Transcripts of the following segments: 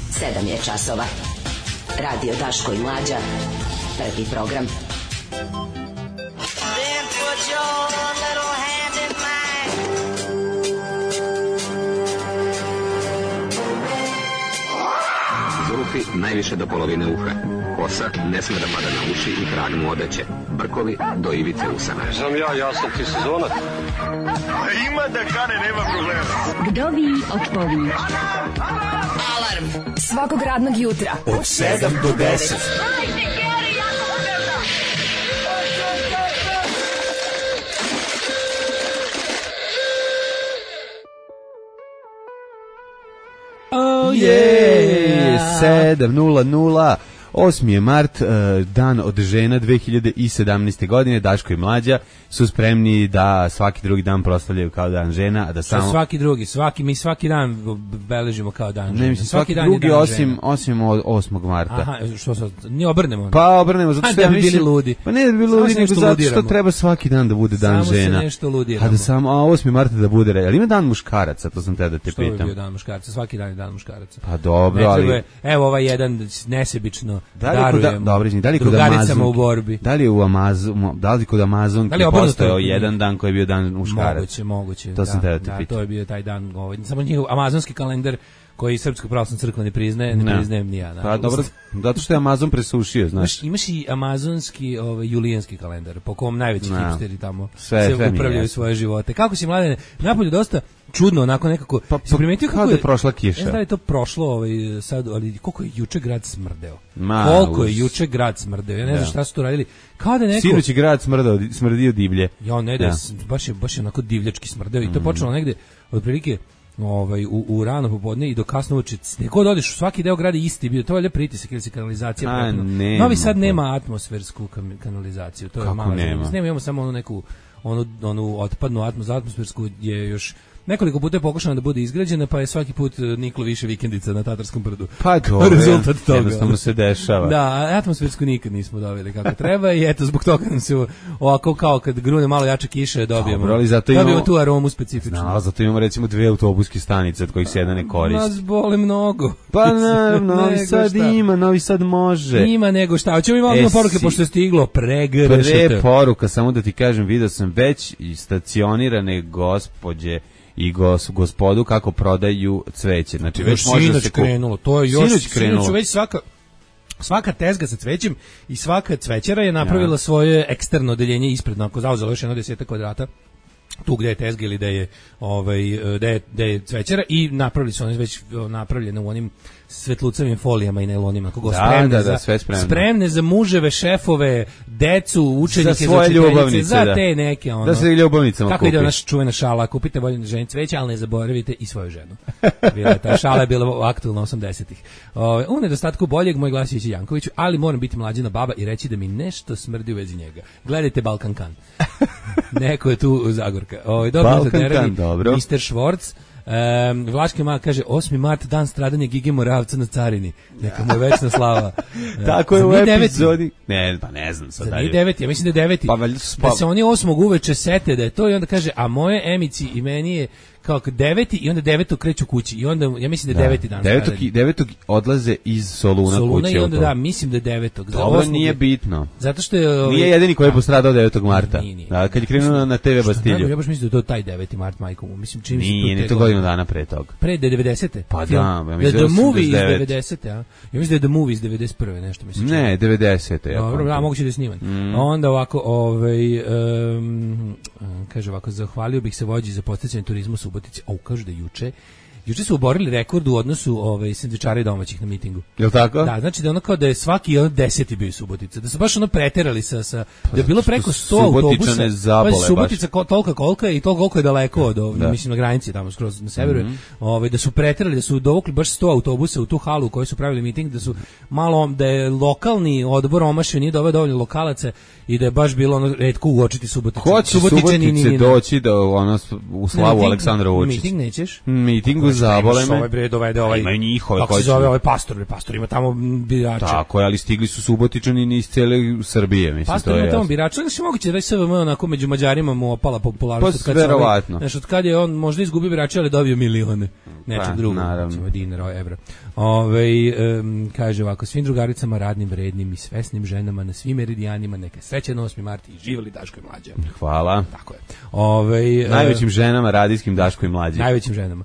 7 je časova. Radio Daško i Mlađa. Prvi program. Then put your little hand in mine. Zulufi najviše do polovine uha. Kosa ne sme da pada na uši i tragnu odeće. Brkovi do ivice usana. Znam ja sam ti sezonac. Ima da kane, nema problema. Vdovi od pović. Alarm Svakog radnog jutra od 7 do 10. Oh yeah, 7:00. 8. je mart, dan od žena 2017. godine. Daško i Mlađa su spremni da svaki drugi dan proslavljaju kao dan žena, a da samo svaki drugi, mi svaki dan beležimo kao dan žena. Ne, mislim, svaki dan drugi osim 8. marta. Aha, što sad, ne obrnemo. Pa obrnemo, zato što da bi bili ludi. Pa ne da bi bili ludi, nego zato što treba svaki dan da bude dan samo žena. Samo se nešto ludiramo. A da samo 8. marta da bude, ali ima dan muškaraca, to sam te da te pitam. Što bi bio dan muškaraca? Svaki dan je dan muškaraca. Pa dobro, ali evo ovaj jedan nesebično darujem drugaricama u borbi. Da li kod Amazonke postojao jedan dan koji je bio dan muškaraca? Moguće. To sam te da te pitam. To je bio taj dan, samo njihov amazonski kalendar koji Srpska pravoslavna crkva ne priznajem ni ja. Pa dobro, zato što je Amazon presušio, znaš. Imaš i amazonski julijanski kalendar, po kom najveći hipsteri tamo se upravljaju svoje živote. Kako si, Mladene, napolju dosta čudno, onako nekako, si primetio kako je prošla kiša? Ne znam da je to prošlo sad, ali koliko je juče grad smrdeo. Koliko je juče grad smrdeo, ja ne znam šta su tu radili. Kao da neko... Sinoć je grad smrdio divlje. Ja, ne, baš je onako divljački smrdeo i to je počelo negde, otprilike, u rano popodne i do kasno uveče. Nekod odeš, svaki deo grada isti bio, to je valjda pritisak ili se kanalizacija. Novi Sad nema atmosfersku kanalizaciju, to je malo. Imamo samo onu neku onu otpadnu atmosfersku je još nekoliko puta je pokušano da bude izgrađena, pa je svaki put niklo više vikendica na Tatarskom brdu. Pa dobro, rezultat toga. Jednostavno se dešava. Da, atmosfersku nikad nismo dobili kako treba i eto, zbog toga nam se ovako kao kad grune malo jače kiše dobijemo tu aromu specifičnu. No, zato imamo recimo 2 autobuske stanice od kojih se jedna ne koristi. Nas boli mnogo. Pa naravno, Novi Sad ima, Novi Sad može. Ima nego šta. Hoćemo imamo poruke pošto je stiglo pre poruka, samo da ti kažem, video sam već i stacionirane gospođe i gospodu kako prodaju cveće. Znači već može da se krenulo. To je još sinoć već svaka tezga sa cvećem i svaka cvećara je napravila svoje eksterno odeljenje ispred, ako zauzelo još 10 kvadrata tu gde je tezga ili gde je cvećara i napravili su one već napravljene u onim svetlucavim folijama i najlonima, kako spremne za muževe, šefove, decu, učenike, za svoje ljubavnice, za te neke da se ljubavnicama kako ide naša čuvena šala, kupite voljenu ženi cveće, ali ne zaboravite i svoju ženu. Ta šala je bila aktualna 80-ih. U nedostatku boljeg, moj glas je Jankoviću, ali moram biti Mlađina baba i reći da mi nešto smrdi u vezi njega. Gledajte Balkan Kan. Neko je tu Zagorka. Balkan, dobro. Mr. Schwartz. Vlaški mag kaže 8. mart, dan stradanja Gige Moravca na carini. Neka mu je večna slava. Tako je u epizodi. Ne znam sad dalje. Nije 9, ja mislim da je 9. Da se oni 8. uveče sete da je to i onda kaže, a moje Emici i meni je kao 9. i onda 9. kreću kući i onda ja mislim da je 9. dan. 9. odlaze iz Soluna kuće. I onda mislim da je 9. Dobro, nije bitno. Zato što je nije jedini koji je postradao 9. marta. Da, kad je krenuo na TV Bastilju. Ja baš mislim da je to taj 9. mart, majko mu. Mislim čim nije to godinu dana pre toga. Pre 90. Pa da, The Movie iz 90. Ja mislim da je The Movie iz 91. nešto mislim. Ne, 90. Dobro, da, moguće da je sniman. Onda ovako, kaže ovako, zahvalio bih se vođi za podsticanje turizma u Subotici. Kažu da juče su oborili rekord u odnosu sendvičara i domaćih na mitingu. Jel tako? Da, znači da ono kao da je svaki 10. bio Subotica. Da su baš ono preterali sa da je bilo preko 100 autobusa. Pa Subotica tolika kolika je i toliko koliko je daleko od mislim na granici tamo skroz na severu. Da su preterali, da su dovukli baš 100 autobusa u tu halu u kojoj su pravili miting, da su malo da je lokalni odbor omašio, nije doveo dovoljno lokalaca i da je baš bilo ono retko uočiti Suboticu. Ko će Subotice doći da ono u slavu Aleksandra Vučića? Miting nećeš? Mitingu mogu zabole me. Ovaj bre dovede ovaj. Imaju njihove kako se zove ovaj pastor ima tamo birače. Tako je, ali stigli su Subotičani iz cele Srbije, mislim. Pastor ima tamo birače, znači moguće da je SVM onako među Mađarima mu opala popularnost kad verovatno. Znači od kad je on možda izgubio birače, ali dobio milione. Nečeg drugog, recimo dinara, evra. Kaže ovako, svim drugaricama radnim, vrednim i svesnim ženama na svim meridijanima, neka srećan 8. mart i živjeli Daško i Mlađa. Hvala. Tako je. Najvećim ženama radijskim Daško i Mlađa. Najvećim ženama.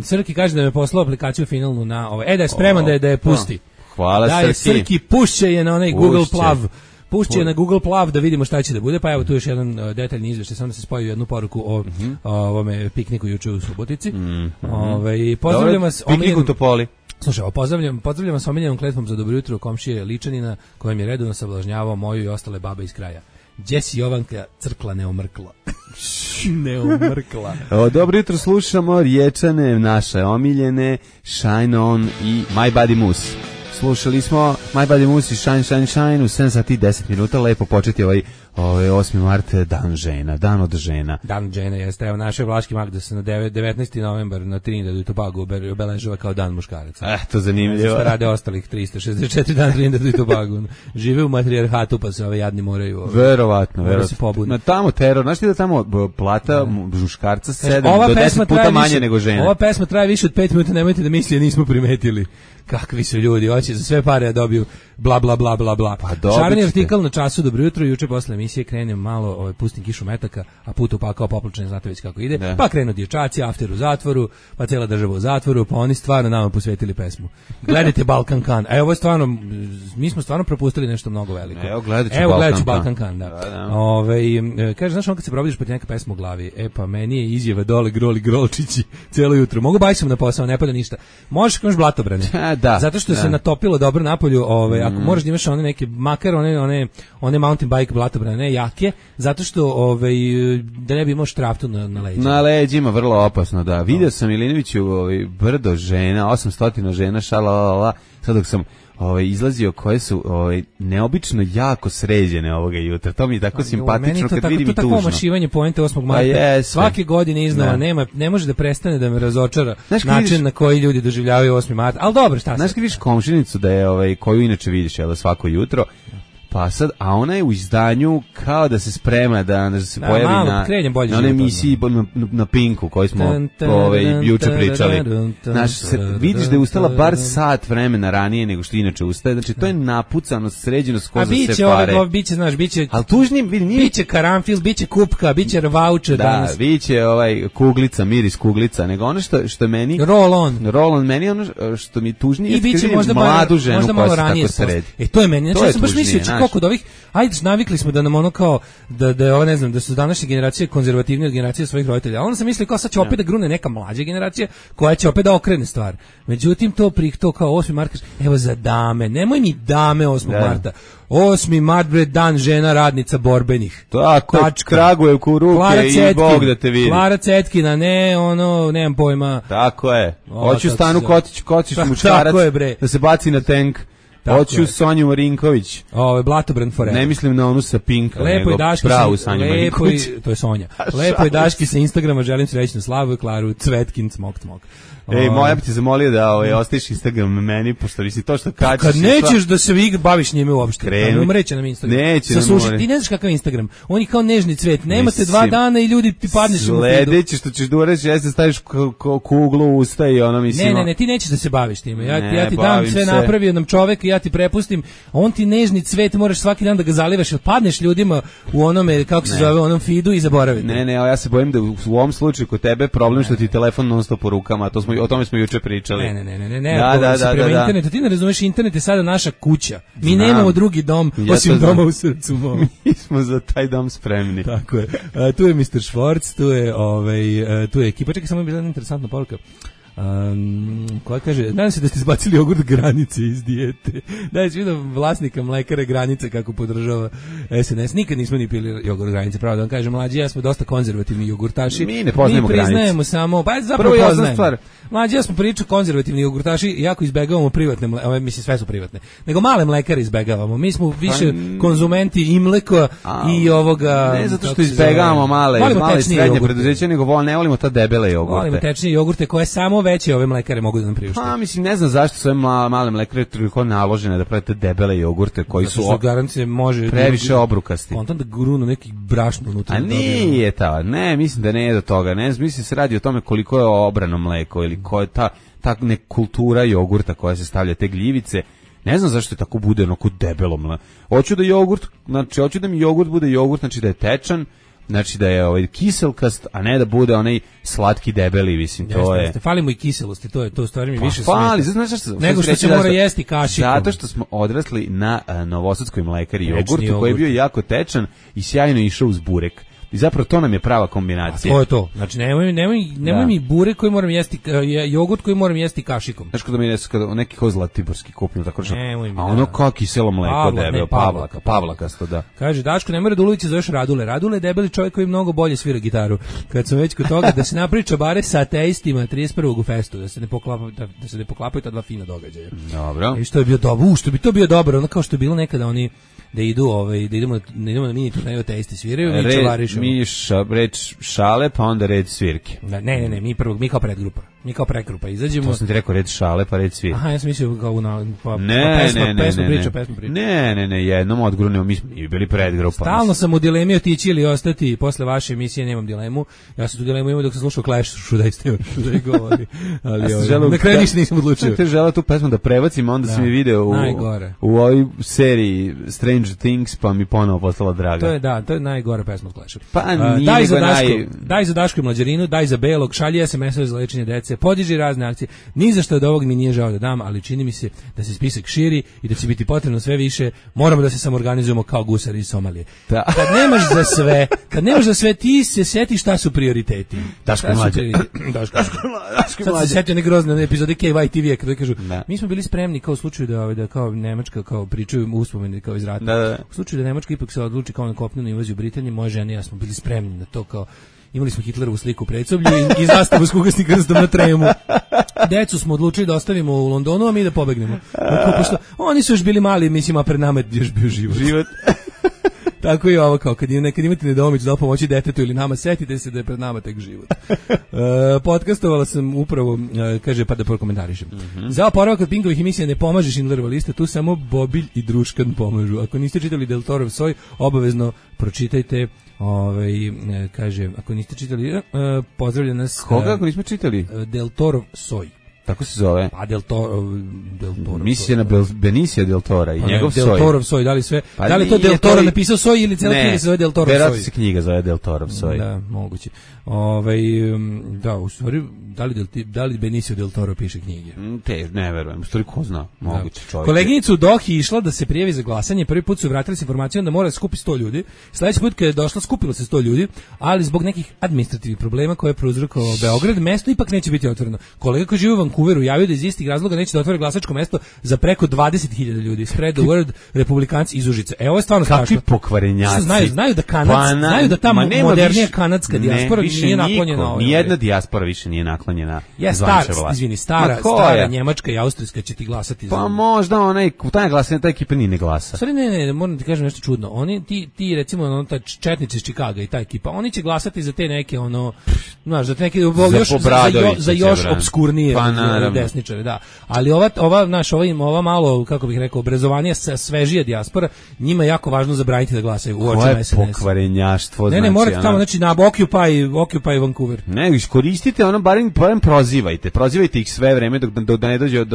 Srki kaže da me poslao aplikaciju finalnu na da je spreman da je pusti. Hvala Srki. Da je Srki, pušće je na onaj Google Plav. Pušće na Google Plav da vidimo šta će da bude, pa evo tu još jedan detaljni izveštaj, samo da se spoji jednu poruku o ovome pikniku juče u Subotici. Pozdravljam vas. Piknik u Topoli. Slušaj, pozdravljam vas omiljenom kletvom za dobro jutro komšije Ličanina, kojem je redovno sablažnjavao moju i ostale babe iz kraja. Đesi Jovanka crkla neomrkla. Neomrkla. Dobro jutro, slušamo Riječane, naše omiljene, Shine On i My Body Moose. Slušali smo My Body Moose i Shine, Shine, Shine u 7 sati 10 minuta. Lepo početi ovaj 8. mart, dan žena, dan od žena. Dan žena jeste. Evo, naše Vlaški mag da se na 19. novembar na Trinidadu i Tobagu obeležava kao dan muškaraca. To zanimljivo. Šta rade ostalih 364 dana Trinidadu i Tobagu. Žive u matrijarhatu pa se ove jadni moraju. Verovatno. Na tamo teror, znaš ti da tamo plata muškarca 7 do 10 puta manje nego žena. Ova pesma traje više od 5 minuta, nemojte da misli, nismo primetili. Kakvi su ljudi, hoće za sve pare da dobiju bla bla bla bla bla. Šareni artikal na Času, dobro jutro, juče posle emisije krenem malo, pustim kišu metaka, a put upakao popločen, znate već kako ide, pa krenu dječaci, after u zatvoru, pa cijela država u zatvoru, pa oni stvarno nama posvetili pesmu. Gledajte Balkan Kan, a ovo je stvarno, mi smo stvarno propustili nešto mnogo veliko. Evo gledat ću Balkan Kan, da. Kaže, znaš on kad se probudiš pa ti neka pesma u glavi, pa meni je izjava dole groli grolčići cijelo jutro, mogu bajsom na posao, ne pada ništa, možeš kroz blatobrane. Da, zato što se natopilo dobro napolju, ako možeš da imaš one neke, makar one mountain bike blatobrane, ne jake, zato što da ne bi imao štraftu na leđima. Na leđima, vrlo opasno, da. Vidio sam Milinoviću brdo žena, 800 žena, šalalala, sad dok sam izlazio koje su neobično jako sređene ovoga jutra. To mi je tako simpatično kad vidim i tužno. To tako mašivanje poente 8. marta. Svake godine iznova ne može da prestane da me razočara način na koji ljudi doživljavaju 8. marta. Ali dobro, šta se? Znaš kad vidiš komšinicu da je koju inače vidiš svako jutro, pa sad, a ona je u izdanju kao da se sprema da se pojavi na onoj emisiji na Pinku koju smo juče pričali. Vidiš da je ustala bar sat vremena ranije nego što inače ustaje. Znači to je napucano, sređeno skoro za sve pare. Biće ali tužnije, biće karanfil, biće kupka, biće voucher danas. Da, biće kuglica, miris kuglica, nego ono što je meni roll on meni, ono što mi tužnije je kad vidim mladu ženu koja se tako sredi. To je meni, znači ja sam baš mislio koliko od ovih, navikli smo da nam ono kao, da ne znam, da su današnje generacije konzervativne od generacije svojih roditelja, a onda sam mislio kao sad će opet da grune neka mlađa generacija koja će opet da okrene stvar. Međutim, to kao 8. marta, evo za dame, nemoj mi dame 8. marta. 8. mart, bre, dan žena radnica borbenih. Tako, Kragujev u ruke i Bog da te vidi. Klara Cetkina, nemam pojma. Tako je. Hoću Stanu Kocić muškarac da se baci na tank. Hoću Sonju Marinković. Blatobran forever. Ne mislim na onu sa Pinka, nego pravu Sonju Marinković. To je Sonja. Lepo je Daški sa Instagrama, želim srećnu slavu i Klaru Cvetkin, smok. Moja bi ti zamolio da ostaviš Instagram meni, pošto vi si to što kačiš. Kad nećeš da se baviš njime uopšte, umreće nam Instagram. Neće nam umreći. Ti ne znaš kakav Instagram, on je kao nežni cvet, nemate 2 dana i ljudi ti padneš u feedu. Sledeće što ćeš da uradiš, jeste staviš kuglu u usta i ono mislim. Ne, ti nećeš da se baviš time, ja ti dam sve napravio nam čovek i ja ti prepustim, a on ti nežni cvet, moraš svaki dan da ga zalivaš, jer padneš ljudima u onome, kako se zove, onom feedu i zaboravite. Ne, ja se bojim da u ovom slučaju kod tebe problem što ti telefon non stop po rukama, o tome smo juče pričali. Ne. Prema internetu, ti ne razumeš, internet je sada naša kuća. Mi nemamo drugi dom, osim doma u srcu mom. Mi smo za taj dom spremni. Tako je. Tu je Mr. Schwartz, tu je ekipa. Čekaj, samo je bila interesantna poruka. koja kaže, nadam se da ste izbacili jogurt Granice iz dijete. Da, si vidio vlasnika mlekare Granice kako podržava SNS. Nikad nismo ni pili jogurt Granice, pravo da vam kažem, mlađi, ja smo dosta konzervativni jogurtaši. Mi ne poznajemo Granice. Mi priznajemo samo, pa zapravo poznajemo. Mlađi, ja smo priču konzervativni jogurtaši, jako izbegavamo privatne mlekare, mislim sve su privatne, nego male mlekare izbegavamo. Mi smo više konzumenti i mleka i ovoga... Ne zato što izbegavamo male srednje preduzeća, nego ne volimo ta debele jogurte. Volimo tečnije jogurte koje samo veće ove mlekare mogu da nam priušte. Pa mislim, ne znam zašto su ove male mlekare toliko naložene da pravite debele jogurte koji su garancije može previše obrukasti. Kontam da grunu neki brašno unutra. A nije ta, ne, mislim da ne je do toga. Ne, mislim se radi o tome koliko je obrano mleko ili ko je ta kultura jogurta koja se stavlja te gljivice. Ne znam zašto je tako bude onako debelo mleko. Hoću da mi jogurt bude jogurt, znači da je tečan, znači da je kiselkast, a ne da bude onaj slatki debeli, mislim, to je. Falimo i kiselosti, to stvari mi više fali, znaš šta? Nego što se mora jesti kašikom. Zato što smo odrasli na novosadskoj mlekari jogurtu koji je bio jako tečan i sjajno išao uz burek. I zapravo to nam je prava kombinacija. A to je to. Znači nemoj mi burek koji moram jesti, jogurt koji moram jesti kašikom. Znaš kada mi neki ko zlatiborski kupim tako što. A ono kao kiselo mleko debelo, Pavlakasto, da. Kaže Daško, ne mora Radulovića zoveš Radule. Radule je debeli čovjek koji mnogo bolje svira gitaru. Kad sam već kod toga da se napravi čabare sa ateistima 31. u festu, da se ne poklapaju ta dva fina događaja. Dobro. I što je bio dobro, što bi to bio dobro, ono kao što je bilo nekada oni da idemo na mini turneju ateisti sviraju, mi čavarišemo. Reč šale, pa onda red svirke. Ne, mi kao predgrupa. Mi kao pregrupa izađemo. To sam ti rekao red šale, pa red svirke. Aha, ja sam mislio kao pesma priča. Ne, jednom odgrunemo, mi smo bili predgrupa. Stalno sam u dilemi otići ili ostati, posle vaše emisije nemam dilemu. Ja sam tu dilemu imao dok sam slušao Clash, što da je govori. Ali na kraju ništa nisam odlučio. Te želeo tu pesmu da prebacim, onda si mi video u ovoj seriji Stranger Things, pa mi ponovo postala draga. To je najgora pesma od Clasha. Pa nije daj za Dašku i Mlađarinu, daj za Belog, šalji SMS-ove za lečenje dece, podiži razne akcije. Ni za što od ovog mi nije žao da dam, ali čini mi se da se spisak širi i da će biti potrebno sve više. Moramo da se samoorganizujemo kao gusari iz Somalije. Da. Kad nemaš za sve, ti se sjetiš šta su prioriteti. Daško Mlađa. Sad se sjetio neke grozne epizode KY TV-a kada kažu, mi smo bili spremni kao u slučaju da kao Nemačka kao pričaju uspomeni kao iz rata. Da. U slučaju da Nemačka ipak se odluči kao na kopnenu invaziju Britanije, moja žena i ja smo bili spremni na to, kao imali smo Hitlerovu sliku u predsoblju i zastavu s kugasnim krstom na tremu. Decu smo odlučili da ostavimo u Londonu, a mi da pobegnemo. Pošto oni su još bili mali, mislim, a pred nama je još bio život. Tako i ovo, kao kad imate nedoumicu da pomoći detetu ili nama, setite se da je pred nama tek život. Podcastovala sam upravo, kaže, pa da prokomentarišem. Za oporavak od Pinkovih emisija ne pomaže Schindlerova lista, tu samo Bobilj i Druškan pomažu. Ako niste čitali Del Torov Soj, obavezno pročitajte. Kaže, ako niste čitali, pozdravlja nas. Koga ako nismo čitali? Del Torov Soj. Tako se zove. Pa Del Toro. Misija na Benicio Del Tora i njegov Soj. Del Torov Soj, da li sve? Da li to Del Toro napisao Soj ili cela knjiga se zove Del Torov Soj? Verovatno se knjiga zove Del Torov Soj. Da, moguće. Da, u stvari, da li Benicio Del Toro piše knjige? Ne verujem, u stvari ko zna, moguće čovjek. Koleginicu Dohi išla da se prijavi za glasanje, prvi put su vratili s informacijom da mora da skupi 100 ljudi. Sledeći put kad je došla, skupilo se 100 ljudi, ali zbog nekih administrativnih problema koje je prouzrokovao Beograd, mesto ipak neće biti otvoreno. Kolega koji živi u Vancouveru javio da iz istih razloga neće da otvore glasačko mesto za preko 20.000 ljudi. Spread the word, republikanci iz Užica. Ovo je stvarno strašno. Kakvi pokvarenjaci. Znaju da ta modernija kanadska dijaspora nije naklonjena. Nijedna dijaspora više nije naklonjena. Stara njemačka i austrijska će ti glasati. Pa možda taj glasanje, ta ekipa nije ne glasa. Sorry, ne, moram ti kažem nešto čudno. Oni ti recimo ta četnici iz Čikaga i ta ekipa, oni će glasati za te neke za te neke za još obskurnije desničare, da. Ali ova malo, kako bih rekao, obrazovanija, svežija dijaspora, njima je jako važno zabraniti da glasaju u očima SNS. Koje pokvarenjaštvo. Ne, morate tamo, znači na Occupy Vancouver. Ne, iskoristite barem prozivajte ih sve vreme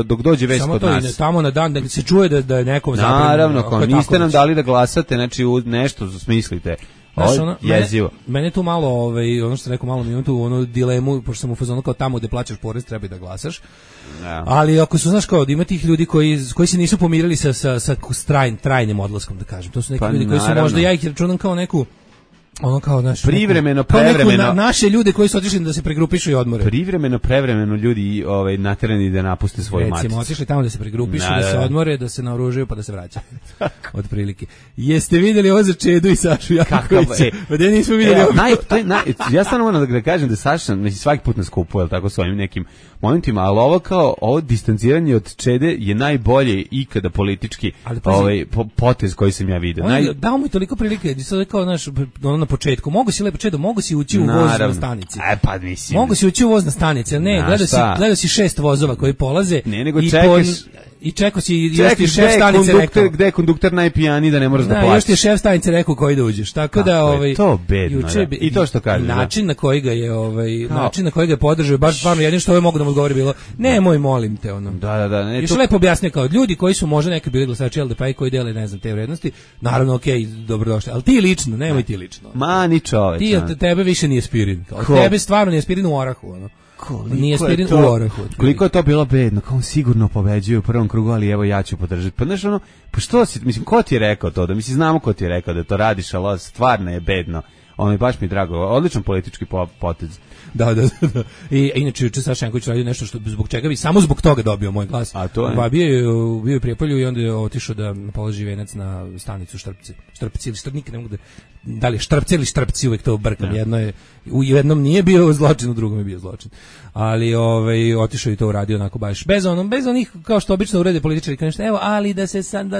dok dođe već kod nas. Samo tamo na dan da se čuje da je nekom zabranjeno. Naravno, ako niste nam dali da glasate, znači nešto smislite. Jezivo. Mene tu malo, ono što sam rekao, malo mi imam tu dilemu, pošto sam u fazonu kao tamo gde plaćaš porez, treba i da glasaš. Ja. Ali ako su, znaš, kao da ima tih ljudi koji se nisu pomirili sa trajnim odlaskom, da kažem. To su neki ljudi koji su možda, ja ih računam kao neku ono kao privremeno, kao prevremeno. Naše ljude koji su otišli da se pregrupišu i odmore. Privremeno, prevremeno ljudi naterani da napuste svoju maticu. Recimo, otišli tamo da se pregrupišu, da se odmore, da se naoružaju pa da se vraćaju. Otprilike. Jeste vidjeli ovo za Čedu i Sašu Jankovića? Pa da nismo vidjeli ovo. Ja stvarno moram da kažem da Saša svaki put nas kupuje, tako s ovim nekim momentima, ali ovo distanciranje od Čede je najbolje ikada politički potez koji sam ja vidio. Dao mu je toliko prilike, da se kao na početku, mogu si lepo Čedo, mogu si ući u voz na stanici. Pa mislim. Mogu si ući u voz na stanici, ali ne, gledao si 6 vozova koji polaze. Ne, nego čekaš. I čekao si, još ti je šef stanice rekao. Gde je kondukter najpijaniji da ne moraš da plaćaš. Još ti je šef stanice rekao koji da uđeš. Tako da to bedno. I to što kaže. Način na koji ga je način na koji ga je podržao, baš stvarno jedino što mogu da mu odgovori bilo: "Nemoj, molim te ono." Da. Još lepo objasnio kao ljudi koji su možda neki bili glasači LDP koji dele, ne znam, te vrednosti. Naravno, okej, dobrodošli, al ti lično, nemoj ti lično. Ma ni čoveče. Ti tebe više nije aspirin. Tebe stvarno nije aspirin u orahu, ono. Nije aspirin u orahu. Koliko je to bilo bedno, kao sigurno pobeđuje u prvom krugu, ali evo ja ću podržati. Pa znaš ono, pa što si, mislim, ko ti je rekao to? Da znamo ko ti je rekao da to radiš, ali stvarno je bedno. Baš mi je drago, odličan politički potez. Da. I inače juče Saša Janković radio nešto što zbog čega bi samo zbog toga dobio moj glas. A to je. Bio je u Prijepolju i onda je otišao da položi venac na stanicu Štrpci ili Štrpnik, ne mogu da li je Štrpci ili Štrpci, uvek to brkam. Jedno je, u jednom nije bio zločin, u drugom je bio zločin. Ali otišao i to uradio onako baš bez onih kao što obično urede političari, kao nešto, evo, ali da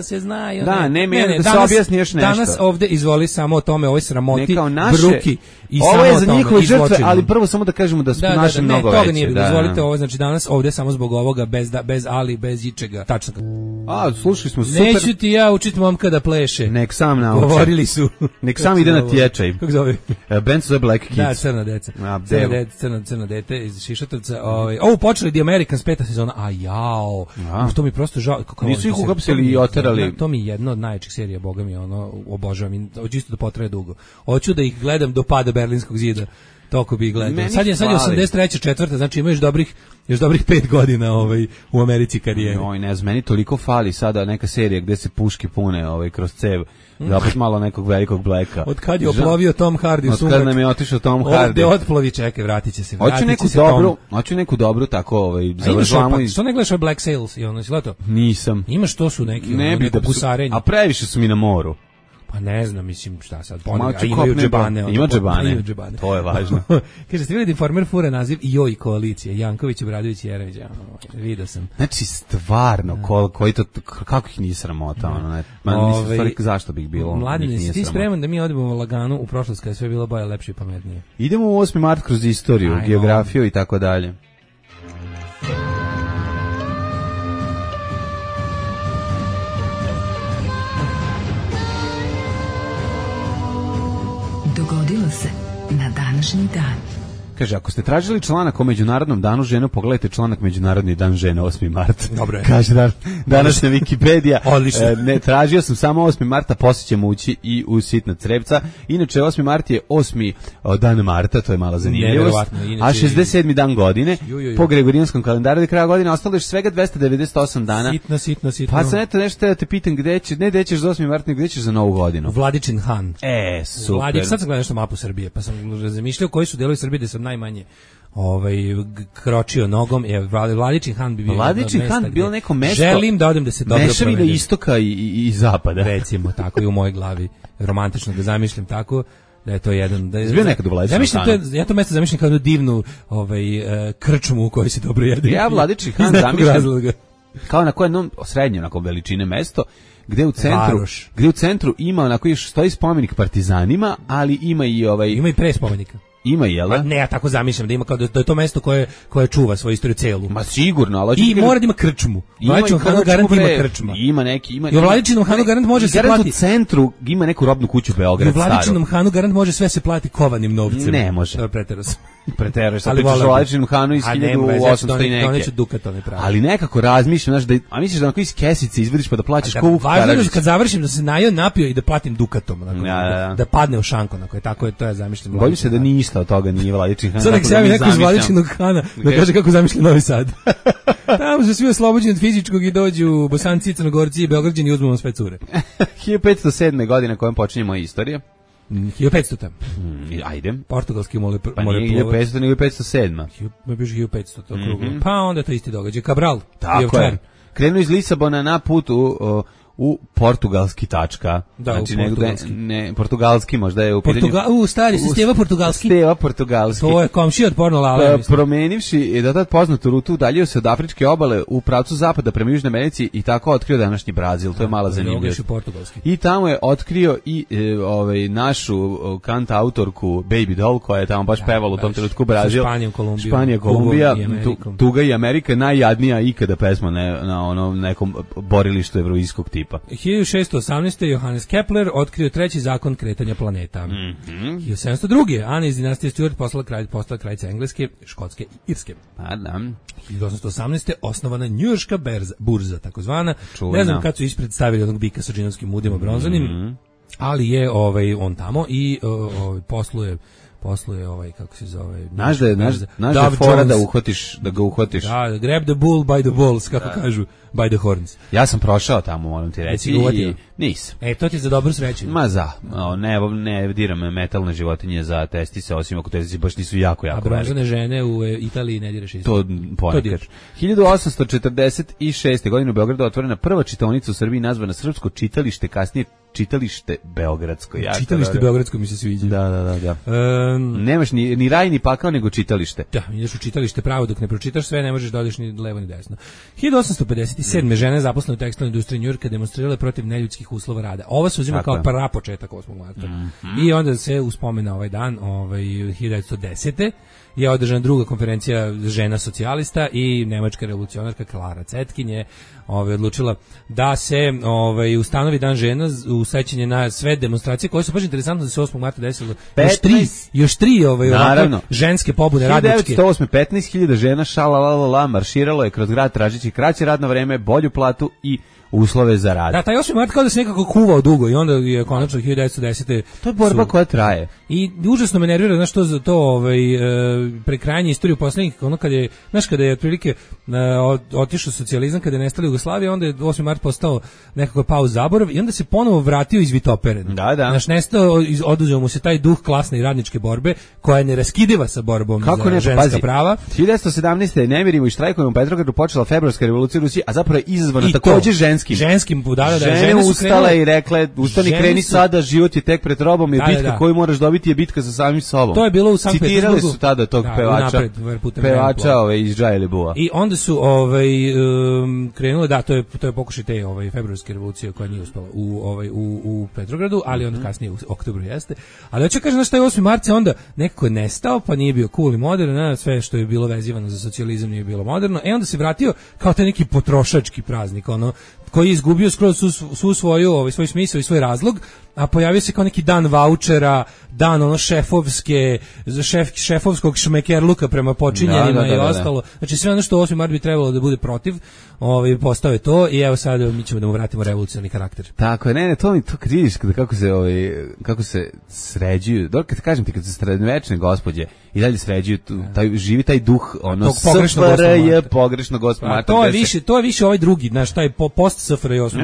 se znaju. Da, ne da se objasni još nešto. Danas ovde izvoli samo o tome, ovoj sramoti, bruki i ovo je za njihove žrtve, ali prvo samo da kažemo da su naše mnogo veće. Toga nije bilo, dozvolite ovo, znači danas ovde samo zbog ovoga, bez ali, bez ičega. Tačno. Slušali smo super. Neću ti ja učiti momka da pleše. Nek sam nauči. Govorili su. Nek sam ide na tječaj. Kako zove? Band zove Black Kids. Da, crna deca. Crna dete iz Šišatovca. Ovo počeli The Americans 5. sezona. To mi prosto žao. Nisu ih uhapsili i oterali. To mi je jedna od najjačih serija, boga mi, obožavam. Hoću isto da potraje dugo. Hoću da ih gledam do pada Berlinskog zida. Toko bi gledao. Sad je 83. četvrta, znači ima još dobrih 5 godina u Americi karijere. Ne znam, meni toliko fali sada neka serija gde se puške pune kroz cev. Da opet malo nekog velikog Blacka. Od kad je oplovio Tom Hardy u sumak. Od kad nam je otišao Tom Hardy. Ovde otplovi, čekaj, vratit će se. Hoću neku dobru tako završavamo. Što ne gledaš Black Sails i ono, to? Nisam. Imaš to su neki neko gusarenje. A previše su mi na moru. Pa ne znam, mislim, šta sad. Imaju džebane. Ima džebane. To je važno. Kaže, ste vidjeli Informer fura naziv Joj koalicije, Janković, Obradović i Jeremić. Vidio sam. Znači, stvarno, kako ih nije sramota? Zašto bih bilo? Mladine, ti spreman da mi odemo lagano u prošlost kada je sve bilo bolje, lepše i pametnije? Idemo u 8. mart kroz istoriju, geografiju i tako dalje. Dogodilo se na današnji dan. Kaže, ako ste tražili članak o Međunarodnom danu žena, pogledajte članak Međunarodni dan žena 8. mart. Dobro je. Kaže današnja Wikipedija. Odlično. Ne, tražio sam samo 8. marta, poslije ćemo ući i u sitna crevca. Inače, 8. mart je 8. dan marta, to je mala zanimljivost. A 67. dan godine, po Gregorijanskom kalendaru do kraja godine, ostalo je svega 298 dana. Sitno. Pa sam eto nešto da te pitam, gde ćeš za 8. mart, nego gde ćeš za Novu godinu? Vladičin Han. Super. Sad sam gledao nešto mapu Srbije, pa sam razmišljao koji su delovi Srbije da sam najmanje kročio nogom. Vladičin Han bi bio Vladičin Han bilo neko mesto. Želim da odem da se dobro provedem. Mešavina istoka i zapada. Recimo, tako i u mojoj glavi. Romantično ga zamišljam tako. Da je to jedan da je bio nekad u Vladičinom Hanu. Ja to mesto zamišljam kao divnu krčmu u kojoj se dobro jede. Ja Vladičin Han zamišljam kao na kojem srednje onako veličine mesto gde u centru ima onako stoji spomenik partizanima, ali ima i ima i pre spomenika. Ima, jel da? Ne, ja tako zamišljam da ima kao da je to mesto koje čuva svoju istoriju celu. Ma sigurno, ali i mora da ima krčmu. Vladičinom Hanu garant ima krčma. Ima neki, I u Vladičinom Hanu garant može se plati. U centru ima neku robnu kuću Beograd staru. U Vladičinom Hanu garant može sve se plati kovanim novcem. Ne može. To je preteraš. Preteraš, sad pričaš o Vladičinom Hanu iz 1800 i neke. Doneću dukat, on je pravi. Ali nekako razmišljam, znaš, a misliš da onako iz kesice izvadiš pa da plaćaš kovu Karadžić. Važno je kad završim da se napio i da platim dukatom. Da padne u šanko, tako je, to ja zamišljam. Bojim se da ništa od toga nije Vladičin Han. Sad nek se javi neko iz Vladičinog Hana da kaže kako zamišlja Novi Sad. Tamo su svi oslobođeni od fizičkog i dođu Bosanci, Crnogorci i Beograđani i uzmemo sve cure. 1507. godine kojom počinje moja istorija. 1500. Ajde. Portugalski moreplovac. Pa nije 1500, nego 507. Biš 1500, to kruglo. Pa onda to isti događaj. Cabral. Tako je. Krenuo iz Lisabona na put u portugalski tačka. Da, znači, u portugalski. Portugalski možda je u pitanju. Stari se Steva portugalski. Steva portugalski. To je komšija od porno Lale. Promenivši da tad poznatu rutu, udaljio se od afričke obale u pravcu zapada prema Južnoj Americi i tako otkrio današnji Brazil. To je mala zanimljivost. I tamo je otkrio i našu kant autorku Baby Doll, koja je tamo baš pevala u tom trenutku Brazil. Španija, Kolumbija, Tuga i Amerika, najjadnija ikada pesma na onom nekom borilištu evroizskog tipa. 1618. Johannes Kepler otkrio treći zakon kretanja planeta. 1702. Ana iz dinastije Stuart postala kraljica Engleske, Škotske i Irske. 1818. osnovana njujorška burza, takozvana. Ne znam kad su ispred stavili onog bika sa džinovskim udima bronzanim, ali je on tamo i posluje kako se zove. Znaš da je fora da ga uhvatiš. Da, grab the bull by the balls, kako kažu, by the horns. Ja sam prošao tamo, moram ti reći. I nisam. To ti je za dobru sreću. Ne diram metalne životinje za testise, osim ako testise baš nisu jako velike. A bronzane žene u Italiji ne diraš isto. To ponekad. 1846. godine u Beogradu otvorena prva čitaonica u Srbiji nazvana Srpsko čitalište, kasnije Čitalište Beogradsko. Čitalište Beogradsko mi se sviđa. Da. Nemaš ni raj ni pakao, nego čitalište. Da, ideš u čitalište pravo, dok ne pročitaš sve, ne možeš da odeš ni levo ni desno. 1857. žene zaposlene u tekstilnoj industriji Njujorka demonstrirale protiv neljudskih uslova rada. Ovo se uzima kao prapočetak 8. marta. I onda se uspomena ovaj dan, 1910. je održana druga konferencija žena socijalista i nemačka revolucionarka Klara Zetkin je odlučila da se ustanovi dan žena u sećanje na sve demonstracije koje su baš interesantno da se 8. marta desilo. Još tri ženske pobune radničke. 1908. 15.000 žena šalalala marširalo je kroz grad tražeći kraće radno vreme, bolju platu i uslove za rad. Da, taj 8. mart kao da se nekako kuvao dugo i onda je konačno 1910. To je borba koja traje. I užasno me nervira, znaš, to za to prekrajanje istoriju poslednjih, kada je otprilike otišao socijalizam, kada je nestala Jugoslavija, onda je 8. mart postao nekako pao zaborav i onda se ponovo vratio izvitoperen. Da. Znaš, nestao, oduzeo mu se taj duh klasne i radničke borbe, koja je neraskidiva sa borbom za ženska prava. 1917. nemirima i štrajkovima u Petrogradu počela februarska revolucija u Rusiji, a zapravo je izazvana takođe ženskim žene ustale i rekle, ustani, kreni sada, život je tek pred robom, je bitka koju moraš dobiti je bitka sa samim sobom. To je bilo u Sankt Petersburgu. Citirali su tada tog pevača iz Džajeli Bua. I onda su krenule, to je pokušaj te februarske revolucije koja nije uspela u Petrogradu, ali onda kasnije u oktobru jeste. Ali hoću kažem, šta je 8. marta onda nekako nestao, pa nije bio cool i modern, sve što je bilo vezivano za socijalizam nije bilo moderno. Onda se vratio kao taj neki potrošački praznik, koji je izgubio skroz svu svoju svoj smisao i svoj razlog, a pojavio se kao neki dan vaučera, dan šefovskog šmekerluka prema počinjenima i ostalo. Znači sve ono što 8. mart bi trebalo da bude protiv, postao je to i evo sad mi ćemo da mu vratimo revolucionarni karakter. Tako je, to kad vidiš kako se sređuju, kad kažem ti, kad se srednjevečne gospođe i dalje sređuju, živi taj duh, SFRJ pogrešno Gospod Marta. To je više ovaj drugi, znaš, taj post SFRJ 8.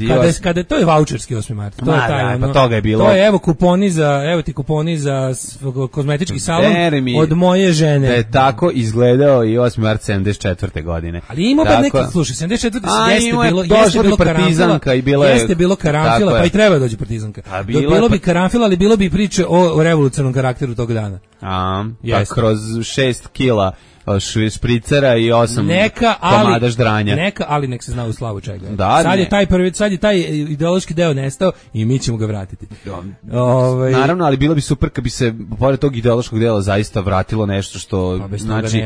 marta. Kada to je vaučerski 8. marta. To je taj, pa toga je bilo. To je evo ti kuponi za kozmetički salon od moje žene. Da je tako izgledao i 8. mart 74. godine. Ali ima bar neki, slušaj, 74. jeste bilo partizanka i bilo jeste bilo karanfila, pa i treba da dođe partizanka. Bilo bi karanfila, ali bilo bi priče o revolucionarnom karakteru tog dana. Pa kroz 6 kila špricera i 8 komada ždranja. Ali nek se zna u slavu čega. Sad je taj ideološki deo nestao i mi ćemo ga vratiti. Naravno, ali bilo bi super kad bi se pored tog ideološkog dela zaista vratilo nešto što znači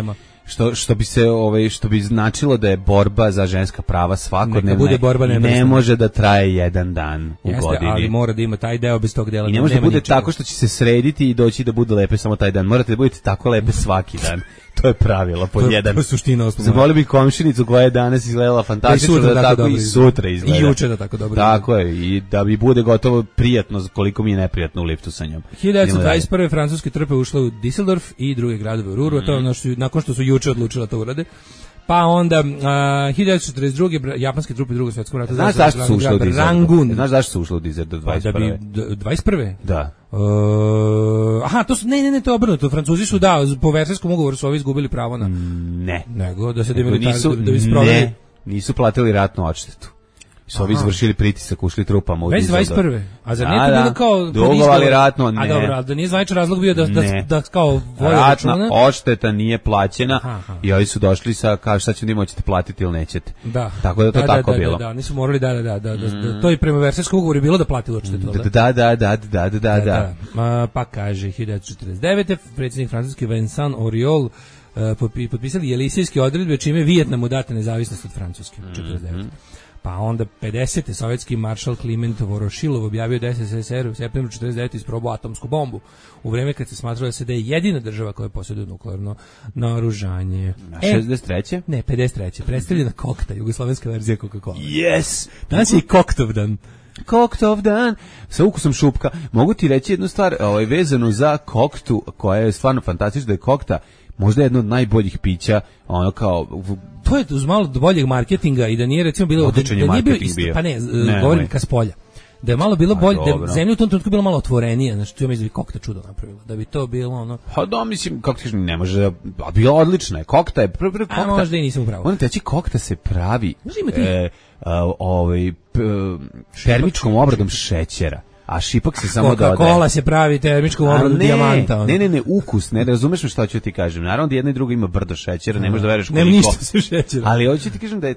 što bi značilo da je borba za ženska prava svakodnevna, ne može da traje jedan dan u godini. Ali mora da ima taj deo, bez tog dela i ne može da bude tako što će se srediti i doći da bude lepe samo taj dan. Morate da budete tako lepe svaki dan. To je pravilo, pod jedan. To je suština 8. Zamolio bih komšinicu koja je danas izgledala fantastično, da tako i sutra izgleda. I juče da tako dobro. Tako je, i da bi bude gotovo prijatno koliko mi je neprijatno u liftu sa njom. 1921. francuske trupe ušle u Düsseldorf i druge gradove u Ruru, to je nakon što su juče odlučila to urade. Pa onda 1942. japanske trupe Drugog svjetskog rata. Znaš zašto su ušle u Dizerdu? Rangun. Znaš zašto su ušle u Dizerdu 21. Da bi 21. Da. Aha, to su ne, to je obrnuto. Francuzi su po Versailleskom ugovoru su ovi izgubili pravo na nego da se nisu platili ratnu odštetu. Su ovi izvršili pritisak, ušli trupama u Dizerdu. 21. A zar nije to bilo kao dugovali ratno? Ne. A dobro, da nije zvaničan razlog bio da kao ratna odšteta nije plaćena i ovi su došli sa kao šta ćemo da hoćete platiti ili nećete. Da. Tako da to tako bilo. Da, nisu morali da to je prema Versailleskom ugovoru bilo da plati odštetu. Da. Pa kaže 1949. predsjednik francuski Vincent Auriol potpisali Elysejske odredbe čime Vijetnamu date nezavisnost od Francuske 49. Pa onda 50. sovjetski maršal Kliment Vorošilov objavio da SSSR u septembru 49. isprobao atomsku bombu u vreme kad se smatralo da je jedina država koja posjeduje nuklearno naoružanje. 63. Ne, 53. Predstavljena kokta, jugoslovenska verzija Coca-Cola. Yes! Danas je i Koktovdan. Koktovdan sa ukusom šupka. Mogu ti reći jednu stvar vezanu za koktu koja je stvarno fantastična, da je kokta možda jedno od najboljih pića, ono kao to je uz malo boljeg marketinga i da nije recimo bilo da nije bio pa ne govorim ka spolja. Da je malo bilo bolje, da zemlja u tom trenutku bila malo otvorenija, znači to je mislim kokta čudo napravila. Da bi to bilo ono. Pa da mislim kako ti ne može, a bila odlična je. Kokta je prvi kokta. A možda i nisam upravo. Ona teći kokta se pravi termičkom obradom šećera. A šipak se samo dodaje. Coca-Cola se pravi termičkom obradom dijamanta. Ne, ukus, ne razumeš me šta ću ti kažem. Naravno da jedna i druga ima brdo šećera, ne možeš da veruješ koliko. Nema ništa sa šećerom. Ali hoću ti kažem da je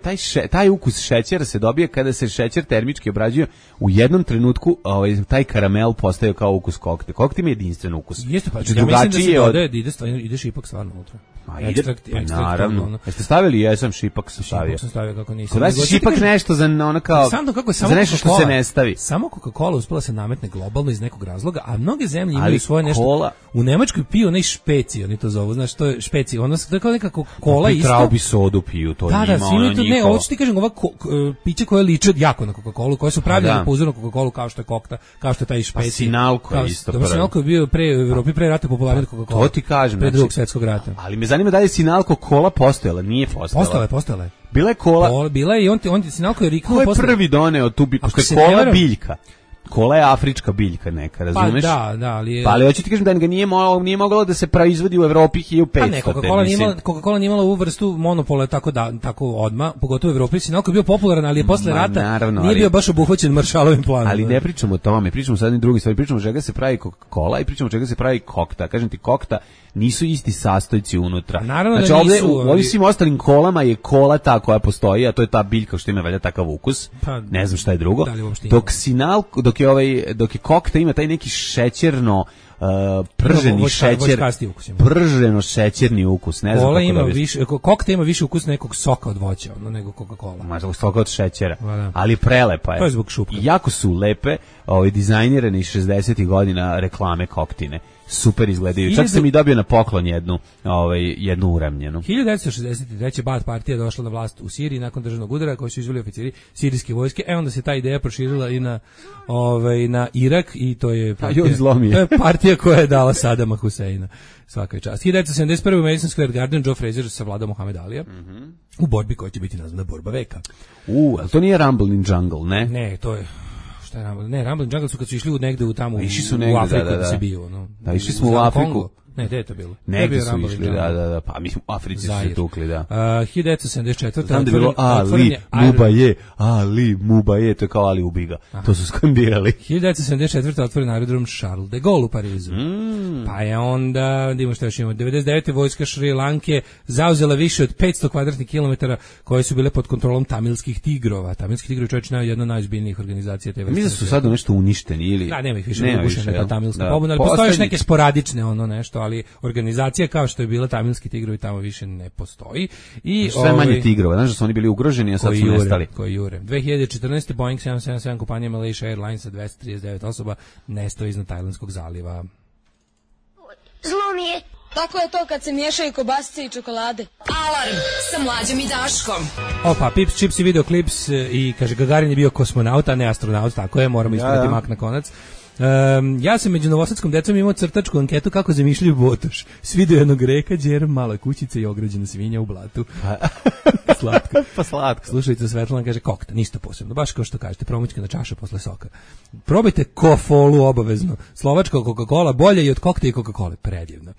taj ukus šećera se dobije kada se šećer termički obrađuje. U jednom trenutku taj karamel postaje kao ukus kokte. Kokte ima jedinstven ukus. Jeste, pa ja mislim da se dodaje, ide šipak stvarno unutra. Naravno. Jeste stavili? Jesam, šipak sam stavio. Šipak sam stavio kako nisam. Kod vas šipak nešto za ono kao za nešto što se ne stavi. Samo Coca-Cola uspela se nametne globalno iz nekog razloga, a mnoge zemlje imaju svoje nešto. U Nemačkoj piju onaj špeci, oni to zovu, znaš, to je špeci. Ono je kao neka kola isto. Traubi sodu piju, to njima, ono njihovo. Ne, ovo ću ti kažem, ova pića koja liče jako na Coca-Colu, koje su pravljene po uzoru na Coca-Colu, kao što je kokta, kao što je taj špeci. Pa Sinalko je isto prvi. Sinalko je bio u Evropi pre rata popularniji od Coca-Cola. To ti kažem. Pre Drugog svjetskog rata. Ali me zanima da je Sinalko kola postojala, nije postojala. Postojala je. Bila je kola. Bila je i on Sinalko je riknuo posle. Ko je prvi doneo tu biljku? Kola biljka. Kola je afrička biljka neka, razumeš? Pa da, ali pa ali hoću ti kažem da ga nije moglo da se proizvodi u Evropi 1500. Pa ne, Coca-Cola nije imala ovu vrstu monopola tako odmah, pogotovo u Evropi. Sinalko je bio popularan, ali je posle rata nije bio baš obuhvaćen Maršalovim planom. Ali ne pričamo o tome, pričamo sad o drugim stvari, pričamo čega se pravi Coca-Cola i pričamo čega se pravi kokta. Kažem ti, kokta nisu isti sastojci unutra. Naravno znači, da nisu. U ovim svim ostalim kolama je kola ta koja postoji, a to je ta biljka što ima valjda takav ukus. Pa, ne znam šta je drugo. Dok je kokta ima taj neki šećerno prženi šećer, prženo šećerni ukus, ne znam kako da više, kokta ima više ukus nekog soka od voća, nego Coca-Cola. Možda soka od šećera, ali prelepa je. To je zbog šupka. Jako su lepe, dizajnirane iz 60-ih godina reklame koktine. Super izgledaju. Čak sam i dobio na poklon jednu uramljenu. 1963. Baath partija došla na vlast u Siriji nakon državnog udara koji su izveli oficiri sirijske vojske. Onda se ta ideja proširila i na Irak i to je partija koja je dala Sadama Huseina. Svaka čast. 1971. u Madison Square Garden Joe Frazier savladao Muhammed Alija u borbi koja će biti nazvana borba veka. Ali to nije Rumble in Jungle, ne? Ne, to je Rumble in Jungle su kad su išli negde u Afriku da se bio. Da, išli smo u Afriku. Ne, gde je to bilo? Negde su išli, da. Pa mislim, u Africi su se tukli, da. 1974. Znam da je bilo Ali Mubaje, to je kao Ali ubiga. To su skandirali. 1974. otvoren aerodrom Charles de Gaulle u Parizu. Pa je onda, da imamo što još imamo, 99. vojska Šri Lanke zauzela više od 500 kvadratnih kilometara koje su bile pod kontrolom tamilskih tigrova. Tamilski tigrovi čovječ je jedna od najozbiljnijih organizacija te vrste. Mi da su sad nešto uništeni ili... Da, nema ih više, ugušena ta tamilska pobuna, ali postoje još neke sporadične nešto, ali organizacija kao što je bila tamilski tigrovi tamo više ne postoji. I sve manje tigrova, znaš da su oni bili ugroženi, a sad su nestali. Koji jure. 2014. Boeing 777 kompanija Malaysia Airlines sa 239 osoba nestao iznad Tajlandskog zaliva. Zlo mi je. Tako je to kad se miješaju kobasice i čokolade. Alarm sa Mlađom i Daškom. Opa, Pips, Chips i videoklips i kaže Gagarin je bio kosmonaut, a ne astronaut, tako je, moramo ispraviti mak na konac. Ja sam među novosadskom decom imao crtačku anketu kako zamišljaju Botoš. Svi do jednog reka, đer, mala kućica i ograđena svinja u blatu. Slatko. Pa slatko. Slušajte, Svetlana kaže kokta, ništa posebno. Baš kao što kažete, promućkana čaša posle soka. Probajte kofolu obavezno. Slovačka Coca-Cola bolje i od kokta i Coca-Cola. Predivno.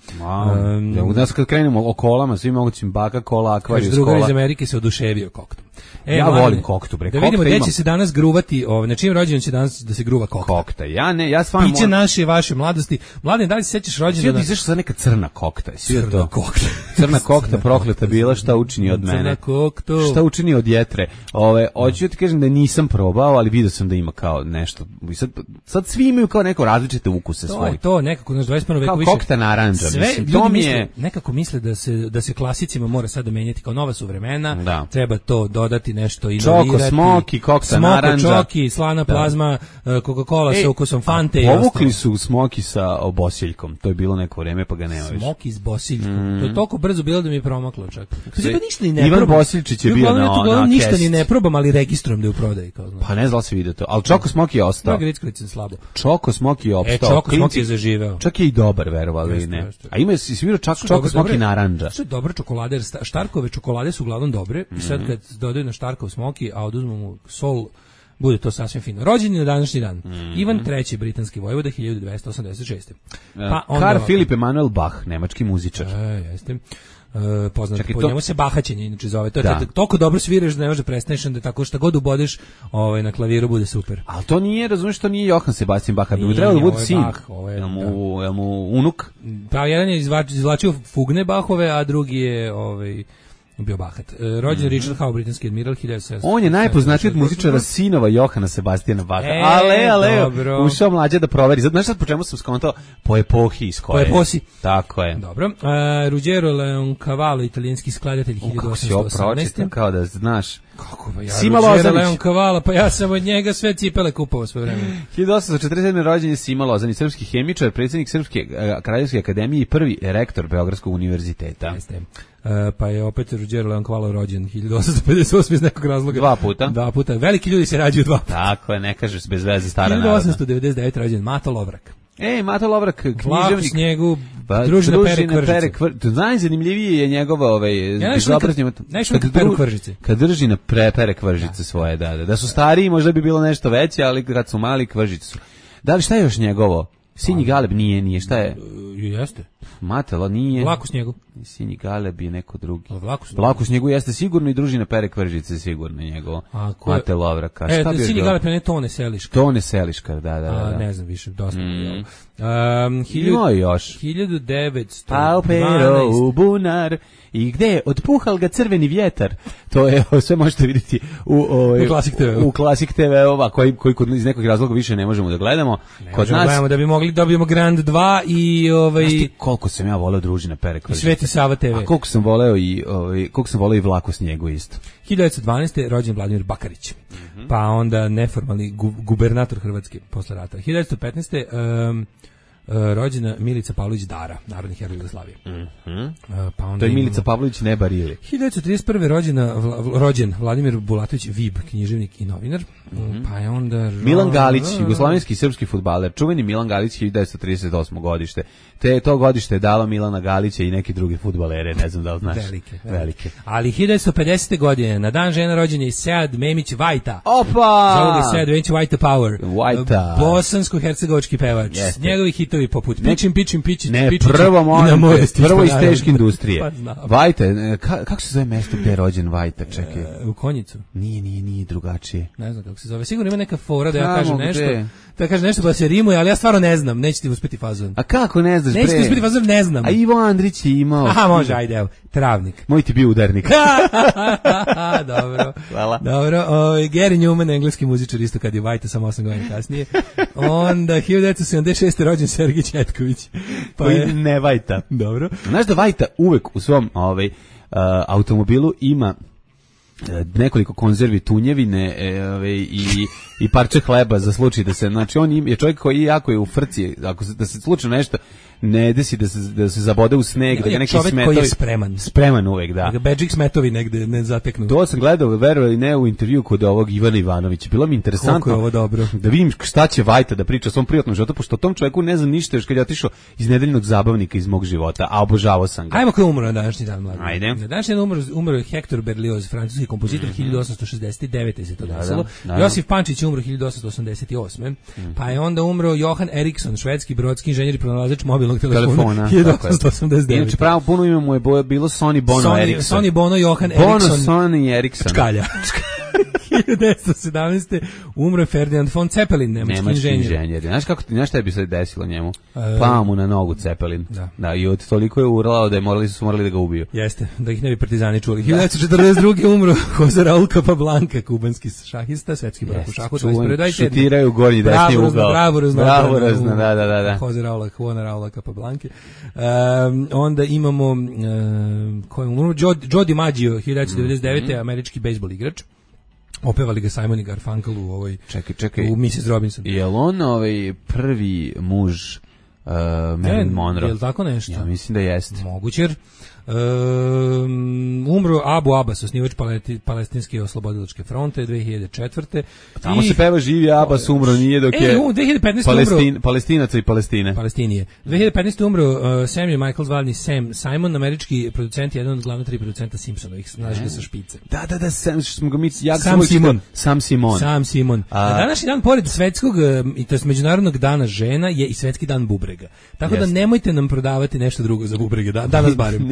U nas kad krenemo o kolama, svi mogućim baka, kola, akvarijus, kola. Drugar iz Amerike se oduševio koktom. Ja volim koktu, bre. Da vidimo gde će se danas gruvati, na čim rođendan će danas da se gruva kokta. Kokta. Ja stvarno piće naše i vaše mladosti. Mladen, da li se sećaš rođendana? Svi izašla sad neka crna kokta. Crna kokta. Crna kokta prokleta bila, šta učini od mene. Crna kokta. Šta učini od jetre. Hoću ti kažem da nisam probao, ali vidio sam da ima kao nešto. Sad svi imaju kao neko različite ukuse svoje. To nekako naš 21. veku kao više. Kao kokta narandža, mislim. To mi je nekako misle da se klasicima mora sada menjati kao nova su vremena. Treba to dodati nešto inovirati. Čoko, smoki, kokta narandža. Čoki, slana plazma, Coca-Cola sa ukusom Fante i povukli su smoki sa bosiljkom. To je bilo neko vreme, pa ga nema više. Smoki s bosiljkom. To je toliko brzo bilo da mi je promaklo čak. To ništa ni ne Ivan Bosiljčić je bio na ništa ni ne probam, ali registrujem da je u prodaji. Pa ne znam da se vidi to. Ali Čoko smoki je ostao. Slabo. Čoko smoki je opstao. Čoko smoki je zaživeo. Čak je i dobar, verovali ne. A ima si svirao Čoko smoki narandža. Što je dobra čokolada, jer Štarkove čokolade su uglavnom dobre. I sad kad dodaju na Štarkov smoki, a oduzmu mu sol, bude to sasvim fino. Rođen je na današnji dan. Ivan III, britanski vojvoda, 1286. Pa Karl Philipp Emanuel Bach, nemački muzičar. Jeste. Poznat po njemu se bahaćenje inače zove. To je toliko dobro sviraš da ne može prestaneš, da tako šta god ubodeš na klaviru bude super. Ali to nije, razumiješ, to nije Johann Sebastian Bach, bi trebalo da bude sin. Jel mu unuk? Pa jedan je izvlačio fugne Bachove, a drugi je bio bahat. Rođen Richard Howe, britanski admiral, 1700. On je najpoznatiji od muzičara sinova Johana Sebastijana Baha. Ale, ušao mlađe da proveri. Znaš sad po čemu sam skontao? Po epohi iz koje. Po eposi. Tako je. Dobro. Ruggero Leoncavallo, italijanski skladatelj, 1818. Kako si ovo pročitam, kao da znaš. Kako ba ja? Ruggero Leoncavallo, pa ja sam od njega sve cipele kupovao svoje vreme. 1847. rođen je Sima Lozanić, srpski hemičar, predsjednik Srpske kraljevske akademije i prvi rektor Beogradskog univerziteta. Jeste. Pa je opet Ruggero Leoncavallo rođen 1858 iz nekog razloga. Dva puta. Veliki ljudi se rađaju dva puta. Tako je, ne kažeš bez veze stara narodna. 1899 rođen Mato Lovrak. Mato Lovrak, književnik. Vlak u snijegu, družina Pere Kvržice. Najzanimljiviji je njegova kad drži na Pere Kvržice svoje, da su stariji možda bi bilo nešto veće, ali kad su mali Kvržice su. Da li šta je još njegovo? Sinji Galeb nije, šta je? Jeste. Matelo nije. Vlak u snijegu. Sinji Galeb je neko drugi. Vlak u snijegu jeste sigurno i družina Pere Kvržice sigurno njegovo. Mate Lovraka. Šta bi Sinji Galeb je ne Tone Seliška. Tone Seliška, da. Ne znam više, dosta. Ima još. 1912. Paupero u bunar. I gde otpuhal ga crveni vjetar. To je, sve možete vidjeti u Klasik TV, koji iz nekog razloga više ne možemo da gledamo. Kod nas gledamo da bi mogli dobijemo Grand 2 i Znaš ti koliko sam ja voleo družina Pere Kvržice. I Sveti Sava TV. A koliko sam voleo i Vlak u snijegu isto. 1912. rođen Vladimir Bakarić. Pa onda neformalni gubernator Hrvatske posle rata. 1915. Rođena Milica Pavlović Dara, narodni heroj Jugoslavije. Pa onda to je Milica Pavlović Neba Rili. 1931. rođen Vladimir Bulatović Vib, književnik i novinar. Pa je onda Milan Galić, jugoslavenski i srpski fudbaler, čuveni Milan Galić, 1938. godište. To godište je dalo Milana Galića i neki drugi fudbalere, ne znam da li znaš. Velike. Ali 1950. godine, na dan žena rođen je Sead Memić Vajta. Opa! Zovu ga Sead Memić Vajta Power. Vajta. Bosansko-hercegovački pevač. Njegovi hitovi poput Pičim, prvo iz teške industrije. Vajta, kako se zove mesto gde je rođen Vajta? Čekaj. U Konjicu. Nije drugačije. Ne znam kako se zove. Sigurno ima neka fora da ja kažem nešto. Da kažem nešto pa se rimuje, ali ja stvarno ne znam. Neće ti uspeti fazon. A kako ne znaš? Neće ti uspeti fazon, ne znam. A Ivo Andrić je imao. Aha, može, ajde, evo. Travnik. Moj ti bio udarnik. Dobro. Hvala. Dobro. Gary Newman, engleski muzičar, isto kad je Vajta, samo 8 godina kasnije. Onda 1976. rođen Sergij Četković. Koji ne Vajta. Dobro. Znaš da Vajta uvek u svom automobilu ima nekoliko konzervi tunjevine i parče hleba za slučaj da se, znači on je čovjek koji jako je u frci, da se slučajno nešto ne desi da se zabode u sneg, da ga neki smetovi. Čovjek koji je spreman uvek, da. Da ga bedžik smetovi negde ne zateknu. To sam gledao, verovali ne, u intervju kod ovog Ivana Ivanovića. Bilo mi interesantno. Koliko je ovo dobro. Da vidim šta će Vajta da priča o svom privatnom životu, pošto o tom čovjeku ne znam ništa još kad je otišao iz nedeljnog zabavnika iz mog života, a obožavao sam ga. Ajmo ko je umro na današnji dan, mladi. Ajde. Na današnji dan umro je Hector Berlioz, francuski kompozitor, 1869. se to desilo. Josif Pančić umro 1888. Pa je onda umro Johan Eriksson, švedski brodski inženjer i pronalazač mobilnog telefona. 1889. Inače pravo puno ime mu je bilo Sonny Bono Eriksson. Sonny Bono Johan Eriksson. Sonny Eriksson. Čkalja. 1917. umro je Ferdinand von Zeppelin, nemački inženjer. Znaš šta bi se desilo njemu? Pao mu na nogu Zeppelin. Da, i od toliko je urlao da su morali da ga ubiju. Jeste, da ih ne bi partizani čuli. 1942. umro Jose Raul Capablanca, kubanski šahista, svetski prvak u šahu. Šutiraju gornji desni ugao. Bravo razno, da. Jose Raula Capablanca. Onda imamo Joe DiMaggio, 1999. američki bejsbol igrač. Opevali ga Simon i Garfunkel u ovoj čekaj. U Mrs. Robinson. Je li on prvi muž Marilyn Monroe? Je li tako nešto? Ja mislim da jeste. Moguće. Umro Abu Abbas, osnivač Palestinske oslobodilačke fronte 2004. Tamo se peva živi Abbas, umro nije dok je 2015 Palestinaca i Palestine. Palestinije. 2015. umro Samuel Michael zvani Sam Simon, američki producent, jedan od glavna 3 producenta Simpsonovih, znaš ga sa špice. Da, Sam Simon. Na današnji dan, pored svetskog, i to je međunarodnog dana žena, je i svetski dan bubrega. Tako da nemojte nam prodavati nešto drugo za bubrege, danas barem.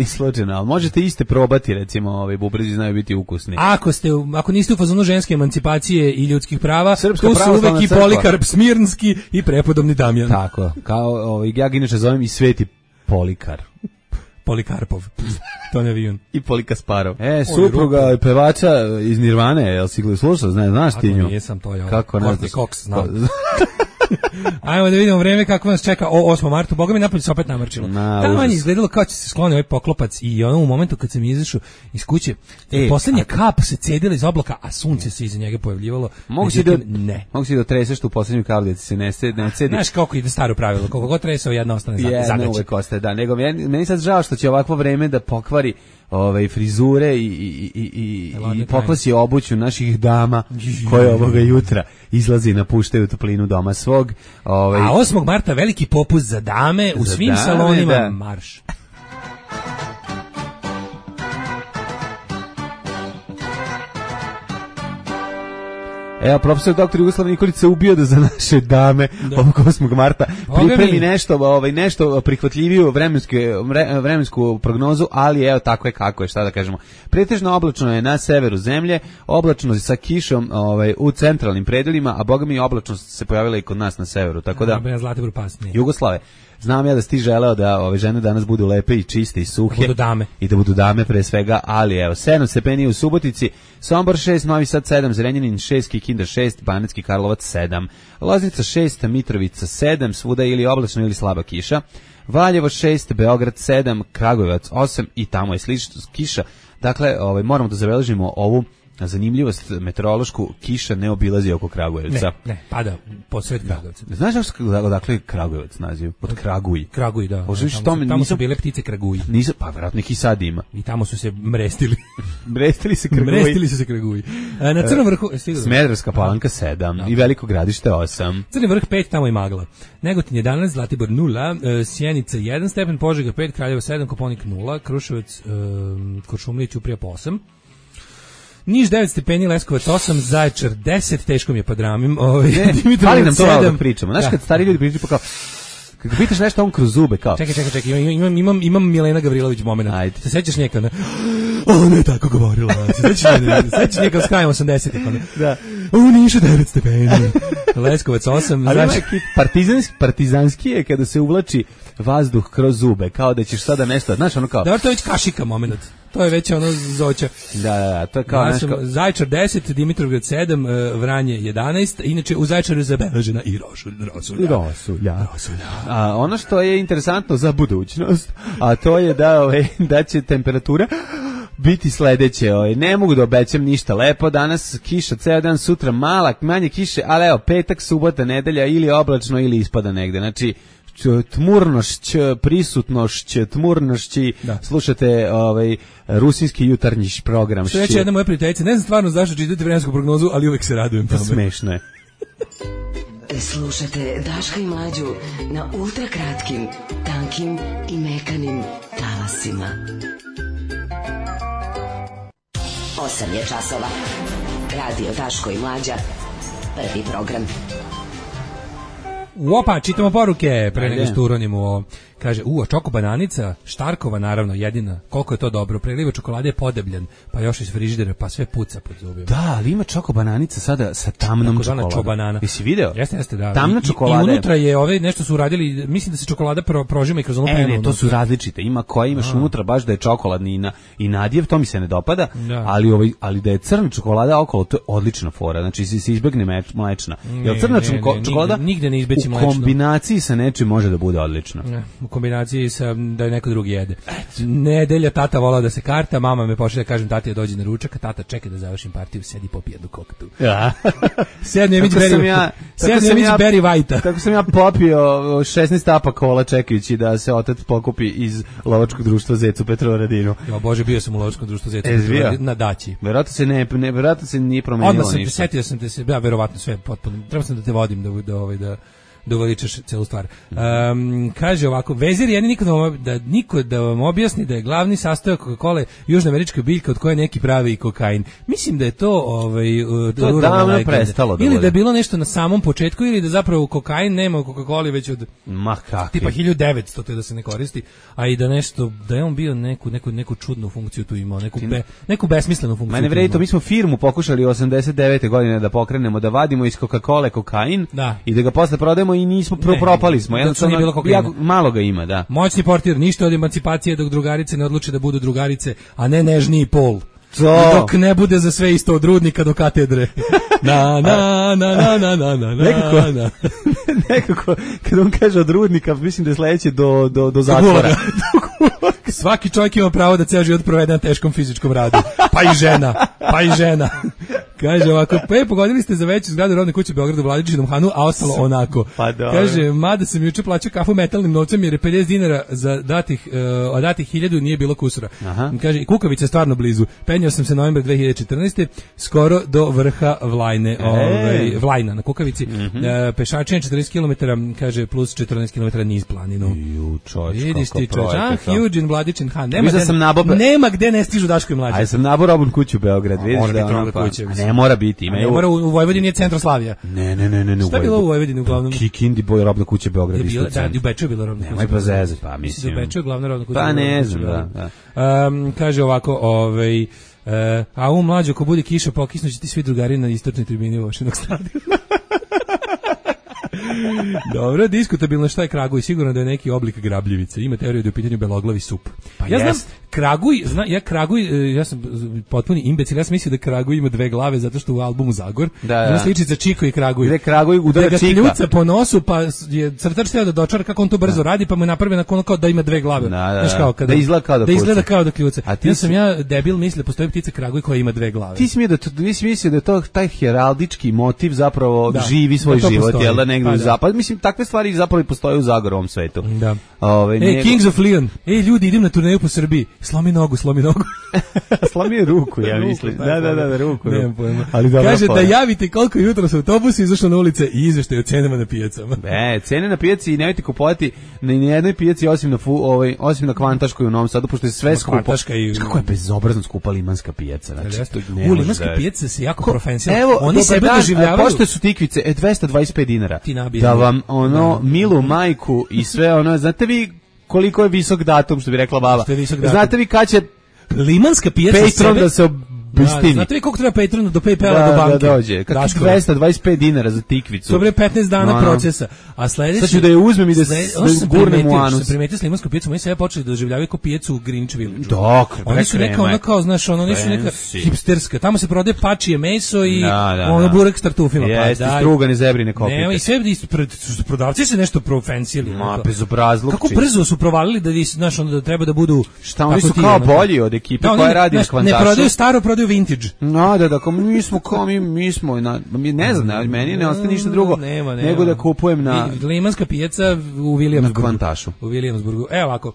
Ali možete iste probati, recimo, bubrezi znaju biti ukusni. Ako niste u fazonu ženske emancipacije i ljudskih prava, Srpska tu su uvek i Polikarp Smirnski i prepodobni Damjan. Tako, kao ja ga inače zovem i Sveti Polikar. Polikarpov, to ne vidim. I Polikasparov. Supruga pevača iz Nirvane, jel si slušao, znaš ti nju? Nisam to, ja. Kako ne znaš? Cox, znam. Ajmo da vidimo vreme kako nas čeka 8. marta. Boga mi napolje se opet namrčilo. Tamo je izgledalo kao će se skloni ovaj poklopac i u momentu kad sam izašao iz kuće, poslednja kap se cedila iz oblaka, a sunce se iza njega pojavljivalo. Mogu si da treseš tu poslednju kapu da se ne cedi. Znaš kako ide staro pravilo, koliko god tresao jedna ostane zadaća. Jedna uvek ostaje, da. Nego meni sad žao što će ovakvo vreme da pokvari frizure i pokvasi obuću naših dama koje ovoga jutra izlazi i napuštaju toplinu doma svog. A 8. marta veliki popust za dame u svim salonima, marš. Evo, profesor dr. Jugoslav Nikolić se ubio da za naše dame ovog 8. marta pripremi nešto prihvatljiviju vremensku prognozu, ali evo tako je kako je, šta da kažemo. Pretežno oblačno je na severu zemlje, oblačno sa kišom u centralnim predelima, a boga mi oblačnost se pojavila i kod nas na severu, tako da Jugoslave. Znam ja da si ti želeo da ove žene danas budu lepe i čiste i suhe. I da budu dame pre svega, ali evo, 7 stepeni u Subotici, Sombor 6, Novi Sad 7, Zrenjanin 6, Kikinda 6, Banatski Karlovac 7, Loznica 6, Mitrovica 7, svuda ili oblačno ili slaba kiša, Valjevo 6, Beograd 7, Kragujevac 8 i tamo je slično kiša. Dakle, moramo da zabeležimo ovu zanimljivost meteorološku, kiša ne obilazi oko Kragujevca. Ne, pada posred Kragujevca. Znaš odakle je Kragujevac naziv? Od Kraguj. Kraguj, da. Tamo su bile ptice Kraguj. Pa vjerojatno ih i sad ima. I tamo su se mrestili. Mrestili se Kraguj. Na Crnom vrhu... Smederevska Palanka 7 i Veliko Gradište 8. Crni vrh 5, tamo i magla. Negotin 11, Zlatibor 0, Sjenica 1 stepen, Požega 5, Kraljevo 7, Koponik 0, Kruševac, Kuršumlija, Ćuprija 8. Niš 9 stepeni, Leskovac 8, Zaječar 10, teško mi je pa dramim. Ali nam to malo da pričamo. Znaš kad stari ljudi pričaju pa kao, kad pitaš nešto on kroz zube kao. Čekaj, imam Milena Gavrilović moment. Ajde. Se sećaš njega, ne? Ona je tako govorila. Se sećaš njega s krajem 80-ih. Da. U Nišu 9 stepeni, Leskovac 8. Ali partizanski je kada se uvlači vazduh kroz zube, kao da ćeš sada nešto, znaš ono kao. Da, to je već kašika moment. To je već ono zoća. Da, to je kao nešto. Zaječar 10, Dimitrovgrad 7, Vranje 11, inače u Zaječaru je zabeležena i rosulja. A ono što je interesantno za budućnost, a to je da će temperatura biti sledeće. Ne mogu da obećam ništa lepo. Danas kiša ceo dan, sutra manje kiše, ali evo, petak, subota, nedelja ili oblačno ili ispada negde. Znači, tmurnošć, prisutnošć, tmurnošći, slušate rusinski jutarnji program. Što reći jedna moja prijateljica, ne znam stvarno zašto čitate vremensku prognozu, ali uvek se radujem tome. Smešno je. Slušate Daška i Mlađu na ultrakratkim, tankim i mekanim talasima. 8 je časova. Radio Daško i Mlađa. Prvi program. Opa, čitamo poruke pre nego što uronimo ovo. Kaže, čoko bananica, Štarkova naravno, jedina. Koliko je to dobro. Preliva čokolade je podebljen, pa još iz frižidera, pa sve puca pod zubima. Da, ali ima čoko bananica sada sa tamnom čokoladom. Čobanana. Jesi video? Jeste, da. Tamna čokolada. I unutra je nešto su uradili, mislim da se čokolada prožima i kroz onu penu. Ne, to su različite. Ima koja imaš unutra baš da je čokoladni i nadjev, to mi se ne dopada, ali da je crna čokolada okolo, to je odlična fora. Znači se izbegne mlečna. Jer crna čokolada nigde ne izbeći mlečno. U kombinaciji sa nečim može da bude odlična. U kombinaciji sa da je neko drugi jede. Nedelja tata volao da se karta, mama me pošalje da kažem tati da dođe na ručak, a tata čeka da završim partiju, sedi popije jednu koktu. Ja. Sedne Emić Barry White-a. Tako sam ja popio 16 tapa kola čekajući da se otac pokupi iz lovačkog društva Zecu Petrovaradinu. Jo Bože, bio sam u lovačkom društvu Zecu Petrovaradinu na daći. Verovatno se nije promenilo ništa. Odmah setio sam te se, verovatno sve potpuno. Treba sam da te vodim da uveličaš celu stvar. Kaže ovako, vezir je niko da vam objasni da je glavni sastojak Coca-Cola južnoamerička biljka od koje neki pravi i kokain. Mislim da je to to davno prestalo da ili da je bilo nešto na samom početku ili da zapravo kokain nema u Coca-Coli već od tipa 1900 to da se ne koristi, a i da nešto da je on bio neku čudnu funkciju tu imao, neku besmislenu funkciju. Mene vredi to, mi smo firmu pokušali 89. godine da pokrenemo, da vadimo iz Coca-Cole kokain i da ga posle prodajemo i nismo propali smo. Jednostavno malo ga ima, da. Moćni portir, ništa od emancipacije dok drugarice ne odluče da budu drugarice, a ne nežniji pol. Dok ne bude za sve isto od rudnika do katedre. Nekako, kad on kaže od rudnika, mislim da je sledeće do zatvora. Svaki čovjek ima pravo da ceo život provede na teškom fizičkom radu. Pa i žena. Kaže ovako, pogodili ste za veću zgradu rodne kuće u Beogradu u Vladičinom Hanu, a ostalo onako. Kaže, mada sam juče plaćao kafu metalnim novcem jer je 50 dinara za datih 1000 nije bilo kusura. Kaže, i Kukavica je stvarno blizu. Penjao sam se novembra 2014. skoro do vrha Vlajne, Vlajna na Kukavici. Pešačenje 40 km, kaže, plus 14 km niz planinu. Vidiš ti čovječ, huge in Vladičin Han. Nema gde ne stižu Daško i Mlađa. Aj sam nabao robnu kuću u Beograd, vidiš da ne mora biti. Ne mora, u Vojvodini je Centroslavija. Ne. Šta je bilo u Vojvodini uglavnom? Kikindi, robna kuća Beograd. Da, u Beču je bila robna kuća. Nemoj pa zezati, pa mislim. U Beču je glavna robna kuća. Pa ne znam, da. Kaže ovako, a u Mlađo, ako bude kiša, pokisnuće ti svi drugari na istočnoj tribini Vošinog stadiona. Dobro, diskutabilno šta je kraguj, sigurno da je neki oblik grabljivice. Ima teoriju da je u pitanju beloglavi sup. Pa ja znam, ja sam potpuni imbecil, ja sam mislio da kraguj ima dve glave zato što u albumu Zagor ima sličica Čiko i kraguj. Gde kraguj udara Čika. Da ga kljuca po nosu, pa je crtač teo da dočara kako on to brzo radi, pa mu je napravio nakon kao da ima dve glave. Da izgleda kao da kljuca. Ja debil mislio da postoji ptica kraguj koja ima dve glave. Ti si mislio da je to taj heraldički motiv zapravo živi svoj život, jel da negdje u zapad. Mislim, takve stvari zapravo postoje u Zagorovom svetu. Da. Kings of Leon. Ljudi, idem na turneju po Srbiji. Slomi nogu. Slomi ruku, ja mislim. Da, ruku. Nemam pojma. Kaže da javite koliko je jutro sa autobusa izašlo na ulice i izveštaj o cenama na pijacama. Cene na pijaci i nemojte kupovati na jednoj pijaci osim na Kvantaškoj u Novom Sadu, pošto je sve skupo. Kako je bezobrazno skupa limanska pijaca. Limanska pijaca se jako profesionalno. Oni sebe doživljavaju. Pošto su tikvice 225 dinara. Da vam milu majku i sve znate vi koliko je visok datum, što bi rekla baba. Znate vi kad će limanska pijaca Patreon da se pustini. Znate vi koliko treba Patronu do PayPala do banke? Da dođe. Kako 225 dinara za tikvicu. To bre 15 dana procesa. A sledeći sad ću da je uzmem i da gurnem u anus. Što primetio s limanskom pijecom, oni sve počeli da doživljavaju kao pijecu u Greenwich Village. Oni su neka ona kao, znaš, ono nisu neka hipsterska. Tamo se prodaje pačije meso i ono burek s tartufima. Jeste, strugane zebrine kopite. Nema i sve prodavci se nešto profensijeli. Ma, bezobrazluk. Kako brzo su provalili da vi, znaš, onda da treba da budu... Šta, oni su kao bolji od ekipe koja radi na Kvantašu. Ne prodaju staro, prodaju vintage. No, da, mi smo, ne znam, meni ne ostaje ništa drugo nego da kupujem na... Limanska pijaca u Williamsburgu. Na Kvantašu. U Williamsburgu. Evo ovako.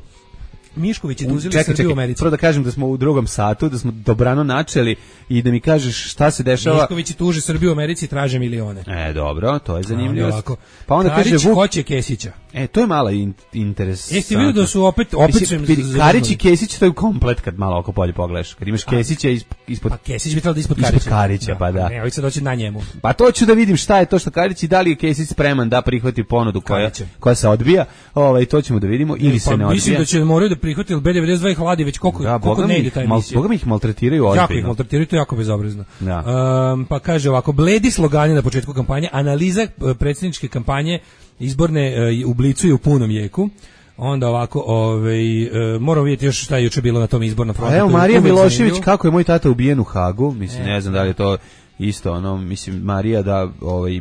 Mišković je tužili Srbiju u Americi. Prvo da kažem da smo u drugom satu, da smo dobrano načeli i da mi kažeš šta se dešava. Mišković je tuži Srbiju u Americi i traže milione. Dobro, to je zanimljivo. Pa onda Karić kaže hoće Kesića. To je mala interesantno. Jeste vidio da su opet Karić i Kesić, to je komplet kad malo oko polje pogledaš. Kad imaš Kesića ispod... Pa Kesić bi trebalo da ispod Karića. Ispod Karića, pa da. Ne, ovdje se doći na njemu. Pa to ću da vidim šta je to što Karić i da li je Kesić spreman da prihvati ponudu koja se odbija. To ćemo da vidimo ili se ne odbija. Mislim da će moraju da prihvati, jer B92 ih hladi već koliko ne ide taj emisija. Boga mi ih maltretiraju ozbiljno. Jako ih maltretiraju, to je jako bezobrazno. Pa kaže ovako, bledi slogani na početku kampanje, analiza predsjedničke kampanje izborne u Blicu i u punom jeku. Onda ovako, moramo vidjeti još šta je juče bilo na tom izbornom frontu. Evo Marija Milošević, kako je moj tata ubijen u Hagu, mislim, ne znam da li je to isto, mislim, Marija da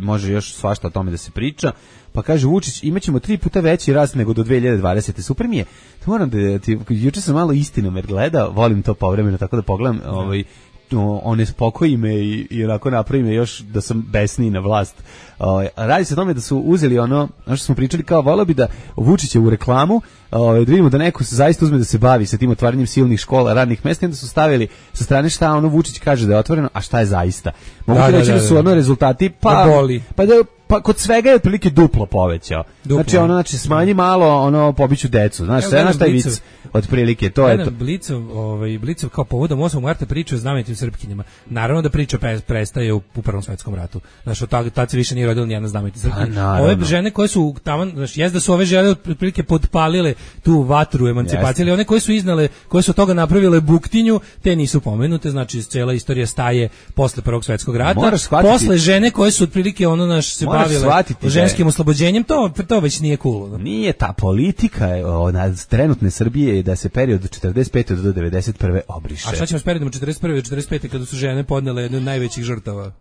može još svašta o tome da se priča. Pa kaže Vučić, imaćemo 3 puta veći rast nego do 2020. Super mi je. Moram da ti, juče sam malo Istinomer gledao, volim to povremeno, tako da pogledam, one spokoji me i onako napravi me još da sam besniji na vlast. Radi se o tome da su uzeli ono što smo pričali, kao volio bi da Vučića u reklamu, da vidimo da neko se zaista uzme da se bavi sa tim otvaranjem silnih škola, radnih mesta, i onda su stavili sa strane šta Vučić kaže da je otvoreno, a šta je zaista. Mogu ti reći da su rezultati, pa kod svega je otprilike duplo povećao. Znači smanji malo, pobiću decu. Znaš, šta je vic? Otprilike, to je to. Blicov kao povodom 8. marta priča o znamenitim Srpkinjama. Naravno da priča prestaje u Prvom svetskom ratu. Znaš, tad se više nije rodila nijedna znamenita Srpkinja. Ove žene koje su tamo, znaš, da su ove žene otprilike podpalile tu vatru emancipacije, ali one koje su iznale, koje su od toga napravile buktinju, te nisu pomenute, znači cijela istorija staje posle Prvog svjetskog rata. Posle žene koje su otprilike se bavile ženskim oslobođenjem, to već nije cool. Nije ta politika trenutne Srbije da se period od 45. do 91. obriše. A šta ćemo s periodom od 41. do 45. kada su žene podnele jednu od najvećih žrtava?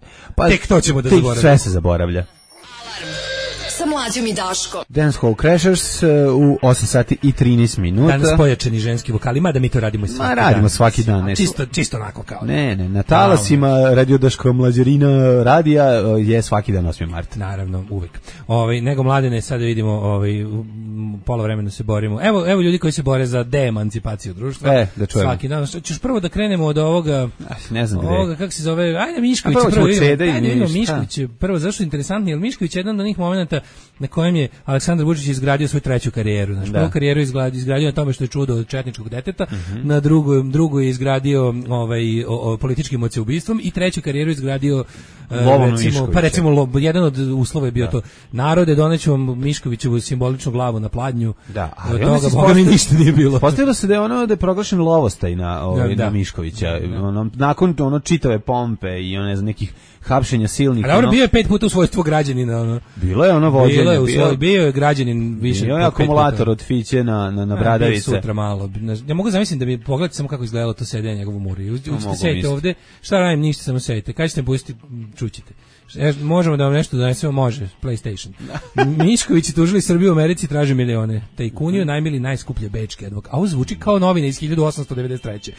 Tek to ćemo da zaboravimo. Sve se zaboravlja. Sa Mlađom i Daškom. Dance Hall Crashers u 8 sati i 13 minuta. Danas pojačani ženski vokali, mada mi to radimo i svaki dan. Radimo svaki dan. Čisto onako kao. Ne, na talasima Radio Daško Mlađarina radija je svaki dan 8. mart. Naravno, uvek. Nego Mladene, sada vidimo, pola vremena se borimo. Evo ljudi koji se bore za deemancipaciju društva. Da čujemo. Svaki dan. Ćeš prvo da krenemo od ovoga, ne znam ovoga, kako se zove, ajde Mišković. Mišković je prvo, zašto je interesantno, jer Mišković je jedan od onih momenata na kojem je Aleksandar Vučić izgradio svoju treću karijeru. Znači, prvu karijeru izgradio na tome što je čudo od četničkog deteta, na drugu je izgradio političkim emocijubistvom i treću karijeru izgradio recimo jedan od uslova je bio to: narode, doneću vam Miškovićevu simboličnu glavu na pladnju. Od toga Boga mi ništa nije bilo. Postavilo se da je proglašen lovostaj na Miškovića. Nakon čitave pompe i nekih hapšenja silnih. Ali bio je 5 puta u svojstvu građanina. Bilo je vođenje. Bio je građanin više. Bio je akumulator od Fiće na Bradavice. Sutra malo. Ja mogu zamisliti da mi pogledate samo kako izgledalo to sedenje njegovu muri. Učite sedite ovde, šta radim, ništa, samo sedite. Kad ćete pustiti, čućite. Možemo da vam nešto donesemo, može, PlayStation. Mišković je tužili Srbiju u Americi, traži milione. Tajkuniju najmili najskuplje bečke advokate. A ovo zvuči kao novine iz 1893.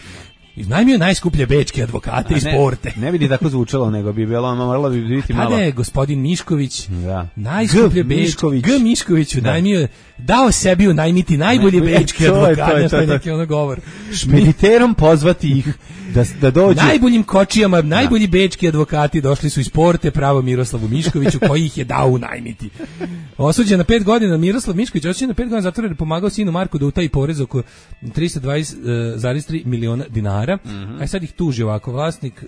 Iznajmio najskuplje bečke advokate i sporte. Ne bi ni tako zvučalo, nego bi bilo, moralo bi biti malo. Tada je gospodin Mišković, najskuplje bečke, G. Miškoviću dao sebi unajmiti najbolje bečke advokate, što je neki govor. Špediterom pozvati ih da dođu. Najboljim kočijama, najbolji bečki advokati došli su iz Porte pravo Miroslavu Miškoviću, koji ih je dao unajmiti. Osuđen na 5 godina Miroslav Mišković, osuđen na 5 godina zatvora jer je pomagao sinu Marku da utaji porez oko 320,3 miliona dinara. A sad ih tuži ovako. Vlasnik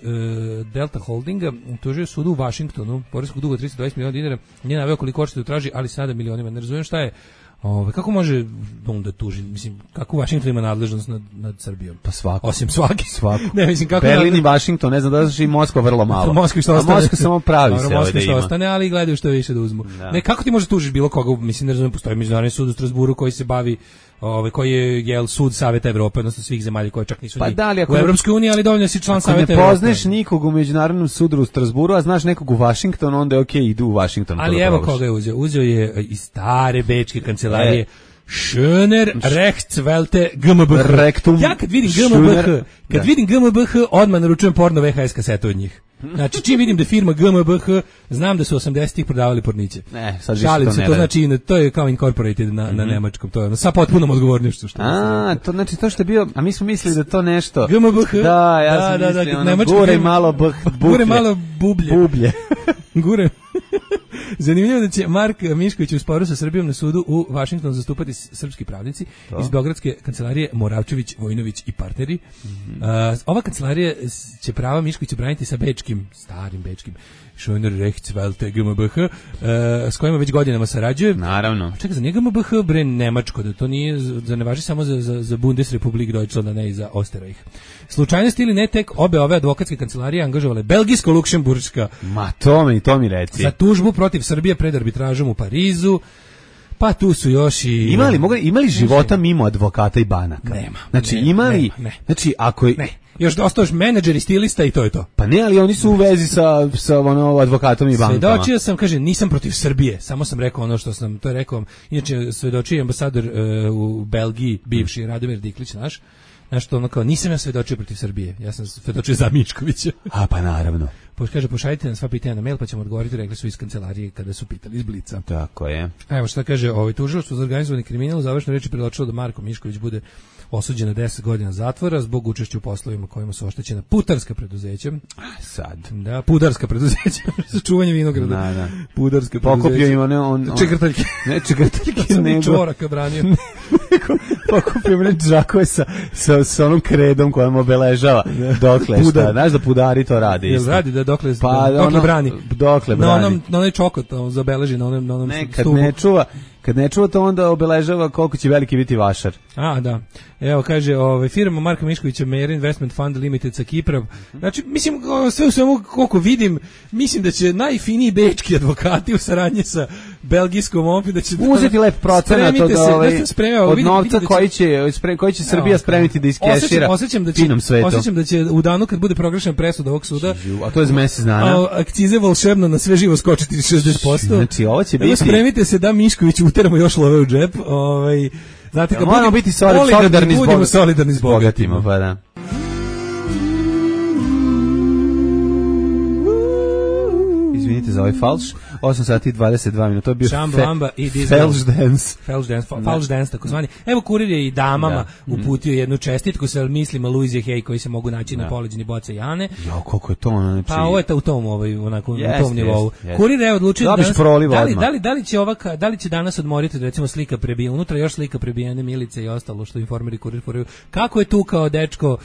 Delta Holdinga tužio sudu u Vašingtonu poreskog duga 320 miliona dinara. Nije naveo koliko hoćete da traži, ali sada milionima. Ne razumijem šta je Kako može da tuži? Mislim, kako Washington ima nadležnost nad Srbijom? Pa svako. Osim svaki. Svako. Ne, mislim, kako Berlin i Washington, ne znam da znaš, i Moskva vrlo malo. Moskva što ostane. Moskva samo pravi se Moskva ovdje što ima. ostane, ali gledaju što više da uzmu. Da. Ne, kako ti može tužiš bilo koga? Mislim, ne znam, postoji međunarodni sud u Strasburu koji se bavi koji je sud Saveta Evrope, odnosno svih zemalja koje čak nisu u Evropskoj uniji, ali dovoljno si član Saveta Evrope. Ako ne poznaš nikog u međunarodnom sudu u Strasburu, a znaš nekog u Washingtonu, onda je okej, idu u Washington. Ali evo koga je uzeo. Uzeo je iz stare bečke kancelarije Schöner Rechtswelte GmbH. Ja kad vidim GmbH, odmah naručujem porno VHS kasetu od njih. Znači, čim vidim da firma GmbH, znam da su 80-ih prodavali porniće. Ne, sad više šalim to se, ne to znači, to je kao incorporated na nemačkom, to je sa potpunom odgovornošću. To znači to što je bio, a mi smo mislili da to nešto. GmbH? Da, ja sam mislio, gure malo bublje. Gure. Zanimljivo da će Mark Mišković u sporu sa Srbijom na sudu u Vašingtonu zastupati srpski pravnici iz beogradske kancelarije Moravčević, Vojinović i partneri. Ova kancelarija će prava Miškovića braniti sa starim bečkim Schöner Rechtswelte GmbH, s kojima već godinama sarađuje. Naravno. Čekaj, za njega GmbH bre nemačko, da to nije, da ne važi samo za Bundesrepublik Deutschland, a ne i za Österreich. Slučajnost ili ne, tek obe ove advokatske kancelarije angažovale belgijsko-luksemburška. Ma to mi reci. Za tužbu protiv Srbije pred arbitražom u Parizu. Pa tu su još i... Imali života mimo advokata i banaka? Nema. Znači, ne. Znači, ako je... Ne. Još ostaš menadžer i stilista i to je to. Pa ne, ali oni su u vezi sa advokatom i bankama. Svedočio sam, kaže, nisam protiv Srbije, samo sam rekao ono što sam, to je rekao, inače svedočio ambasador u Belgiji, bivši Radomir Diklić, znaš što ono kao, nisam ja svedočio protiv Srbije, ja sam svedočio za Miškovića. A pa naravno. Kaže, pošaljite nam sva pitanja na mail, pa ćemo odgovoriti, rekli su iz kancelarije kada su pitali iz Blica. Tako je. Evo šta kaže, tužilaštvo za organizovani kriminal u završnoj reči predočilo da Marko Mišković bude osuđen na 10 godina zatvora zbog učešća u poslovima kojima su oštećena putarska preduzeća. Sad. Da, pudarska preduzeća, za čuvanje vinograda. Da. Pudarska preduzeća. Pokupio im on čegrtaljke. Ne čegrtaljke, nego čvoraka branio. Pokupio im džakove sa onom kredom kojom obeležava dokle šta. Znaš da pudari to radi isto. Jel radi da dokle brani? Dokle brani. Na onaj čokot zabeleži na onom stubu. Kad ne čuva to, onda obeležava koliko će veliki biti vašar. A, da. Evo, kaže, firma Marka Miškovića, Meir Investment Fund Limited sa Kipra. Znači, mislim, sve u svemu, koliko vidim, mislim da će najfiniji bečki advokati u saradnji sa belgijskom opet da će uzeti lep procenat od novca koji će Srbija spremiti da iskešira finom svetu. Osjećam da će u danu kad bude proglašena presuda ovog suda, a to je za mesec dana, akcize volšebno na sve živo skočiti 60%. Znači, ovo će biti... Spremite se da Mišković uteramo još love u džep. Znate, kad moramo biti solidarni s bogatima, pa da. Izvinite za ovaj falš. 8 sati i 22 minuta, to je bio falš dance, tako zvani. Evo, kurir je i damama uputio jednu čestitku sa mislima Luizije Hej koji se mogu naći na poleđini boce Jane. Jo, koliko je to, znači... Pa ovo je u tom, onako, u tom nivou. Kurir je odlučio da li će danas odmoriti, recimo, slika prebijena, unutra još slika prebijene Milice i ostalo što informeri kurir foraju. Kako je tu kao dečko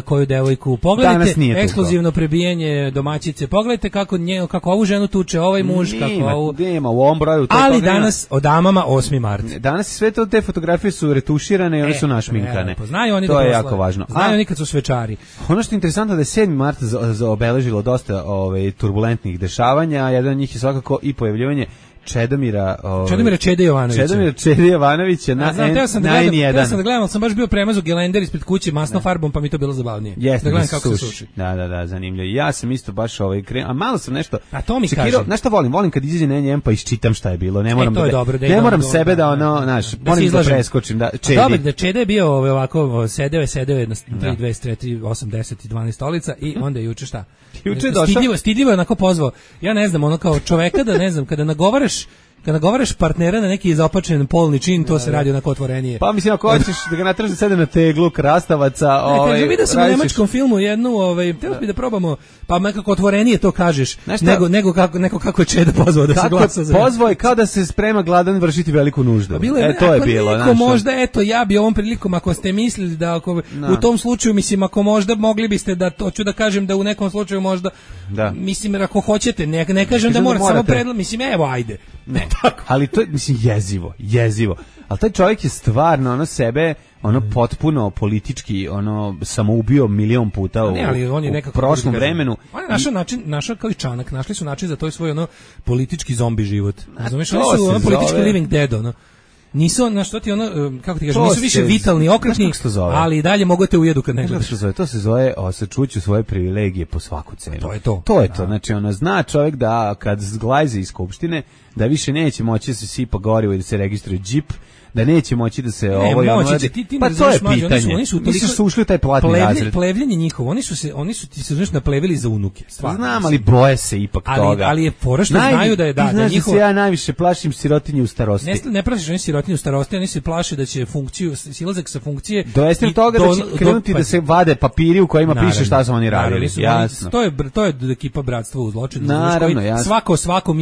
koju devojku? Pogledajte ekskluzivno prebijanje domaćice, pogledajte kako ovu ženu tuče ovaj muž, nema u ovom broju. Ali danas o damama 8. mart. Danas sve te fotografije su retuširane i one su našminkane. Znaju oni to je jako važno. Znaju oni kad su svečari. Ono što je interesantno da je 7. mart obeležilo dosta turbulentnih dešavanja, jedan od njih je svakako i pojavljivanje Čedomira Čede Jovanovića na N1. Ja sam da gledam, sam baš bio premazu gelender ispred kuće masnom farbom, pa mi to bilo zabavnije. Da gledam kako se suši. Da, zanimljivo. Ja sam isto baš a malo sam nešto. A to mi kaže. Znaš šta volim kad izađe na N1 pa iščitam šta je bilo. Ne moram sebe da moram da preskočim da Čedi. Dobro, da Čede je bio ovako sedeo je na 3, 4, 8, 10 i 12 stolica i onda je juče šta? Stidljivo je onako pozvao. Ja ne znam, ono kao čoveka da ne znam, kada nagovaraš partnera na neki izopačen polni čin, to se radi onako otvorenije. Pa mislim, ako hoćeš da ga natraži da sede na teglu krastavaca... vidio sam u nemačkom filmu jednu, teo bi da probamo, pa nekako otvorenije to kažeš, nego kako je Čeda pozvao da se glasa za... Pozvao je kao da se sprema gladan vršiti veliku nuždu. To je bilo. Ako možda, ja bi ovom prilikom, ako ste mislili da u tom slučaju, mislim, ako možda mogli biste da, to ću da kažem da u nekom slučaju možda, mislim, ako hoćete, ne kažem da mora, samo predlog, mislim, evo, ajde. Ne, Ali to je, mislim, jezivo. Ali taj čovjek je stvarno, ono sebe, ono potpuno politički, ono samoubio milion puta u prošlom vremenu. On je našao kao i Čanak, našli su način za to svoj ono politički zombi život. Razumeš, oni su ono politički living dead, ono. Nisu, na što ti ono, kako ti kažem, nisu više vitalni, okretni, ali i dalje mogu te ujedu kad ne gledaš. To se zove osačuću svoje privilegije po svaku cenu. To je to. To je to, znači ono, zna čovjek da kad zglajze iz skupštine, da više neće moći da se sipa gorivo i da se registruje džip, da neće moći da se ovo i ono radi. Pa to je pitanje. Oni su ušli u taj platni razred. Plevljenje njihovo, oni su ti se znaš naplevili za unuke. Znam, ali boje se ipak toga. Ali je fora što znaju da je da njihovo. Ja najviše plašim sirotinju u starosti. Ne plašiš oni sirotinju u starosti, oni se plaše da će funkciju, silazak sa funkcije dovesti do toga da će krenuti da se vade papiri u kojima piše šta su oni radili. Jasno. To je ekipa Bratstva u zločinu. Naravno, svakom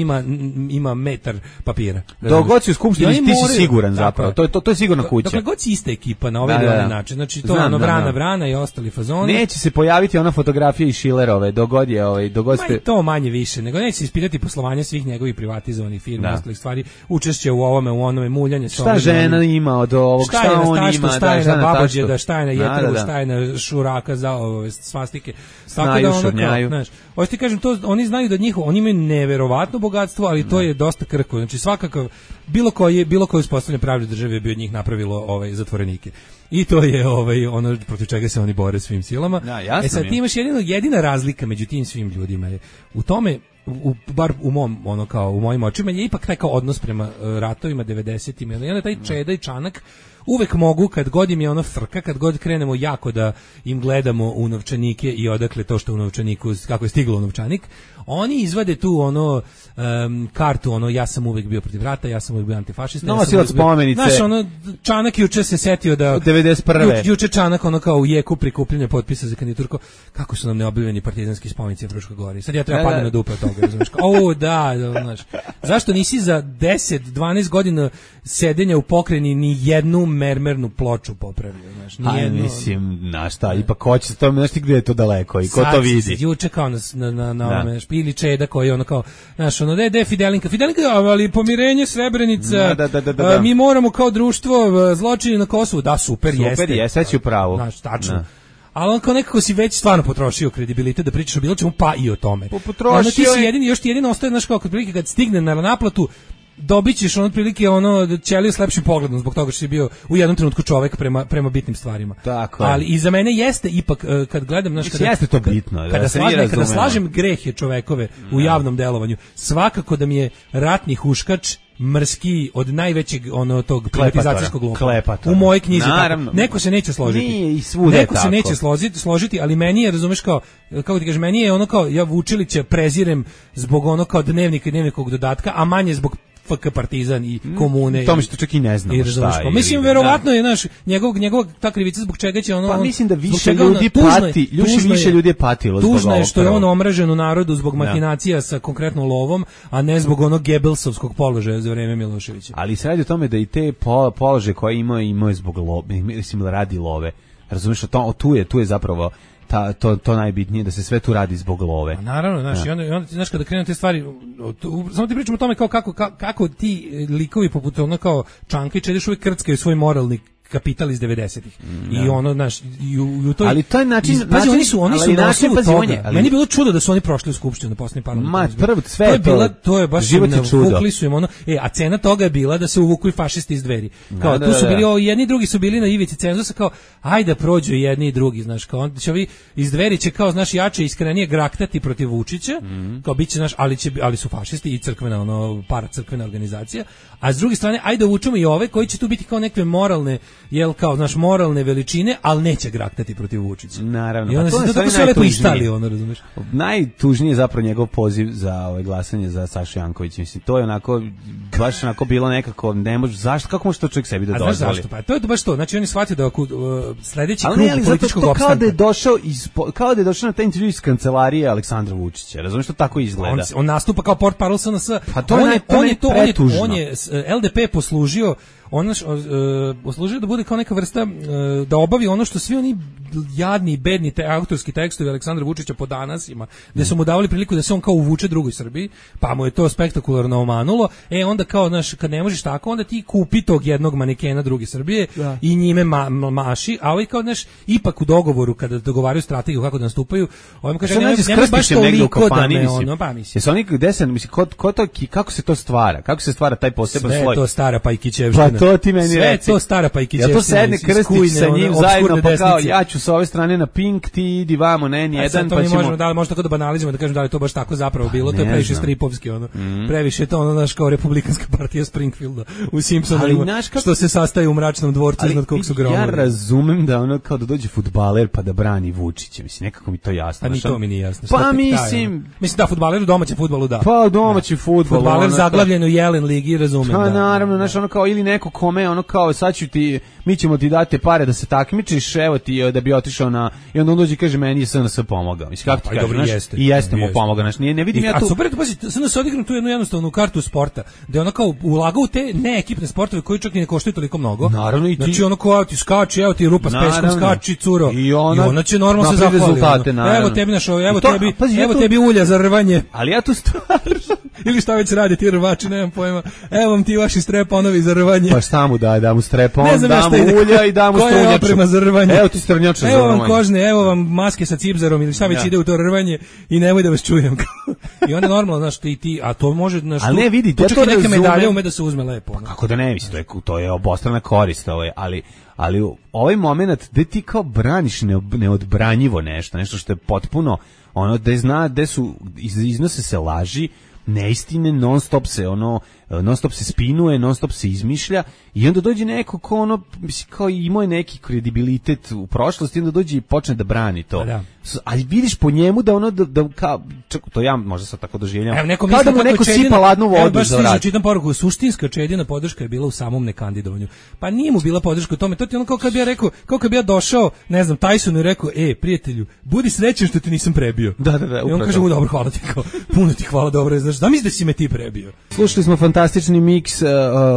ima metar papira. Dogod si u skupštini ti si siguran zapravo. To je sigurno kuća. Dakle, god si ista ekipa na ovaj ili onaj način. Znači, to je ono vrana i ostali fazoni. Neće se pojaviti ona fotografija iz Šilerove, dogod ste... To manje više, nego neće se ispitati poslovanje svih njegovih privatizovanih firmi, ostalih stvari, učešće u ovome, u onome, muljanje. Šta žena ima od ovog, šta on ima, šta je na babođe, šta je na jeteru, šta je na šuraka za ove svastike. Znaju, šurnjaju. Hoće ti kažem, to, oni znaju da oni imaju neverovatno bogatstvo, ali to je dosta krko. Znači, svakako, bilo koje uspostavljanje pravne države je bi od njih napravilo zatvorenike. I to je ono protiv čega se oni bore svim silama. Da, sad ti imaš jedina razlika među tim svim ljudima je u tome, bar u mom, u mojim očima, je ipak taj kao odnos prema ratovima 90-im. I onda taj Čeda i Čanak uvek mogu, kad god im je ono frka, kad god krenemo jako da im gledamo u novčanike i odakle to što u novčaniku, kako je stiglo u novčanik, oni izvade tu kartu, ja sam uvek bio protiv rata, ja sam uvek bio antifašista. Nosilac spomenice. Znaš, Čanak juče se setio da... 91. Juče Čanak, kao u jeku prikupljanja potpisa za kandidaturku, kako su nam neobjavljeni partizanski spomenici u Fruškoj Gori. Sad ja treba padnem na dupe od toga, razumiješ. Znaš. Zašto nisi za 10-12 godina sedenja u pokrajini ni jednu mermernu ploču popravio, znaš, ni jednu. Mislim, na šta, ipak hoće se to, znaš ti gdje je to daleko i ko to vidi. Juče kao na ili Čeda koji kao, znaš, da je Fidelinka, ali pomirenje Srebrenica, mi moramo kao društvo zločini na Kosovu, da, super jeste. Super je, sad ću pravo. Znaš, tačno. Ali on kao nekako si već stvarno potrošio kredibilitet da pričaš o bilo čemu, pa i o tome. Potrošio ti si jedini, još ti jedino ostaje, znaš, kao kad stigne na naplatu, dobit ćeš otprilike ćeliju s lepšim pogledom zbog toga što si bio u jednom trenutku čovek prema bitnim stvarima. Tako. Ali i za mene jeste ipak kad gledam, znaš, jeste to bitno, kada slažem grehe čovekove u javnom delovanju, svakako da mi je ratni huškač mrski od najvećeg tog privatizacijskog lopova. U mojoj knjizi tako. Neko se neće složiti. Neko se neće složiti, ali meni je, razumeš, kako ti kažeš, meni je kao ja Vučilića prezirem zbog kao dnevnika i dnevnikovog dodatka, a manje zbog FK Partizan i komune. To mi što čak i ne znamo šta je. Mislim, verovatno je njegov ta krivica zbog čega će Pa mislim da više ljudi pati, više ljudi je patilo zbog ovoga. Tužno je što je omražen u narodu zbog mahinacija sa konkretno lovom, a ne zbog onog Gebelsovskog položaja za vreme Miloševića. Ali se radi o tome da i te položaje koje imaju zbog love, mislim radi love. Razumiješ, tu je zapravo to najbitnije, da se sve tu radi zbog love. Naravno, znaš, i onda znaš, kada krenu te stvari, samo ti pričamo o tome kako ti likovi poput kao Čanka i Čeda uvijek krckaju svoj moralni kapital iz 90-ih. I znaš, u toj... Ali to je način... Oni su na osnovu toga. Meni je bilo čudo da su oni prošli u skupštinu na posljednji parlamentarni. Prvo, sve je to. To je baš... Život je čudo. Vukli su im a cena toga je bila da se uvuku i fašisti iz Dveri. Kao, tu su bili, jedni i drugi su bili na ivici cenzusa, kao, ajde prođu jedni i drugi, znaš, kao, onda će ovi iz Dveri će, kao, znaš, jače i iskrenije graktati protiv Vučića, kao, bit će, znaš, ali su fašisti i crkvena, paracrkvena organizacija, a s druge strane, ajde uvučemo i ove koji će tu biti kao neke moralne, kao, znaš, moralne veličine, ali neće graktati protiv Vučića. Naravno. I onda se tako sve lepo istali, razumiješ? Najtužnije je zapravo njegov poziv za glasanje za Sašu Jankovića. Mislim, to je onako, baš onako bilo nekako, ne može, zašto, kako može to čovjek sebi da dozvoli? A znaš zašto? Pa to je baš to. Znači, on je shvatio da sledeći krug političkog opstanka. Kao da je došao na taj intervju iz kancelarije Aleksandra Vučića. Razumiješ, to tako izgleda. On nastupa kao portparol SNS. Pa to je pretužno. On je LDP poslužio ona poslužuje da bude kao neka vrsta da obavi ono što svi oni jadni i bedni autorski tekstovi Aleksandra Vučića po danas ima, gde su mu davali priliku da se on kao uvuče drugoj Srbiji, pa mu je to spektakularno omanulo. Onda kao, znaš, kad ne možeš tako, onda ti kupi tog jednog manekena druge Srbije i njime maši, a ovaj kao, znaš, ipak u dogovoru kada dogovaraju strategiju kako da nastupaju, ovaj kaže nema baš toliko da me ono, pa mislim. Jesu oni desen, mislim, kako se to stvara? Kako se stvara taj poseban sloj? Sve to stara Pajkićevština. Pa to ti meni sve reci. Sve to stara Pajkićevština. Ja to sedne krstić sa njim zajedno, pa kao, ja ću sa ove strane na Pink, ti idi vamo na N1, pa ćemo... Možda tako da banalizujemo, da kažem da li to baš tako zapravo bilo, to je previše stripovski, ono. Previše to, ono, naš kao republikanska partija Springfielda u Simpsonovima, što se sastaje u mračnom dvorcu iznad kog su gromovi. Ja razumem da ono kao da dođe fudbaler pa da brani Vučića, mislim, nekako mi to jasno. A ni to mi nije jasno. Pa mislim da fudbaler u domaćem fudbalu da. Pa domaći fudbal. Fudbaler zaglavljen u Jelen ligi, razumem. Pa naravno, znaš, ono kao ili neko kome, ono kao sad ću ti, mi ćemo ti dati pare da se takmičiš, evo ti da bi otišao na, i onda on dođe i kaže meni je SNS pomogao. Mislim, kako ti kažeš, znaš, i jeste mu pomogao, znaš, ne vidim ja tu. A super, pazi, SNS odigrao tu jednu jednostavnu kartu sporta, da je ono kao ulagao u te neekipne sportove koji čak i ne koštaju toliko mnogo. Naravno i ti. Znači ono kao ti skači, evo ti rupa s peskom, skači curo. I ona će normalno se zahvaliti. Evo tebi našo, evo tebi ulja za rvanje. Ali ja tu stvarno ili šta već radi ti rvači, nemam pojma. Evo vam ti vaši streponovi za rvanje. Pa šta mu da mu strepon, da mu ulja i da mu strunjaču. Koja je oprema za rvanje? Evo ti strunjača za rvanje. Evo vam kožne, evo vam maske sa cipzarom ili šta već ide u to rvanje i nemoj da vas čujem. I onda normalno, znaš, ti, a to može, znaš, ali ne vidi, ja to neke medalje ume da se uzme lepo. Pa kako da ne, mislim, to je obostrana korist, ali ovaj moment gde ti kao braniš neodbranjivo nešto što je potpuno, ono, gde su, iznose se laži, neistine, non stop se spinuje, non stop se izmišlja i onda dođe neko ko ono, mislim, kao imao je neki kredibilitet u prošlosti, onda dođe i počne da brani to. Da. Ali vidiš po njemu da ono, da kao, to ja možda sad tako doživljavam, kao da mu neko sipa ladnu vodu za vrat. Čitam poruku, suštinska Čedina podrška je bila u samom nekandidovanju. Pa nije mu bila podrška u tome, to ti ono kao kad bi ja rekao, kao kad bi ja došao, ne znam, Tysonu i rekao, prijatelju, budi srećan što te nisam prebio. Da. I on kaže, dobro, hvala ti, kao, puno ti hvala, dobro, znaš, da misliš da si me ti prebio. Slušali smo fantastični miks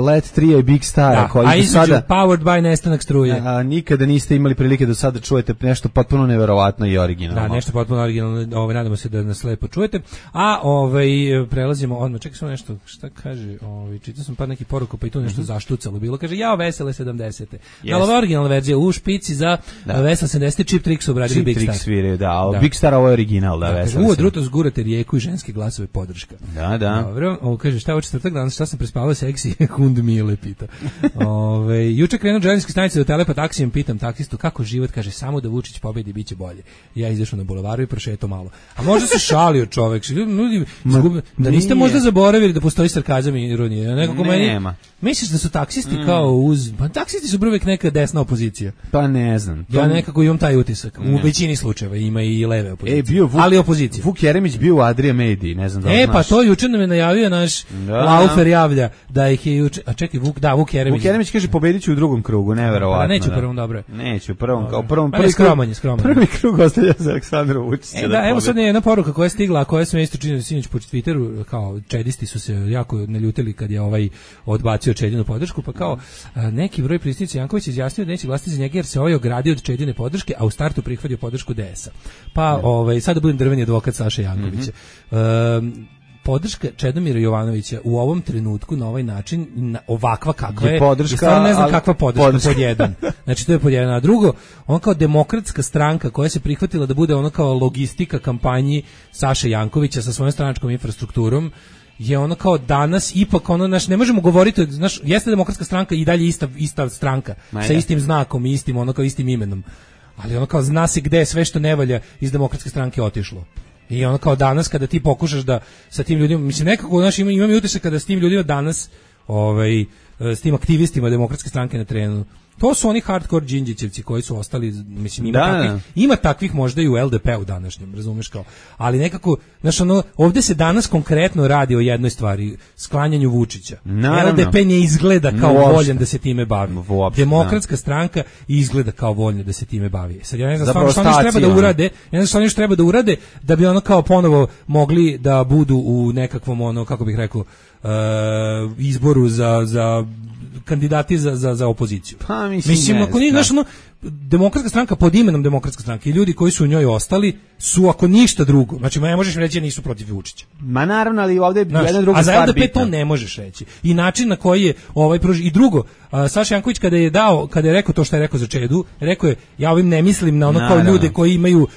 Let 3 i Big Stara, koji do sada Powered by Nestanak struje. Nikada niste imali prilike do sada čujete nešto potpuno neverovatno i originalno. Da, nešto potpuno originalno, nadamo se da nas lepo čujete. A prelazimo odmah, čekaj samo nešto, šta kaže, čitao sam par nekih poruka, pa i tu nešto zaštucalo bilo, kaže, jao, vesele 70. Ali ova originalna verzija u špici za vesele 70, Chip Tricks obradili Big Star. Chip Tricks sviraju, da, Big Star ovo je original, da, vesele. Uvo druto zgurate rijeku i ženske glasove podrška. Da. Dobro, kaže, šta je četvrtak danas, šta sam prespavao seksi, Hund Mile pita. Juče krenuo željezničke stanice do Telepa taksijem, pitam taksistu kako život, kaže, samo da Vučić pobedi, biće bolje. Ja izašao na bulevaru i prošetao malo. A možda se šalio čovek, da niste možda zaboravili da postoji sarkazam i ironija. Nekako meni, misliš da su taksisti kao uz... Pa taksisti su uvek neka desna opozicija. Pa ne znam. Ja nekako imam taj utisak. U većini slučajeva ima i leve opozicije. Ali opozicija. Vuk Jeremić bio u Adria Mediji, ne znam da znaš. Pa to juče nam je najavio naš Laufer javlja da ih je juče... A čekaj, Vuk Jeremić. Vuk Jeremić kaže pobedit ću u drugom krugu, neverovatno. Neću u prvom, dobro. Neću u prvom, kao prvom. Skroman. Prvi krug ostavlja za Aleksandra Vučića. Evo sad je jedna poruka koja je stigla, koja se me isto čini sinoć po Twitteru, kao čedisti su se jako naljutili kad je odbacio Čedinu podršku, pa kao neki broj prisutnih Janković izjasnio da neće glasati za njega jer se ogradio od Čedine podrške, a u startu prihvatio podršku DS-a. Pa sada budem drveni advokat Saše Jankovića. Podrška Čedomira Jovanovića u ovom trenutku na ovaj način, ovakva kakva je, podrška, stvarno ne znam kakva podrška, pod jedan. Znači to je pod jedan. A drugo, on kao demokratska stranka koja se prihvatila da bude ono kao logistika kampanji Saše Jankovića sa svojom stranačkom infrastrukturom, je ono kao danas ipak ono, ne možemo govoriti, znaš, jeste demokratska stranka i dalje ista stranka, sa istim znakom i istim, ono kao istim imenom. Ali ono kao zna se gde je sve što ne valja iz demokratske stranke otišlo. I ono kao danas kada ti pokušaš da sa tim ljudima, mislim nekako imam utisak kada s tim ljudima danas, s tim aktivistima demokratske stranke na terenu, to su oni hardcore džinđićevci koji su ostali, mislim ima takvih možda i u LDP-u današnjem, razumeš kao, ali nekako, znaš ono, ovdje se danas konkretno radi o jednoj stvari, sklanjanju Vučića. Naravno. LDP ne izgleda kao voljan da se time bavi. Demokratska stranka izgleda kao voljna da se time bavi. Sad ja ne znam što oni treba da urade, da bi ono kao ponovo mogli da budu u nekakvom ono, kako bih rekao, izboru za kandidati za opoziciju. Pa mislim ako nije, znaš, ono, Demokratska stranka pod imenom Demokratska stranka i ljudi koji su u njoj ostali su, ako ništa drugo, znači ne možeš reći da nisu protiv Vučića. Ma naravno, ali ovdje je jedna druga stvar bitna. A za LDP to ne možeš reći. I način na koji je i drugo, Saša Janković kada je rekao to što je rekao za Čedu, rekao je, ja ovim ne mislim na ono kao ljude koji imaju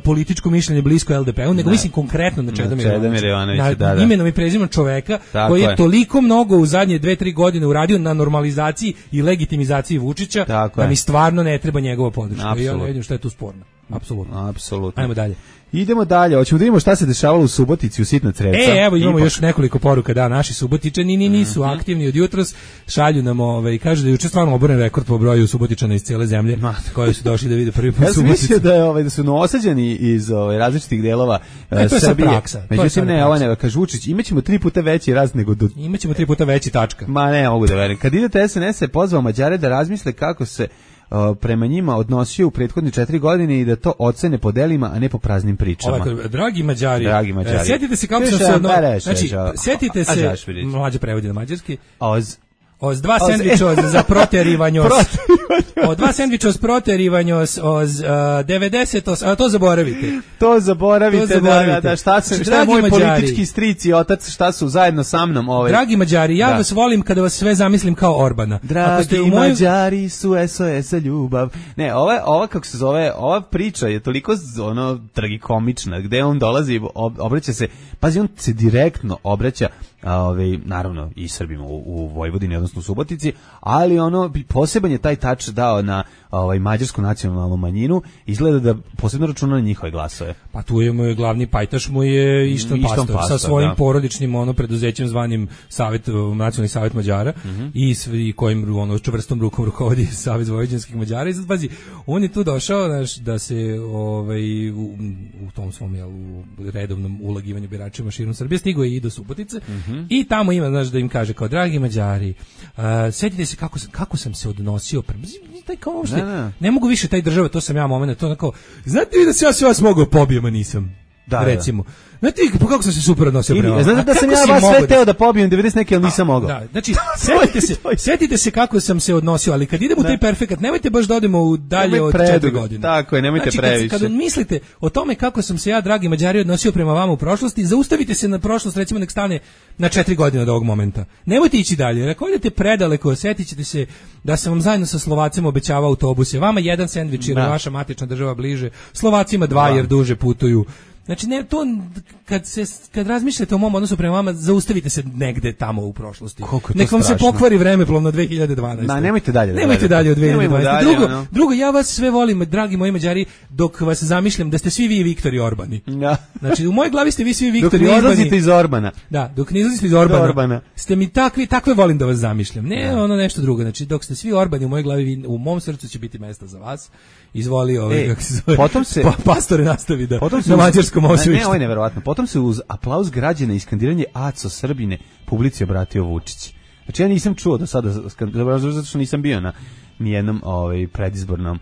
političko mišljenje blisko LDP-u, nego mislim konkretno na Čeda Mirovanovića. Imenom i prezimenom čoveka koji je toliko mnogo u zadnje 2-3 godine uradio na normalizaciji i legitimizaciji Vučića, da mi stvarno ne treba njegova podrška. I ja ne vidim šta je tu sporno. Apsolutno. Ajmo dalje. Idemo dalje, hoćemo da vidimo šta se dešavalo u Subotici u Sitna Creca. Evo imamo još nekoliko poruka, da, naši Subotičani nisu aktivni od jutros, šalju nam, kažu da je juče stvarno oboren rekord po broju Subotičana iz cijele zemlje, koji su došli da vide prvi put Suboticu. Ja sam mislio da su noosađeni iz različitih delova Srbije. Međutim, ne, kaže Vučić, imaćemo 3 puta veći rast nego imaćemo 3 puta veći tačka. Ma ne, mogu da verujem. Kad idete SNS je pozvao Mađare da razmisle kako se prema njima odnosio u prethodne 4 godine i da to ocene po delima, a ne po praznim pričama. Dragi Mađari, sjetite se kako sam se sjetite se, mlađe prevodi na mađarski, od 2 sendviča za proterivanje od 2 sendviča s proterivanje od 90, a to zaboravite. To zaboravite. Da, šta je moj politički stric i otac, šta su zajedno sa mnom Dragi Mađari, ja vas volim kada vas sve zamislim kao Orbana. Dragi Mađari su SOS ljubav. Ne, ova kako se zove, ova priča je toliko tragikomična, gde on dolazi, obraća se, pazi, on se direktno obraća naravno i Srbima u Vojvodini, odnosno u Subotici, ali poseban je taj tač dao na mađarsku nacionalnu manjinu, izgleda da posebno računa na njihove glasove. Pa tu je moj glavni pajtaš, mu je Ištan Pastor sa svojim porodičnim preduzećem zvanim Nacionalni savjet Mađara i kojim čvrstom rukom rukovodi Savez vojvođanskih Mađara. I sad pazi, on je tu došao da se u tom svom redovnom ulagivanju biračima širom Srbije stigao je i do Subotice i tamo ima, da im kaže kao, dragi Mađari, sjetite se kako sam se odnosio prema ne mogu više taj država, to sam ja moment, to onako, znate vi da se ja sve vas mogao pobijem, a nisam, recimo. Znate kako sam se super odnosio prema vama? Znate da sam ja vas sve teo da pobijem 90 neke, ali nisam mogao. Da, znači, sjetite se kako sam se odnosio, ali kad idemo u taj perfekat, nemojte baš da odemo u dalje od 4 godine. Tako je, nemojte previše. Kad mislite o tome kako sam se ja, dragi Mađari, odnosio prema vama u prošlosti, zaustavite se na prošlost, recimo nek stane na 4 godine od ovog momenta. Nemojte ići dalje, jer ako idete predaleko, sjetit ćete se da sam vam zajedno sa Slovacima obećavao autobuse. Vama 1 sendvič jer je vaša matična država bliže, Slovacima 2 jer duže putuju. Znači, ne, to, kad razmišljate o mom odnosu prema vama, zaustavite se negde tamo u prošlosti. Nek vam se pokvari vremeplovno 2012. Da, nemojte dalje. Nemojte dalje od 2012. Drugo, ja vas sve volim, dragi moji Mađari, dok vas zamišljam da ste svi vi Viktori Orbani. Da. Znači, u mojoj glavi ste vi svi Viktori Orbani. Dok ne izlazite iz Orbana. Da, dok ne izlazite iz Orbana. Ste mi takve volim da vas zamišljam. Ne, nešto drugo. Znači, dok ste svi Orbani u mojoj glavi, u mom srcu će biti mesta za vas. Izvoli kako se zove. Potom se Pastore nastavi da na mađarskom osvištu. Ne, ovo je neverovatno. Potom se uz aplauz građana i skandiranje Aco Srbine publici obratio Vučić. Znači ja nisam čuo do sada, zato što nisam bio na nijednom predizbornom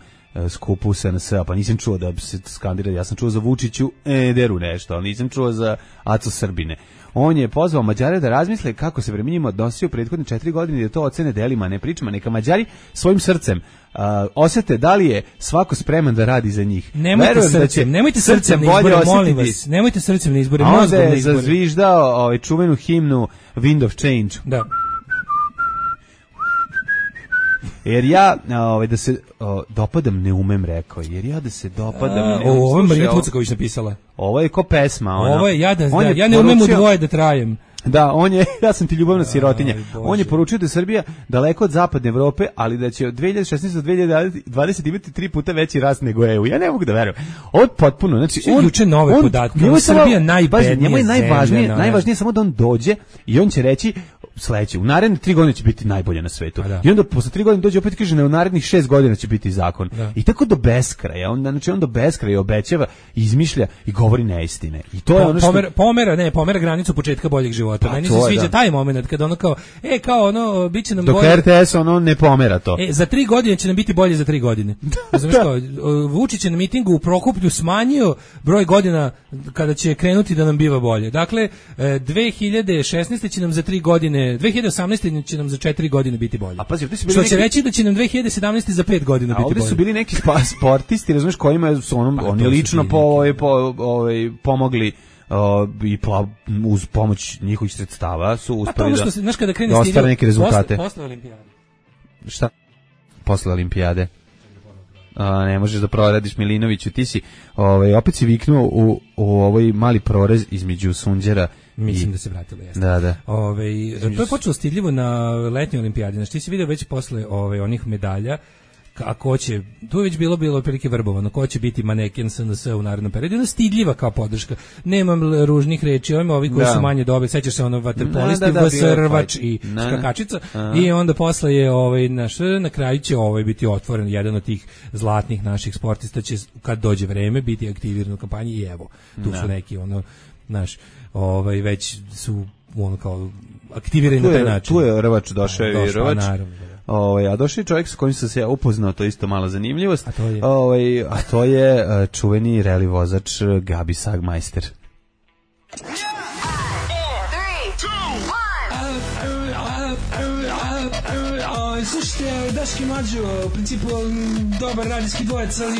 skupu SNS, pa nisam čuo da se skandira. Ja sam čuo za Vučiću Ederu nešto, ali nisam čuo za Aco Srbine. On je pozvao Mađare da razmisle kako se prema njima odnosio prethodne 4 godine i da to ocene delima, ne pričama. Neka Mađari svojim srcem osjete da li je svako spreman da radi za njih. Nemojte srcem na izbore, molim vas. Nemojte srcem na izbore, mozgom na izbore. Onda je zazviždao čuvenu himnu Wind of Change. Da. Jer ja da se dopadam ne umem, rekao. Jer ja da se dopadam ne umem. Ovo je Marija Tucaković napisala. Ovo je ko pesma. Ovo je ja ne umem u dvoje da trajem. Da, ja sam ti ljubavna sirotinja. On je poručio da je Srbija daleko od zapadne Evrope, ali da će od 2016 do 2020 imati 3 puta veći rast nego EU. Ja ne mogu da verujem. Ovo je potpuno, znači on juče nove podatke. Srbija najbednija zemlja. Njemu je najvažnije samo da on dođe i on će reći sledeće, u naredne 3 godine će biti najbolje na svetu. I onda posle 3 godine dođe opet kaže ne, u narednih 6 godina će biti zakon. I tako do beskraja. On do beskraja obećava, izmišlja i govori neistine. I to je ono što pomera granicu početka boljeg života. Meni se sviđa taj moment kada ono kao biće nam dok bolje. Dok RTS ne pomera to. Za 3 godine će nam biti bolje za 3 godine. Znaš kao, Vučić je na mitingu u Prokuplju smanjio broj godina kada će krenuti da nam biva bolje. Dakle, 2016. će nam za 3 godine 2018. će nam za 4 godine biti bolje. A pazi, su bili što će reći da će nam 2017. za 5 godina biti bolje. A ovdje su bili neki sportisti, razumiješ, kojima su oni lično pomogli i uz pomoć njihovih sredstava su uspeli da ostvare neke rezultate. Posle olimpijade. Šta? Posle olimpijade. Ne možeš da proradiš Milinoviću, ti si opet si viknuo u ovaj mali prorez između Sunđera. Mislim da se vratilo, jeste. Da. To je počelo stidljivo na letnjoj olimpijadi. Znači ti si vidio već posle onih medalja ko će, tu je već bilo prilike vrbovano, ko će biti maneken SNS u narednom periodu, ona stidljiva kao podrška, nemam ružnih reči, ovi koji su manje dobri, sećaš se vaterpolisti, Vsrvač i skakačica, i onda posle je na kraju će biti otvoren jedan od tih zlatnih naših sportista, će kad dođe vreme biti aktiviran u kampanji i evo, tu su neki već su kao aktivirani na taj način. Tu je Rvač, došao je Rvač. A došli čovjek s kojim sam se ja upoznao, to je isto mala zanimljivost, a to je čuveni reli vozač Gabi Sagmeister. Slušajte, Daški Mađo, u principu dobar radijski dvojec, ali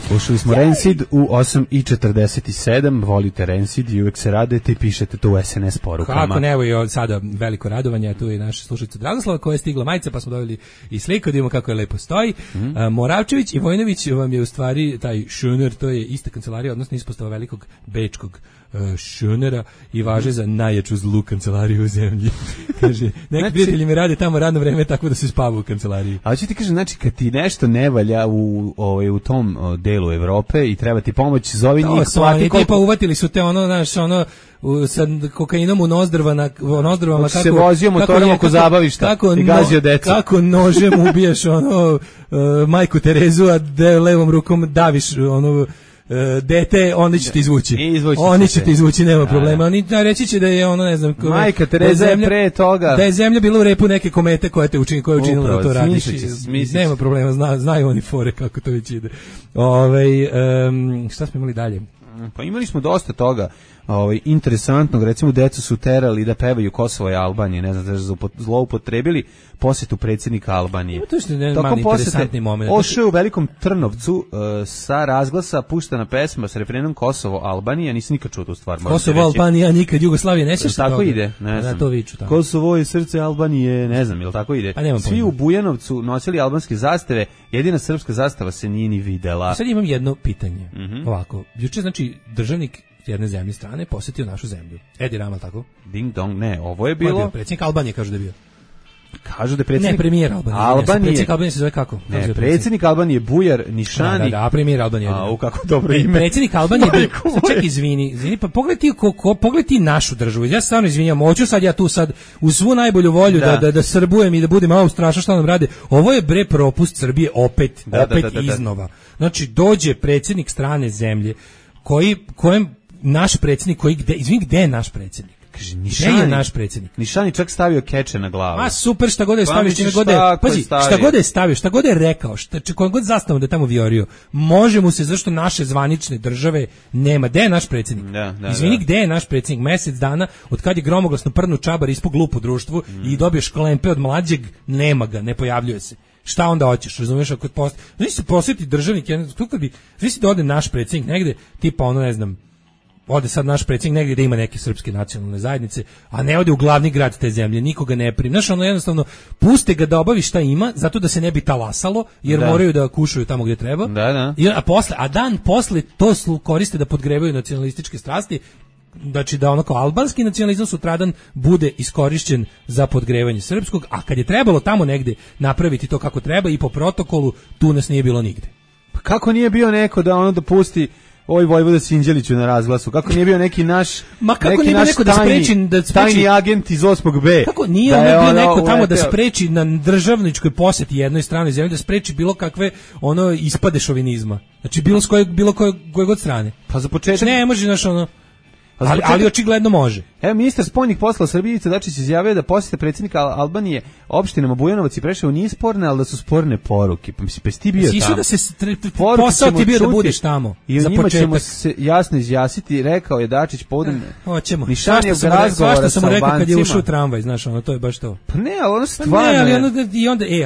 Slušali smo Rancid u 8:47, volite Rancid i uvek se radujete i pišete to u SNS porukama. Kako ne, evo i sada veliko radovanje, tu je naša slušalica Dragoslava koja je stigla majica, pa smo dobili i sliku, da vidimo kako je lepo stoji. Moravčević i Vojnović vam je u stvari taj Schöner, to je ista kancelarija, odnosno ispostava velikog bečkog Schönera i važe za najjaču zlu kancelariju u zemlji. Kaže, neki prijatelji mi rade tamo radno vreme tako da se spava u kancelariji. Ali ću ti kažem, znači, kad ti nešto ne valja u tom delu Evrope i treba ti pomoć, zovi njih, plati koliko... Tipa uvatili su te sa kokainom u nozdrvama kako se vozio motorom oko zabavišta i gazio decu. Kako nožem ubiješ majku Terezu, a levom rukom daviš dete, onda će te izvući. Oni će te izvući, nema problema. Oni reći će da je ne znam, majka Tereza je pre toga. Da je zemlja bila u repu neke komete koja je učinila da to radiš. Nema problema, znaju oni fore kako to već ide. Šta smo imali dalje? Pa imali smo dosta toga interesantnog, recimo decu su terali da pevaju Kosovo i Albanije, ne znam da su zloupotrebili posjetu predsjednika Albanije. To je mali interesantni moment. Ošao u Velikom Trnovcu sa razglasa puštena pesma s refrenom Kosovo Albanija, nisi nikad čuo tu stvar. Kosovo Albanija, nikad Jugoslavije, ne sjećaš tako ide, ne znam. To viču tamo. Kosovo je srce Albanije, ne znam, jel tako ide. Svi u Bujanovcu nosili albanske zastave, jedina srpska zastava se nije ni videla. Sad imam jedno pitanje. Ovako, juče znači državnik jedne zemlje strane posjetio našu zemlju. Edi Rama, tako? Ding dong, ne, ovo je bilo... Predsjednik Albanije kažu da je bio. Kažu da je predsjednik... Ne, premijer Albanije. Predsjednik Albanije se zove kako? Ne, predsjednik Albanije Bujar Nišani. Da, premijer Albanije. Kako dobro ime. Predsjednik Albanije... Ček, izvini, pa pogledaj ti našu državu. Ja se stvarno izvinjam, hoću sad ja tu uz svu najbolju volju da srbujem i da budem malo strašno šta nam rade. Ovo je propust Srbije opet iznova. Znači, dođe predsjednik strane zemlje kojem naš predsjednik gde je naš predsjednik? Kaže, Gde je naš predsjednik? Nišani čak stavio keče na glavu. A super, šta god je stavio, šta god je stavio, šta god je rekao, koliko god zastavom da je tamo viorio, može mu se, zašto naše zvanične države nema. Gde je naš predsjednik? Izvini, gde je naš predsjednik? Mesec dana, od kad je gromoglasno prdnu čabar ispod glup u društvu i dobio šklempe od mlađeg, nema ga, ne pojavljuje se. Šta onda hoćeš, razumiješ, ako se posjeti državnik, znači da ode naš predsjednik negde, tipa ne znam, ode sad naš predsjednik negdje da ima neke srpske nacionalne zajednice, a ne ode u glavni grad te zemlje, nikoga ne primi. Znaš, jednostavno, puste ga da obavi šta ima, zato da se ne bi talasalo, jer moraju da kušaju tamo gdje treba. A dan posle to koriste da podgrevaju nacionalističke strasti, znači da kao albanski nacionalizam sutradan bude iskorišćen za podgrevanje srpskog, a kad je trebalo tamo negdje napraviti to kako treba i po protokolu, tu nas nije bilo nigde. Pa kako nije bio neko da dopusti Vojvoda Sinđeliću na razglasu? Kako nije bio neki naš tajni agent iz 8B? Kako nije bio neko tamo da spreči na državničkoj posjeti jednoj stranoj zemlji, da spreči bilo kakve ispade šovinizma? Znači bilo koje god strane. Pa za početak... Ne može, Ali očigledno može. Evo, ministar spoljnih poslova Srbije Ivica Dačić izjavio da posjeta predsjednika Albanije opštinama Bujanovac i Preševo nije sporne, ali da su sporne poruke. Pa mislim, pa si ti bio tamo. Da se posao ti bio da budeš tamo. I o njima ćemo se jasno izjasniti, rekao je Dačić povodom Nišanijevog razgovora sa Albancima. Kad je ušao u tramvaj, znaš, ono, to je baš to. Pa ne, ali ono stvarno...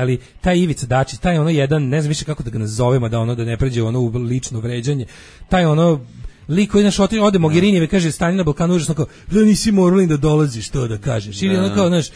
ali taj Ivica Dačić, taj ono jedan, ne znam više kako da ga nazovemo, da ono da ne pređe ono u lično vređanje, taj ono lik koji naš ode Mogherinijeve, kaže stanje na Balkanu užasno, kao da nisi moralin da dolaziš, to da kažeš. Ili ono kao, znaš,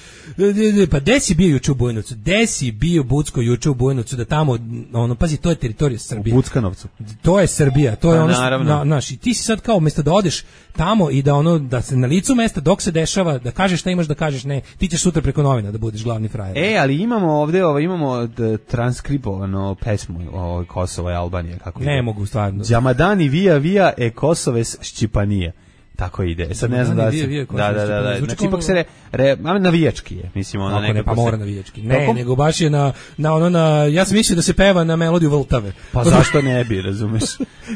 pa gde si bio juče u Bujanovcu? Gde si bio Bucko juče u Bujanovcu, da tamo, ono, pazi, to je teritorija Srbije. U Buckanovcu. To je Srbija, to je ono, znaš, i ti si sad kao umjesto da odeš tamo i da ono, da se na licu mesta dok se dešava, da kažeš šta imaš da kažeš, ne, ti ćeš sutra preko novina da budeš glavni frajer. Ali imamo ovde, imamo transkribovano pesmu Kosova i Albanije, kako ne ide? Mogu stvarno. Džamadani vija Kosoves Šćipanije. Tako ide. Sad ne znam da se... Da. Znači, ipak se navijački je. Mislim, ono nekako... Pa mora navijački. Ne, nego baš je ja sam mislio da se peva na melodiju Vltave. Pa zašto ne bi, razumeš?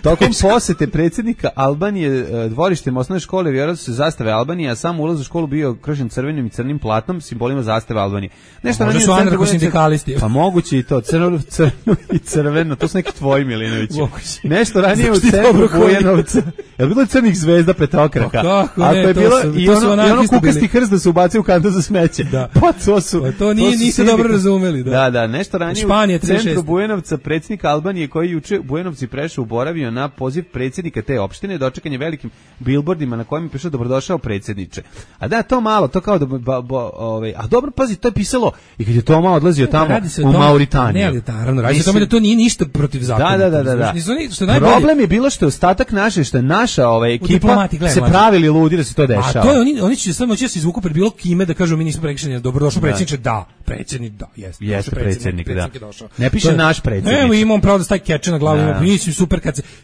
Tokom posete predsjednika Albanije dvorištem osnovne škole vjerojatno su zastave Albanije, a sam ulaz u školu bio kršen crvenim i crnim platnom, simbolima zastave Albanije. Možda su anarcho-sindikalisti. Pa moguće i to, crno i crveno, to su neki tvoji, Milinović. Nešto ranije u centru Bujanovca. Je bilo crnih zvezda petokraka? Ako je bilo i ono kukasti krst da se ubaci u kantu za smeće. Da. Pa to su... To niste dobro razumeli. Da, nešto ranije u centru Bujanovca predsjednik Albanije koji juče u Bujanovci prešao boravio na poziv predsjednika te opštine, dočekan je velikim bilbordima na kojima je pišao dobrodošao predsjedniče. A da, to malo, to kao da... A dobro, pazi, to je pisalo i kad je Toma odlazio tamo u Mauritaniju. Ne, ali naravno, radi se o tome da to nije ništa protiv zakona. Da. Problem je bilo što je ostatak naše, što je naša ekipa se pravili ludi da se to dešava. A to je, oni će samo će se izvuku pred bilo kime da kažu mi nismo prekršeni, dobrodošao predsjedniče, da, predsjednik, da, jeste predsjednik, da. Ne piše naš predsjednik. Evo imamo pravo da staje keče na glavu, mislim super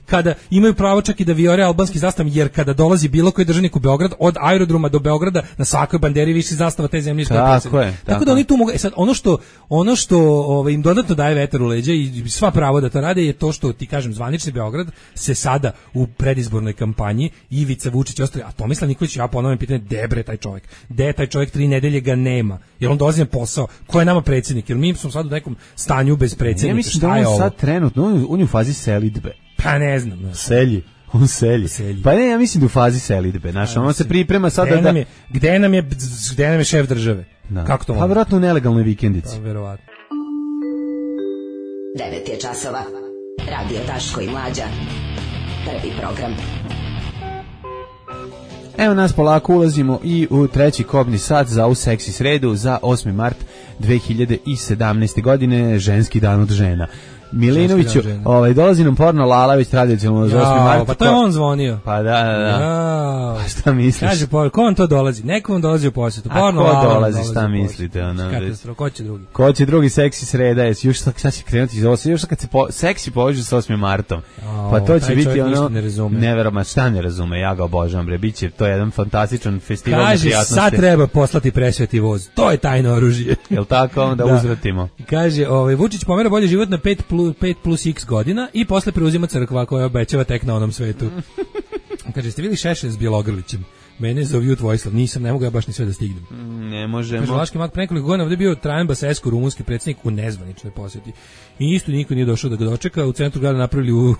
kada imaju pravo čak i da vijore albanski zastav, jer kada dolazi bilo koji državnik u Beograd, od aerodroma do Beograda, na svakoj banderi visi zastava te zemlje što je predsjednik. Tako da oni tu mogu, sad ono što im dodatno daje vetar u leđa i sva pravo da to rade je to što ti kažem zvanični Beograd se sada u predizbornoj kampanji Ivica Vučić ostali, a Tomislav Nikolić, ja ponovim pitanje, gde taj čovjek? Gde je taj čovjek 3 nedelje ga nema? Jer on dolazi na posao. Ko je nama predsjednik? Jer mi smo sad u nekom stanju bez predsjednika. Ja mislim da on sad trenutno, on je u fazi selidbe. Pa ne znam. On selji. Pa ne, ja mislim da u fazi selidbe. On se priprema sad da... Gde nam je šef države? Kako to može? Pa vjerojatno u nelegalnoj vikendici. Pa verovatno. 9 je časova. Radio Daško i Mlađa. Prvi program. Evo nas polako ulazimo i u treći kobni sat za ovu seksi sredu za 8. mart 2017. godine, ženski dan od žena. Milinoviću, dolazi nam porno Lala tradicionalno za 8. marta. Pa to je on zvonio. Pa da. Pa šta misliš? Kaže, ko vam to dolazi? Neko vam dolazi u posjetu. Porno Lala. A ko dolazi, šta mislite? Katastrof, ko će drugi? Ko će drugi seksi sreda? Još sad će krenuti iz 8. Još kad se seksi poveže sa 8. martom. Pa to će biti ono... Neverovatno, šta ne razume? Ja ga obožavam, bre. Biće to jedan fantastičan festival neprijatnosti. Kaže, sad treba poslati presveti voz. To je tajno oružje. Jel tako? Onda uzvratimo. Kaže, Vučić pomera bolje život na 5 plus x godina i posle preuzima crkva koja obećava tek na onom svetu. Kaže, ste bili Šešelj s Bjelogrlićem? Mene zove Vojislav, nisam, ne mogu ja baš ni sve da stignem. Ne možemo. Kaže, Vlaški mak pre nekoliko godina ovdje bio Trajan Basescu, rumunski predsjednik u nezvaničnoj posjeti. I isto niko nije došao da ga dočeka. U centru grada napravili u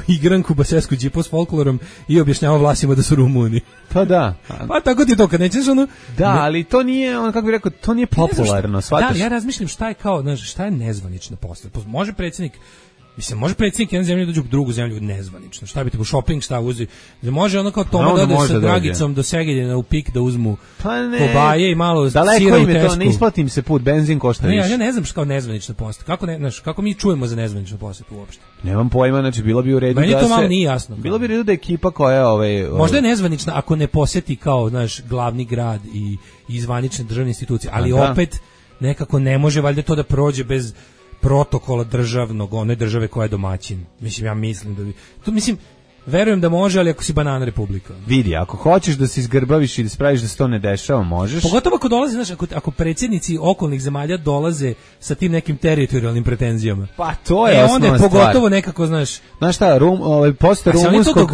igranku Basescu džipo s folklorom i objašnjava Vlasima da su Rumuni. Pa da. Pa tako ti to, kad nećeš ono... Da, ali to nije, kako bih rekao, to nije popularno, shvataš? Da, ja razmišljam šta je kao, znaš, šta je nezvanična posjeta. Može predsjednik jedne zemlje dođu u drugu zemlju nezvanično. Šta bi te u shopping, šta uzi? Može ono kao Toma da ode sa Dragicom do Segedina u Pik da uzmu kobaje i malo sira u Tesku. Daleko im je to, ne isplatim se put, benzin košta više. Ja ne znam što kao nezvanična posjeta. Kako mi čujemo za nezvaničnu posjetu uopšte? Nemam pojma, znači bilo bi u redu da to malo nije jasno. Bilo bi u redu da ekipa koja možda je nezvanična ako ne posjeti kao, znaš, glavni grad i zvanične državne institucije, ali opet nekako ne može valjda to da prođe bez protokola državnog, one države koja je domaćin. Mislim, ja mislim da bi... To mislim, Verujem da može, ali ako si banana republika. Vidi, ako hoćeš da se izgrbaviš i da spraviš da se to ne dešava, možeš. Pogotovo ako dolaze, znaš, ako predsjednici okolnih zemalja dolaze sa tim nekim teritorijalnim pretenzijama. Pa to je osnovna onda je pogotovo nekako, znaš šta, posle rumunskog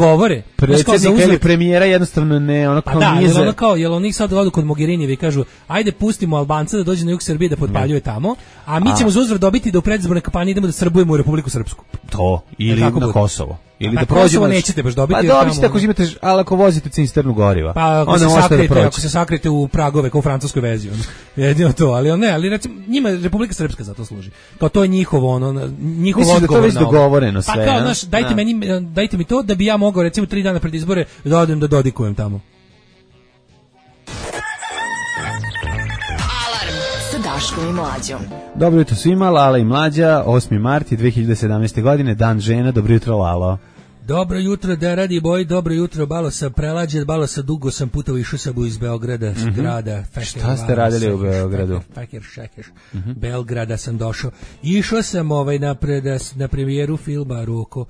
predsjednika ili premijera jednostavno ne, ono kao nije za... jel oni sad odu kod Mogherinijeve i kažu, ajde pustimo Albanca da dođe na jug Srbije da potpaljuje tamo, a mi ćemo za uzvrat dobiti da u predizbornoj kampanji idemo da srbujemo u Republiku Srpsku. To, ili na Kosovo. Ili da prođemo. Kosovo nećete baš dobiti. Pa dobite ako imate, ali ako vozite cisternu goriva. Pa ako se sakrete u pragove kao u francuskoj vezi. Jedino to, ali recimo, njima Republika Srpska za to služi. Kao to je njihov odgovor. Mislim da to već dogovoreno sve. Pa kao, znaš, dajte mi to da bi ja mogao recimo 3 dana pred izbore da odem da dodikujem tamo. Alarm sa Daškom i Mlađom. Dobro jutro svima, Lala i Mlađa, 8. mart 2017. godine, dan žena, dobro jutro Lalo. Dobro jutro, da radi boj, dobro jutro, balo sam prelađen, balo sam dugo sam putovao, išao sam iz Beograda, grada. Šta ste radili u Beogradu? Belgrada sam došao. Išao sam na premijeru filma Roko,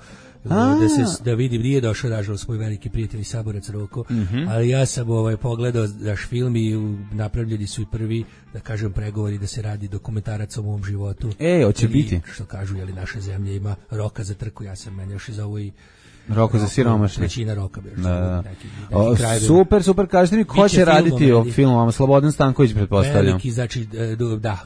da vidim, nije došao nažalost moj veliki prijatelj i saborac Roko, ali ja sam pogledao naš film i napravljeni su i prvi, da kažem, pregovori da se radi dokumentarac o mom životu. Hoće biti. Što kažu, jeli naša zemlja ima roka za trku, ja sam meni još iz ovo i Roko za siromašne. Trećina roka. Super, kažete mi ko će raditi o filmom, Slobodan Stanković pretpostavljam. Veliki, znači,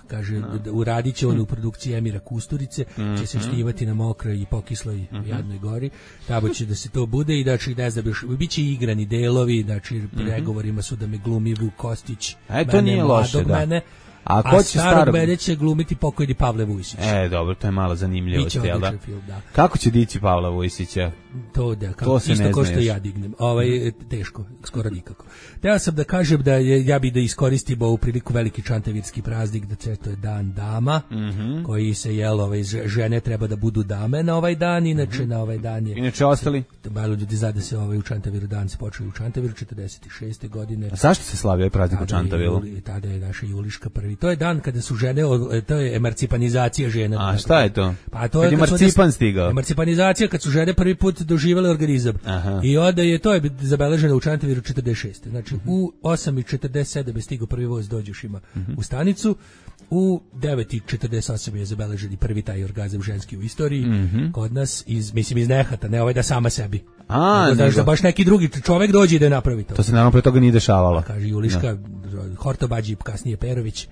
kaže, uradit će on u produkciji Emira Kusturice, će se štivati na mokroj i pokisloj Jadnoj gori, tamo će da se to bude i znači, ne znam, bit će igrani delovi, znači, pregovorima su da me glumi Vuk Kostić, to nije loše, da. A starog mene će glumiti pokojni Pavle Vujsić. Dobro, to je malo zanimljivo. Biće odličan film, da. Kako će dići Pavla Vujsića? To isto ko što ja dignem. Teško, skoro nikako. Teo sam da kažem da ja bi da iskoristim ovu priliku veliki čantavirski praznik, da to je dan dama, koji se žene treba da budu dame na ovaj dan, inače na ovaj dan je... Inače ostali? Malo ljudi zade se u Čantaviru dan se počeo u Čantaviru 46. godine. A zašto se slavi ovaj praznik u Čantaviru? Tada je naša Juliška prvi. To je dan kada su žene, to je emarcipanizacija žena. A šta je to? Pa to je kad emarcipan stigao. Emarcipanizacija kad su žene prvi put doživjele organizam. I onda to je zabeleženo u Čantaviru 46. Znači u 8:47 je stigao prvi voz Dođošima u stanicu. U 9:48 je zabeleženi prvi taj orgazam ženski u istoriji kod nas iz Nehata, ne da sama sebi. Da baš neki drugi čovjek dođe i da napravi to. To se naravno pre toga nije dešavalo. Kaže Juliška, Hortobađi, kasnije Perović,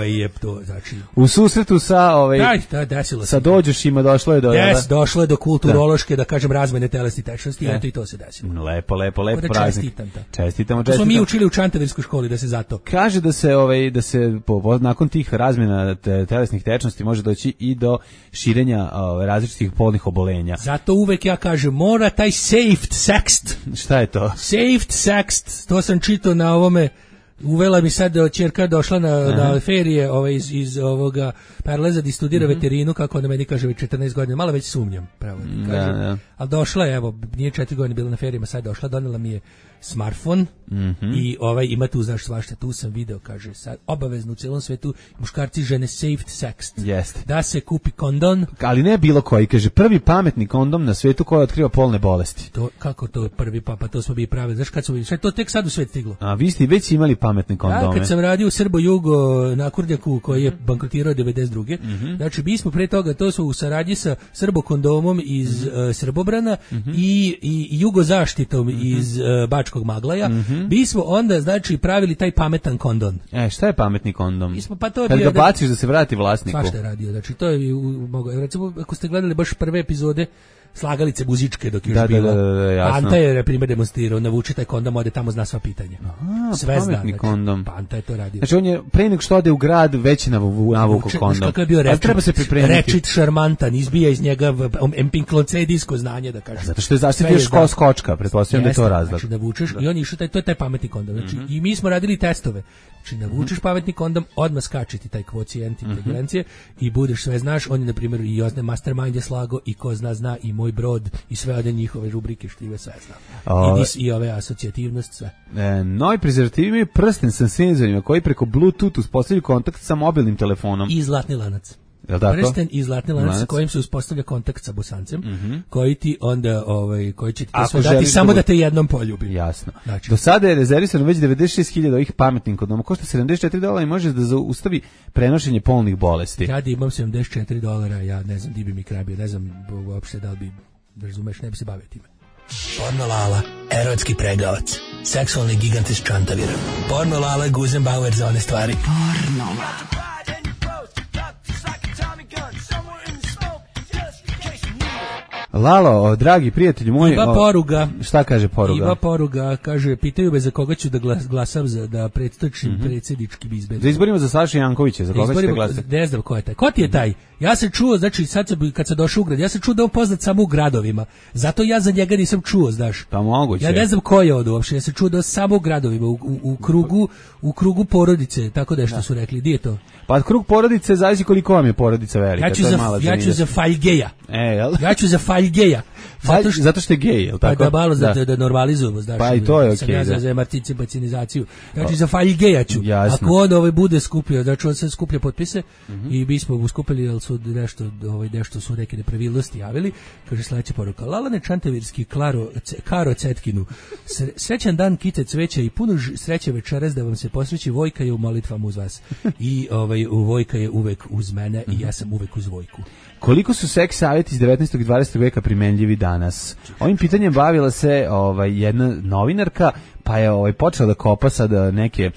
je to, znači... U susretu sa sa Dođošima došlo je do... došlo je do kulturološke, da kažem, razmene telesnih tečnosti, i to se desilo. Lepo praznik. Čestitamo. To smo mi učili u Čantavirskoj školi, da se zato... Kaže da se nakon tih razmjena telesnih tečnosti može doći i do širenja različitih polnih obolenja. Zato uvek ja kažem, mora taj saved sext. Šta je to? Saved sext, to sam čitao na ovome, uvela mi sad ćerka došla na ferije iz ovoga Perleza da studira veterinu, kako ona meni kaže već 14 godina, malo već sumnjam, pravo da kažem. Ali došla je, nije 4 godine bila na ferijama, sad došla, donela mi je smartfon i ima tu, znaš, svašta, tu sam video, kaže, sad obavezno u celom svetu muškarci žene saved sext. Da se kupi kondom. Ali ne bilo koji, kaže, prvi pametni kondom na svetu koji otkriva polne bolesti. Kako to prvi pa to smo bi pravili, znaš kad smo sve to tek sad u svet stiglo. A vi ste već imali pametne kondome. Ja, kad sam radio u Srbo-Jugo na Kurdjaku koji je bankrotirao 92. Znači, mi smo pre toga, to su u saradnji sa Srbo-kondomom iz Srbobrana i Jugozaštitom iz Bačkog Maglaja, mi smo onda, znači, pravili taj pametan kondom. Šta je pametni kondom? Kad ga baciš da se vrati vlasniku. Svašta je radio, znači, to je recimo, ako ste gledali baš prve epizode Slagalice muzičke dok još bila. Panta je, na primjer, demonstrirao, navuče taj kondom, ode tamo, zna sva pitanja. Sve zna, znači, kondom. Panta je to radio. Znači, on je pre nego što ode u grad već navukao kondom. Kakav je bio rečit šarmantan, izbija iz njega empinklocedijsko znanje, da kažem. Zato što je zaštitio skočka, pretpostavljam da je to razlog. Znači, navučeš i on išao, to je taj pametni kondom. Znači, i mi smo radili testove. Znači, navučeš pametni kondom, odmah skače ti taj kvocijent inteligencije i budeš sve znaš. On je, na primjer, i Ozne Mastermind je slago, i ko zna, i Moj brod, i sve ode njihove rubrike štive, sve znam. I ove asocijativnost, sve. Novi prezervativi imaju prsten sa senzorima koji preko Bluetooth uspostavljaju kontakt sa mobilnim telefonom. I zlatni lanac. Prsten i zlatni lanac kojim se uspostavlja kontakt sa Bosancem, koji ti onda koji će ti to sve dati samo da te jednom poljubi. Jasno. Znači, do sada je rezervisano već 96.000 ovih pametnih kondoma, košta $74 i može da zaustavi prenošenje polnih bolesti. Ja da imam $74, ja ne znam di bi mi kraj bio, ne znam uopšte da li bi, razumeš, ne bi se bavio time. Porno Lala, erotski pregavac, seksualni gigant iz Čantavira. Porno Lala, Guzenbauer za one stvari. Porno Lala. Lalo, dragi prijatelji moji, ima poruga. Šta kaže poruga? Ima poruga, kaže, pitaju me za koga ću da glasam da predstočim predsjedničkim izborima. Za izborima za Sašu Jankovića, za koga ćete glasati? Ne znam ko je taj. Ko ti je taj? Ja sam čuo, znači sad kad sam došao u grad, ja sam čuo da on poznat samo u gradovima. Zato ja za njega nisam čuo, znaš. Pa moguće. Ja ne znam ko je od uopšte, ja sam čuo da samo u gradovima, u krugu porodice, tako da što su rekli. Di je to? Pa krug porodice zavisi koliko vam je porodica velika. Ja ću za Faljgeja. Jel? Ja ću za Faljgeja. Zato što je gej, je li tako? Pa da malo da normalizujemo, znaš. Pa i to je okej. Ja za marticipacinizaciju. Znači za Faljgeja ću. Ako on bude skupio, znači on se skuplja potpise i mi smo skupili, jel su nešto su neke nepravilnosti javili. Kaže sledeća poruka. Lalane Čantavirski Karo Cetkinu. Srećan dan, kite cveća i puno sreće večeras da vam se posreći Vojka je u molitvama uz vas. I Vojka je uvek uz mene i ja sam uvek uz Vojku. Koliko su seks savjeti iz 19. i 20. veka primenljivi danas? Ovim pitanjem bavila se jedna novinarka, pa je počela da kopa sad neke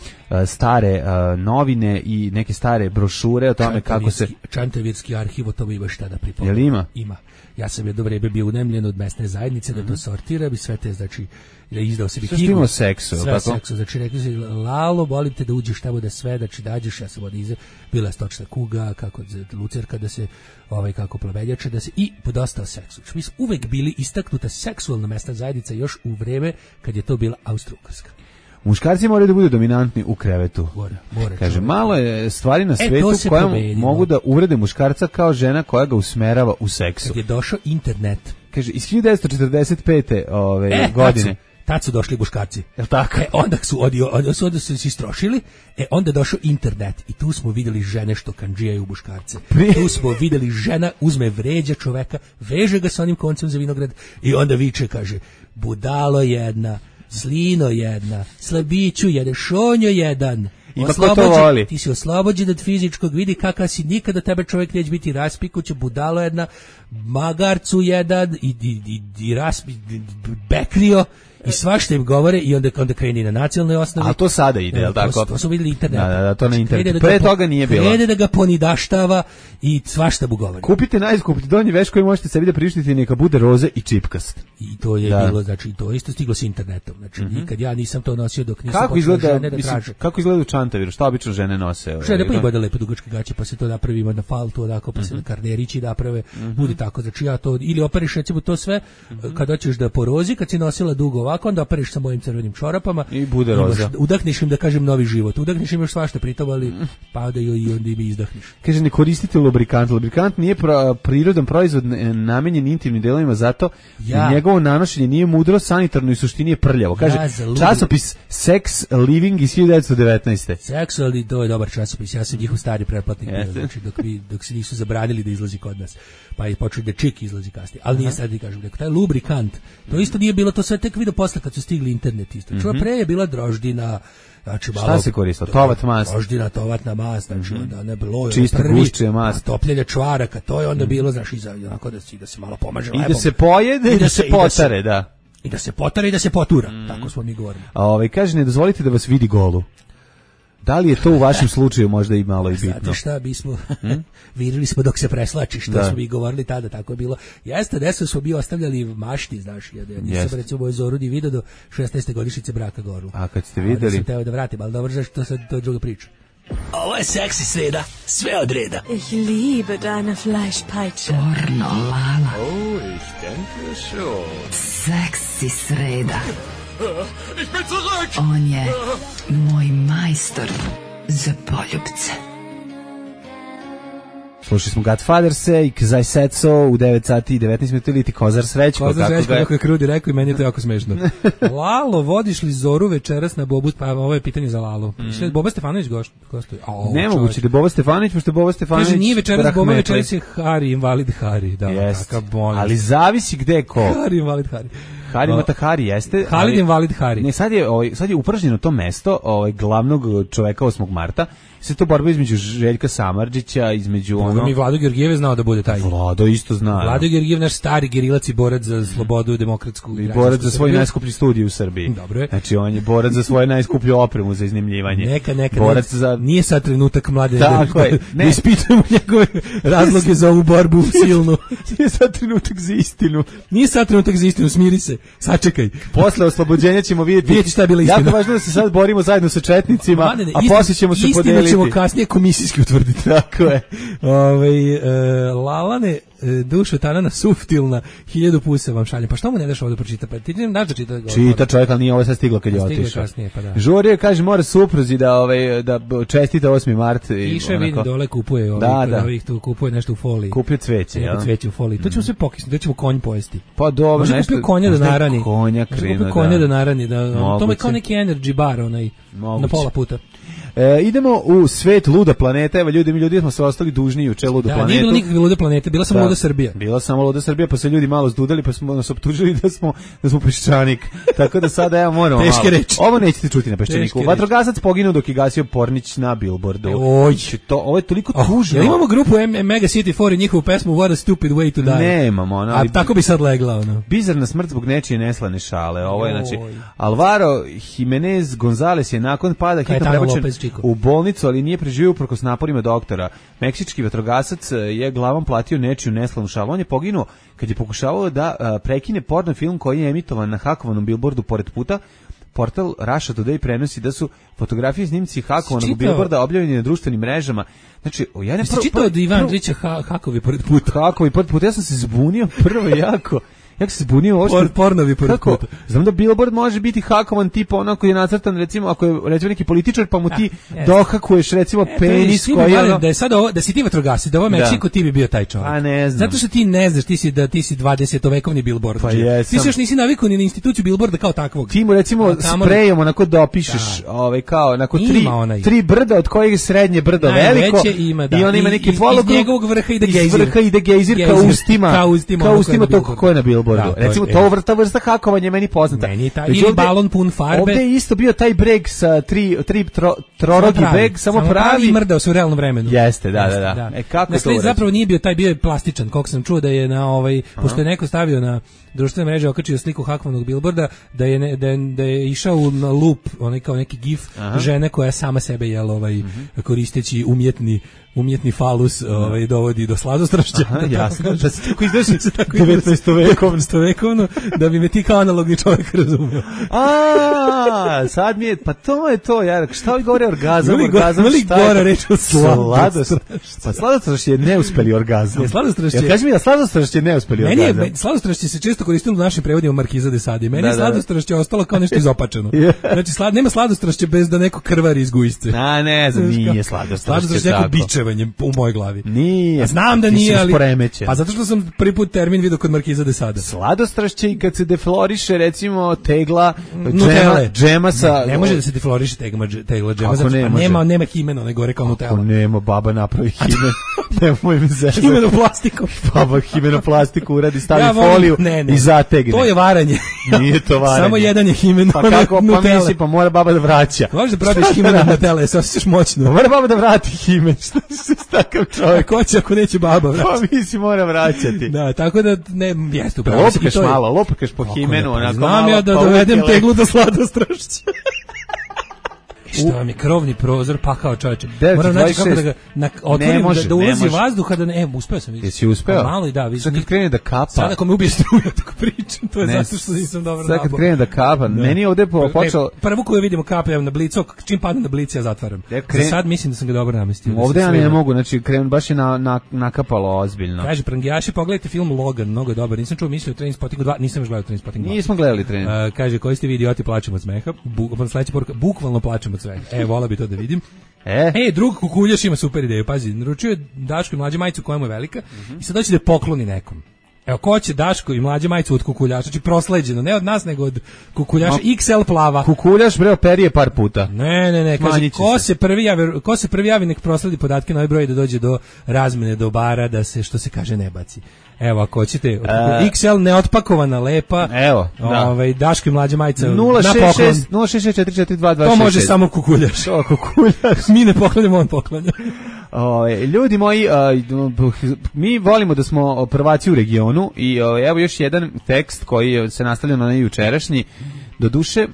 stare novine i neke stare brošure o tome kako se... Čantavirski arhiv, o tome ima šta da pripovedam. Jel ima? Ima. Ja sam jedno vreme bio unemljen od mesne zajednice da to sortiram i sve te, znači, da izdao sebi knjigu. Sve što ima seksu, sve seksu, znači rekli se, Lalo, volim te da uđeš tamo da sve, znači dađeš, ja sam od iza, bila je stočna kuga, kako lucerka da se, kako plaveljača, da se, i dosta o seksu. Mi smo uvek bili istaknuta seksualna mesna zajednica još u vreme kad je to bila Austro-Ugarska. Muškarci moraju da budu dominantni u krevetu. Mora. Kaže, malo je stvari na svetu koje mogu da uvrede muškarca kao žena koja ga usmerava u seksu. Kad je došao internet. Kaže, iz 1945. Godine. Tad su došli muškarci. Jel tako? Onda su se istrošili, onda je došao internet i tu smo vidjeli žene što kandžijaju muškarce. Tu smo vidjeli žena uzme vređa čoveka, veže ga sa onim koncem za vinograd i onda viče, kaže, budalo jedna, slino jedna, slabiću jedan, šonjo jedan. Ti si oslobođen od fizičkog, vidi kakav si, nikada tebe čovjek neće biti raspikuće, budalo jedna, magarcu jedan i bekrio i svašta im govore i onda kreni na nacionalnoj osnovi. A to sada ide, jel tako? To su vidjeli internet. Da, to na internetu. Pre toga nije bilo. Krene da ga ponidaštava i svašta mu govori. Kupite najskuplji donji veš koji možete sebi da priuštiti, neka bude roze i čipkast. I to je bilo, znači, to isto stiglo s internetom. Znači, nikad ja nisam to nosio dok nisam počela žene da traže. Kako izgleda u Čantaviru? Šta obično žene nose? Žene pa ima da lepe dugačke gaće, pa se to napravi na faltu, onako, pa se na karnerići naprave. Bude tako, znači ja to, ili operiš recimo to sve, kad hoćeš da porozi, kad si nosila dugo ovako, onda operiš sa mojim crvenim čorapama i bude roza. Udahniš im, da kažem, novi život. Udahniš im još svašta pritom, ali padaju i onda im izdahniš. Kaže, ne koristite lubrikant. Lubrikant nije prirodan proizvod namenjen intimnim delovima, zato njegovo nanošenje nije mudro, sanitarno i suštini je prljavo. Kaže, časopis Sex Living iz 1919. Sex, ali to je dobar časopis. Ja sam njihov stari pretplatnik bio, znači dok se nisu zabranili da izlazi kod nas. Pa je počeo da čik izlazi kasnije. Ali nije sad da kažem, taj lubrikant, to isto nije bilo, to sve tek vidio posle kad su stigli internet isto. Pre je bila droždina, znači malo... Šta se koristilo? Tovat mast? Droždina, tovatna mast, znači onda ne bilo... Čista guščija mast. Topljenje čvaraka, to je onda bilo, znači, onako da se malo pomaže lepom. I da se pojede i da se potare, da. I da se potare i da se potura, tako smo mi govorili. Kaže, ne dozvolite da vas vidi golu. Da li je to u vašem slučaju možda i malo i bitno? Znate šta, bismo virili smo dok se preslači, što smo mi govorili tada, tako je bilo. Jeste, desno smo mi ostavljali mašti, znaš, ja nisam recimo u Zorudi vidio do 16. godišnjice braka gorlu. A kad ste videli? Da sam teo da vratim, ali dobro, znaš, to je druga priča. Ovo je seksi sreda, sve od reda. Ich liebe deine Fleischpeitsche. Pornolala. Oh, ich denke schon. Seksi sreda. Ich bin zurück! On je moj majstor za poljubce. Slušali smo Godfatherse i Kazaj Setso u 9 sati i 19 minuta ili ti Kozar Srećko. Kozar Srećko, kako je Krudi rekao i meni je to jako smešno. Lalo, vodiš li Zoru večeras na Bobu? Pa ovo je pitanje za Lalo. Boba Stefanović gostuje. Nemoguće da Boba Stefanović, pošto je Boba Stefanović... Kaže, nije večeras Boba, večeras je Hari, invalid Hari. Da, ali zavisi gde ko. Hari, invalid Hari. Hari Matahari jeste. Halid invalid Hari. Ne, sad je upražnjeno to mesto glavnog čoveka 8. marta. Sve to borba između Željka Samardžića, između ono... Mi Vlado Georgijev znao da bude taj. Vlado isto zna. Vlado Georgijev, naš stari gerilac i borac za slobodu, demokratsku... I borac za svoj najskuplji studij u Srbiji. Dobro je. Znači, on je borac za svoju najskuplju opremu za iznajmljivanje. Neka. Borac za... Nije sad trenutak mlade da ispitujemo njegove razloge za ovu borbu silnu. Nije sad trenutak za istinu. Nije sad trenutak za istinu, smiri se. Sačekaj. Posle oslobođenja ćemo vidjeti šta je bila istina. Jako važno da se sad borimo zajedno sa četnicima, a poslije ćemo se podeliti. Istinu ćemo kasnije komisijski utvrditi. Tako je. Lalane, dušo tanana suftilna, 1000 pusa vam šaljem. Pa što mu ne daš ovo da pročita? Pa ti ne daš da čita? Čita čovjek, ali nije ovo sad stiglo kad je otišao. Žurio kaže, mora supruzi da čestita 8. mart. Piše, vidim, dole kupuje ovih tu, kupuje nešto u foliji. Kupuje cveće, ja. Cveće u foliji. To ćemo sve pokisnuti, to ćemo konj pojesti. Pa dobro, nešto. Može kupio konja da narani. Konja da narani. To je kao neki energy bar, onaj, na pola puta. Idemo u svet luda planeta. Evo ljudi smo se ostali dužni juče ludu planetu. Nije bilo nikakve lude planete, bila samo luda Srbija. Bila samo luda Srbija, pa se ljudi malo zdudali, pa smo nas optužili da smo peščanik. Tako da sada ja moramo malo. Teške reči. Ovo nećete čuti na peščaniku. Vatrogasac poginuo dok je gasio Pornić na billboardu. Ovo je toliko tužno. Jel imamo grupu Mega City 4 i njihovu pesmu What a Stupid Way to Die? Nemamo. A tako bi sad legla. Bizarna smrt zbog nečije neslane šale. Ovo je znači Alvaro Jimenez Gonzalez je nakon pada hitno prebačen u bolnicu, ali nije preživio uprkos naporima doktora. Meksički vatrogasac je glavom platio nečiju neslanu šalu. On je poginuo kad je pokušavao da prekine porno film koji je emitovan na hakovanom billboardu pored puta. Portal Russia Today prenosi da su fotografije snimci hakovanog billboarda objavljeni na društvenim mrežama. Znači, čitao od Ivan Andrića hakovi pored puta. Hakovi pored puta. Ja sam se zbunio prvo jako. Jak se zbunio pornovi pored puta. Znam da billboard može biti hakovan tipa onako je nacrtan, recimo ako je recimo neki političar pa mu ti dohakuješ recimo penis koji je da je sad ovo, da si ti vatrogasci, da ovo Meksiko ti bi bio taj čovjek. A ne znam. Zato što ti ne znaš, ti si 20-vekovni billboard. Pa ti se još nisi navikao ni na instituciju billboarda kao takvog. Ti mu recimo sprejom onako dopišeš kao onako tri brda od kojih je srednje brdo veliko i on ima neki polog iz njegovog vrha ide gejzir kao ustima tog koje na billboardu. Recimo to vrsta hakovanja je meni poznata. Ili balon pun farbe. Ovdje je isto bio taj breg sa tri trorogi breg, samo pravi. I mrdao se u realnom vremenu. Jeste, da. Kako to zapravo nije bio taj, bio je plastičan, koliko sam čuo da je na pošto je neko stavio na društvene mreže, okačio sliku hakovanog billboarda, da je išao na loop, onaj kao neki gif žene koja sama sebe koristeći umjetni falus dovodi do sladostrašća. Jasno, da se tako izdeši 19-vekovno, da bi me ti kao analogni čovjek razumio. Sad mi je, pa to je to, šta li govore orgazam, šta je gore reći o sladostrašću? Pa sladostrašć je neuspeli orgazam. Kaži mi da sladostrašć je neuspeli orgazam. Sladostrašće se često koristilo u našim prevodima Markiza de Sade. Meni je sladostrašće ostalo kao nešto izopačeno. Znači, nema sladostrašće bez da neko krvari iz gujsce. Ne znam, nije sladostrašće tako. U mojoj glavi. Nije. Znam da nije, ali pa zato što sam prvi put termin vidio kod Markiza de Sade. Sladostrašće i kad se defloriše recimo tegla džema sa... Ne može da se defloriše tegla džema, zato nema himena, ne gore kao Nutella. Ako nema, baba napravi himen. Nemoj mi zezati. Himenoplastiku. Baba himenoplastiku uradi, stavi foliju i zategne. To je varanje. Nije to varanje. Samo jedan je himen. Pa kako, pa misli, pa mora baba da vraća. Možeš da probaš himen od Nutelle, se osjećaš moćno. Mora baba da vrati himen. Takav čovjek. Ko će ako neće baba vraćati? Pa misli mora vraćati. Da, tako da ne, jeste upravo. Lopkaš po himenu, onako znam ja da dovedem teglu do sladostrašća. Što vam je krovni prozor pakao, čovječe. Moram naći kako da ga otvorim, da ulazi vazduh, uspeo sam. Jesi uspeo? Malo i da. Sad kad krene da kapa. Sad ako me ubije struja, tako pričam, to je zato što nisam dobro nabao. Sad kad krene da kapa, meni je ovdje počeo... Prvo koju vidimo kape, na blicu, čim padne na blici, ja zatvaram. Za sad mislim da sam ga dobro namestio. Ovdje ja ne mogu, znači baš je nakapalo ozbiljno. Kaže, prangijaši, pogledajte film Logan, mnogo je dobar. Nisam čuo mislio o Trainspottingu 2, nisam još gledao Trainspotting 2. Nismo gledali Train. Kaže, koji ste vi idioti, plačemo od smeha. Sledeća poruka, bukvalno plačemo od smeha. Vola bi to da vidim. Drug kukuljaš ima super ideju, pazi, naručio je Daško i Mlađe majicu koja mu je velika i sad hoće da je pokloni nekom. Evo, ko će Daško i Mlađe majicu od kukuljaša, znači prosleđeno, ne od nas, nego od kukuljaša, XL plava. Kukuljaš, bre, operije par puta. Ne, kaže, ko se prvi javi, nek prosledi podatke na ovaj broj da dođe do razmene dobara, da se, što se kaže, ne baci. Evo, ako hoćete, XL neotpakovana, lepa, evo, Daško i Mlađe majica na poklon. 066442226. To može samo kukuljaš. To kukuljaš. Mi ne poklanjamo, on poklanja. Ljudi moji, mi volimo da smo prvaci u regionu i evo još jedan tekst koji se nastavlja na jučerašnji. Doduše,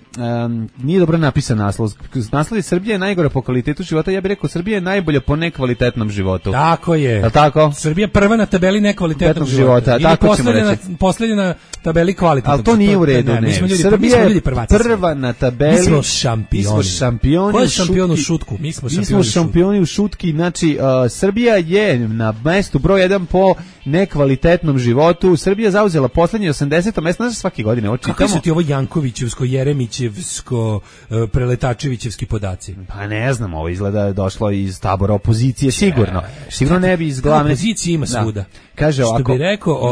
nije dobro napisan naslov. Naslov je Srbija je najgora po kvalitetu života. Ja bih rekao Srbija je najbolja po nekvalitetnom životu. Tako je. Je tako? Srbija prva na tabeli nekvalitetnog života. Ili tako ćemo reći. Posljednja na tabeli kvalitetnog. Ali to nije u redu, ne. Srbija je prva na tabeli. Mi smo šampioni. Ko je šampion u šutku? Mi smo šampioni u šutki. Znači, Srbija je na mestu broj 1 po nekvalitetnom životu. Srbija zauzela poslednje 80. mesto. Znaš, svake godine ovo čitamo. Kako su ti ovo Jankovićevsko, Jeremićevsko, Preletačevićevski podaci? Pa ne znam, ovo izgleda došlo iz tabora opozicije, sigurno. Sigurno ne bi iz glavne. Opozicije ima svuda. Kaže ovako,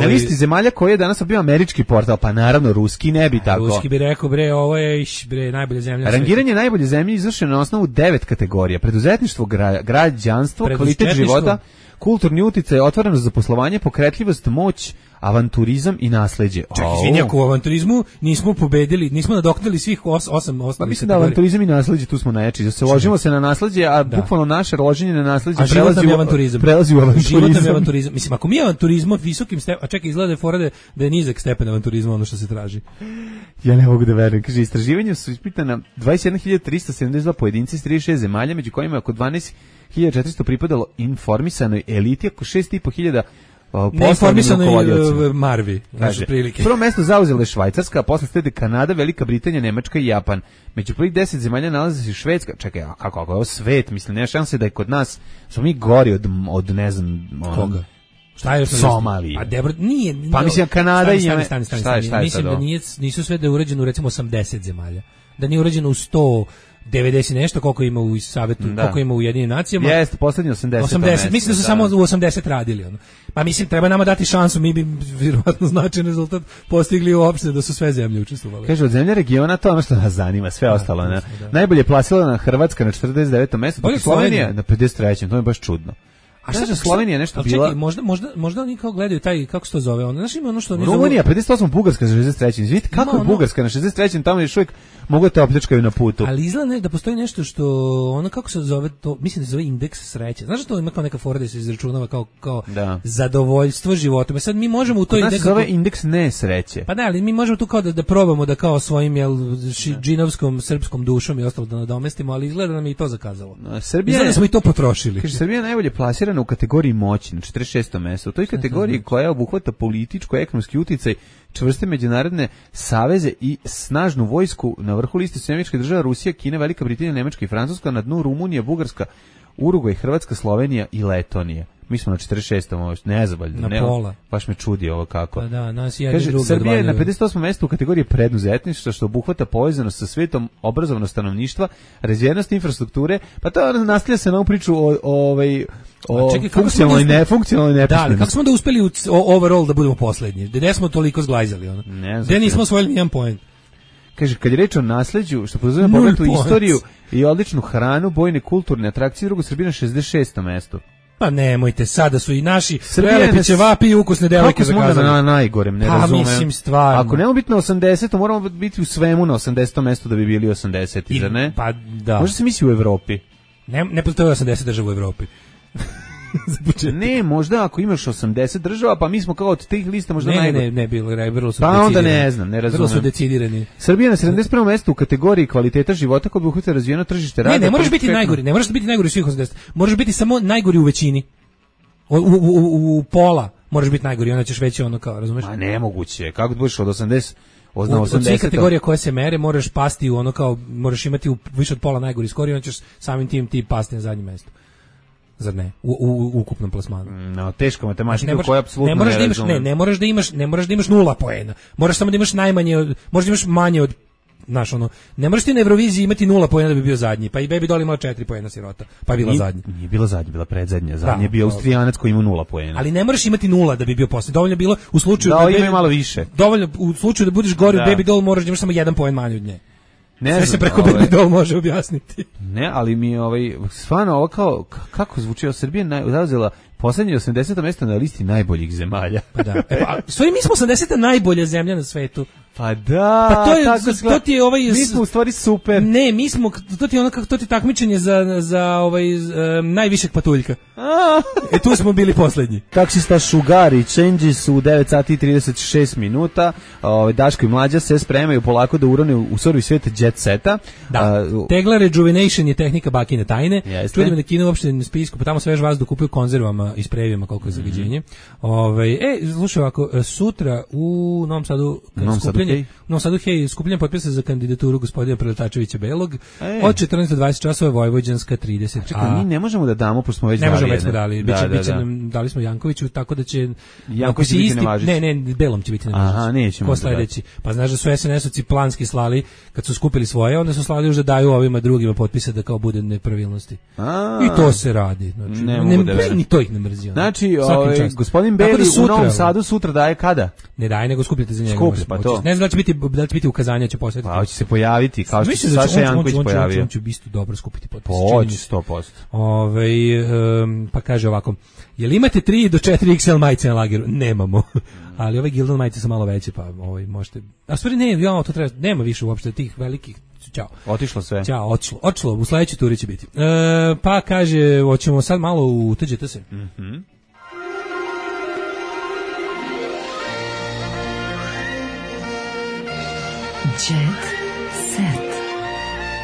na listi zemalja koji je danas bio američki portal, pa naravno ruski ne bi tako. Ruski bi rekao, bre, ovo je najbolja zemlja. Rangiranje najbolje zemlje izvršeno na osnovu 9 kategorija. Preduzetništvo, građanstvo, kvalitet života, kulturni uticaj, otvorenost za poslovanje, pokretljivost, moć, avanturizam i nasleđe. Čak, izvini, ako u avanturizmu nismo pobedili, nismo nadoknadili svih 8 osnovnih. Pa mislim da avanturizam i nasleđe tu smo najjači. Da se ložimo se na nasleđe, a bukvalno naše loženje na nasleđe prelazi u avanturizam. Život nam je avanturizam. Mislim, ako mi je avanturizam visokim stepenom, a čekaj, izgleda je fora da je nizak stepen avanturizma ono što se traži. Ja ne mogu da verujem. Kaže, istraživanja su ispitana 21.372 pojedinci iz 36 zemalja, među kojima je oko 12.400 pripadalo informisanoj eliti, oko 6.500 neinformisanoj Marvi, naše prilike. Prvo mesto zauzela je Švajcarska, a posle slede Kanada, Velika Britanija, Nemačka i Japan. Među prvih 10 zemalja nalazi se Švedska. Čekaj, a kako je ovo svet? Mislim, nema šanse da je kod nas, smo mi gori od ne znam... Koga? Šta je Somalije? Pa dobro, nije. Pa mislim, Kanada i... Mislim da nisu sve da je urađeno u recimo 80 zemalja. Da nije urađeno u 190 nešto, koliko ima u Savetu, koliko ima u Jedinim nacijama. Jeste, poslednji 80. Mislim da su samo u 80 radili. Ono. Pa mislim, treba nama dati šansu, mi bi vjerovatno značajan rezultat postigli uopšte da su sve zemlje učestvovale. Kaže, od zemlje regiona, to ono što nas zanima, sve ostalo. Ne? Najbolje je plasirana Hrvatska na 49. mesto, dok Slovenija na 53. To je baš čudno. A šta će Slovenija nešto bila? Čekaj, možda oni kao gledaju taj, kako se to zove, znaš ima ono što oni Rumunija, 58, Bugarska na 63. Vidite kako je Bugarska na 63. Tamo još uvijek mogu te opljačkaju na putu. Ali izgleda da postoji nešto što, ono kako se zove to, mislim da se zove indeks sreće. Znaš da to ima kao neka fora da se izračunava kao zadovoljstvo životom. Sad mi možemo u to indeks... se zove indeks nesreće. Pa da, ali mi možemo tu kao da probamo da kao svojim džinovskom, srpskom dušom i ostalo da nadomestimo, ali izgleda da nam je i to zakazalo. Izgleda da smo i to potrošili. Kaže, Srbija najbolje plasirana u kategoriji moći na 46. mestu. U toj kategoriji koja obuhvata političko, ekonomski uticaj, čvrste međunarodne saveze i snažnu vojsku, na vrhu liste su Američke države, Rusija, Kina, Velika Britanija, Nemačka i Francuska, na dnu Rumunija, Bugarska, Urugvaj, Hrvatska, Slovenija i Letonija. Mi smo na 46. nezadovoljno. Na pola. Baš me čudi ovo kako. Pa da, nas je kaže, Srbija je na 58. mestu u kategoriji preduzetništva, što obuhvata povezanost sa svetom, obrazovano stanovništva, razvijenost infrastrukture, pa to nastavlja se na ovu priču o funkcionalnoj nepismenosti. Da, ali kako smo da uspeli overall da budemo poslednji? Gde smo toliko zglajzali? Gde nismo osvojili nijedan poen? Kaže, kad je reč o nasleđu, što podrazumijeva pogled u istoriju i odličnu hranu, bojne kulturne atrakcije, drugo Srbija na 66. mestu. Pa nemojte, sada su i naši prelepi ćevapi i ukusne devojke zakazali. Kako smo na najgorem, ne razumem. Mislim, stvarno. Ako nemamo biti na 80, moramo biti u svemu na 80. mestu da bi bili 80, zar ne? Pa da. Možda se misli u Evropi. Ne postoje 80 država u Evropi. Ne, možda ako imaš 80 država, pa mi smo kao od tih lista možda najbolji. Ne, bilo su decidirani. Pa onda ne znam, ne razumem. Vrlo su decidirani. Srbija na 71. mestu u kategoriji kvaliteta života koji obuhvata razvijeno tržište rada. Ne možeš biti najgori, ne možeš biti najgori u svih 80. Možeš biti samo najgori u većini. U pola možeš biti najgori, onda ćeš već ono kao, razumeš? Ma nemoguće, kako da budeš od 80... Od svih kategorija koje se mere moraš pasti u ono kao, moraš imati više od pola najgori skori, onda ćeš samim tim ti pasti na zadnje mesto. Zar ne? U ukupnom plasmanu. No, teška matematika koja apsolutno ne moraš da imaš 0 poena. Moraš samo da imaš možeš da imaš manje od znaš, ono, ne možeš ti na Euroviziji imati 0 poena da bi bio zadnji, pa i Baby Doll imala 4 poena sirota, pa je bila zadnja. Nije bila zadnja, bila predzadnja, zadnja je bio Austrijanac koji ima 0 poena. Ali ne možeš imati 0 da bi bio poslednji, dovoljno je bilo u slučaju da ima malo više. Dovoljno u slučaju da budeš gori od Baby Doll moraš da imaš samo 1 poen manje od nje. Sve se preko Baby Doll može objasniti. Ne, ali mi stvarno ovo kao, kako zvuči, Srbija zauzela poslednje 80. mesto na listi najboljih zemalja. Pa da. Stvari, mi smo 80. najbolja zemlja na svetu. Pa da, pa to ti je mi smo u stvari super. Ne, mi smo, to ti takmičenje za najvišeg patuljka. Tu smo bili poslednji. Taksista Šugari, Changes u 9 sati i 36 minuta. Daško i Mlađa se spremaju polako da urone u surovi svijet jet seta. Da. Tegla rejuvenation je tehnika bakine tajne. Čujem da Kina uopšte na spisku, pa tamo svež vazduh kupuju konzervama i sprejevima koliko je zagađenje. Slušaj ovako, sutra u Novom Sadu skupljenje potpisa za kandidaturu gospodina Preletačevića Belog od 14 do 20 časova Vojvođanska 30. Čekaj, mi ne možemo da damo, pošto smo već dali. Ne možemo, već smo dali. Dali smo Jankoviću, tako da će... Janković će biti nevažeći. Ne, Belom će biti nevažeći. Aha, nećemo. Ko sledeći? Pa znaš da su SNS-ovci planski slali, kad su skupili svoje, onda su slali još da daju ovima drugima potpise da kao bude nepravilnosti. I to se radi. Ni to ih ne mrzio. Znači, gospodin Beli u Novom Sadu sutra daje kada? Ne daje, nego skupljate za njega. Pa to. Ne znam da li će biti ukazanja, će posvetiti. Pa će se pojaviti, kao što se Saša Janković pojavio. On će isto dobro skupiti potpise. Hoće 100%. Pa kaže ovako, jel imate 3 do 4 XL majice na lageru? Nemamo. Ali ove Gildan majice su malo veće, pa možete... A stvari to treba, nema više uopšte tih velikih. Ćao. Otišlo sve. Ćao, otišlo. U sledećoj turi će biti. Pa kaže, hoćemo sad malo uteđete se. Jet set.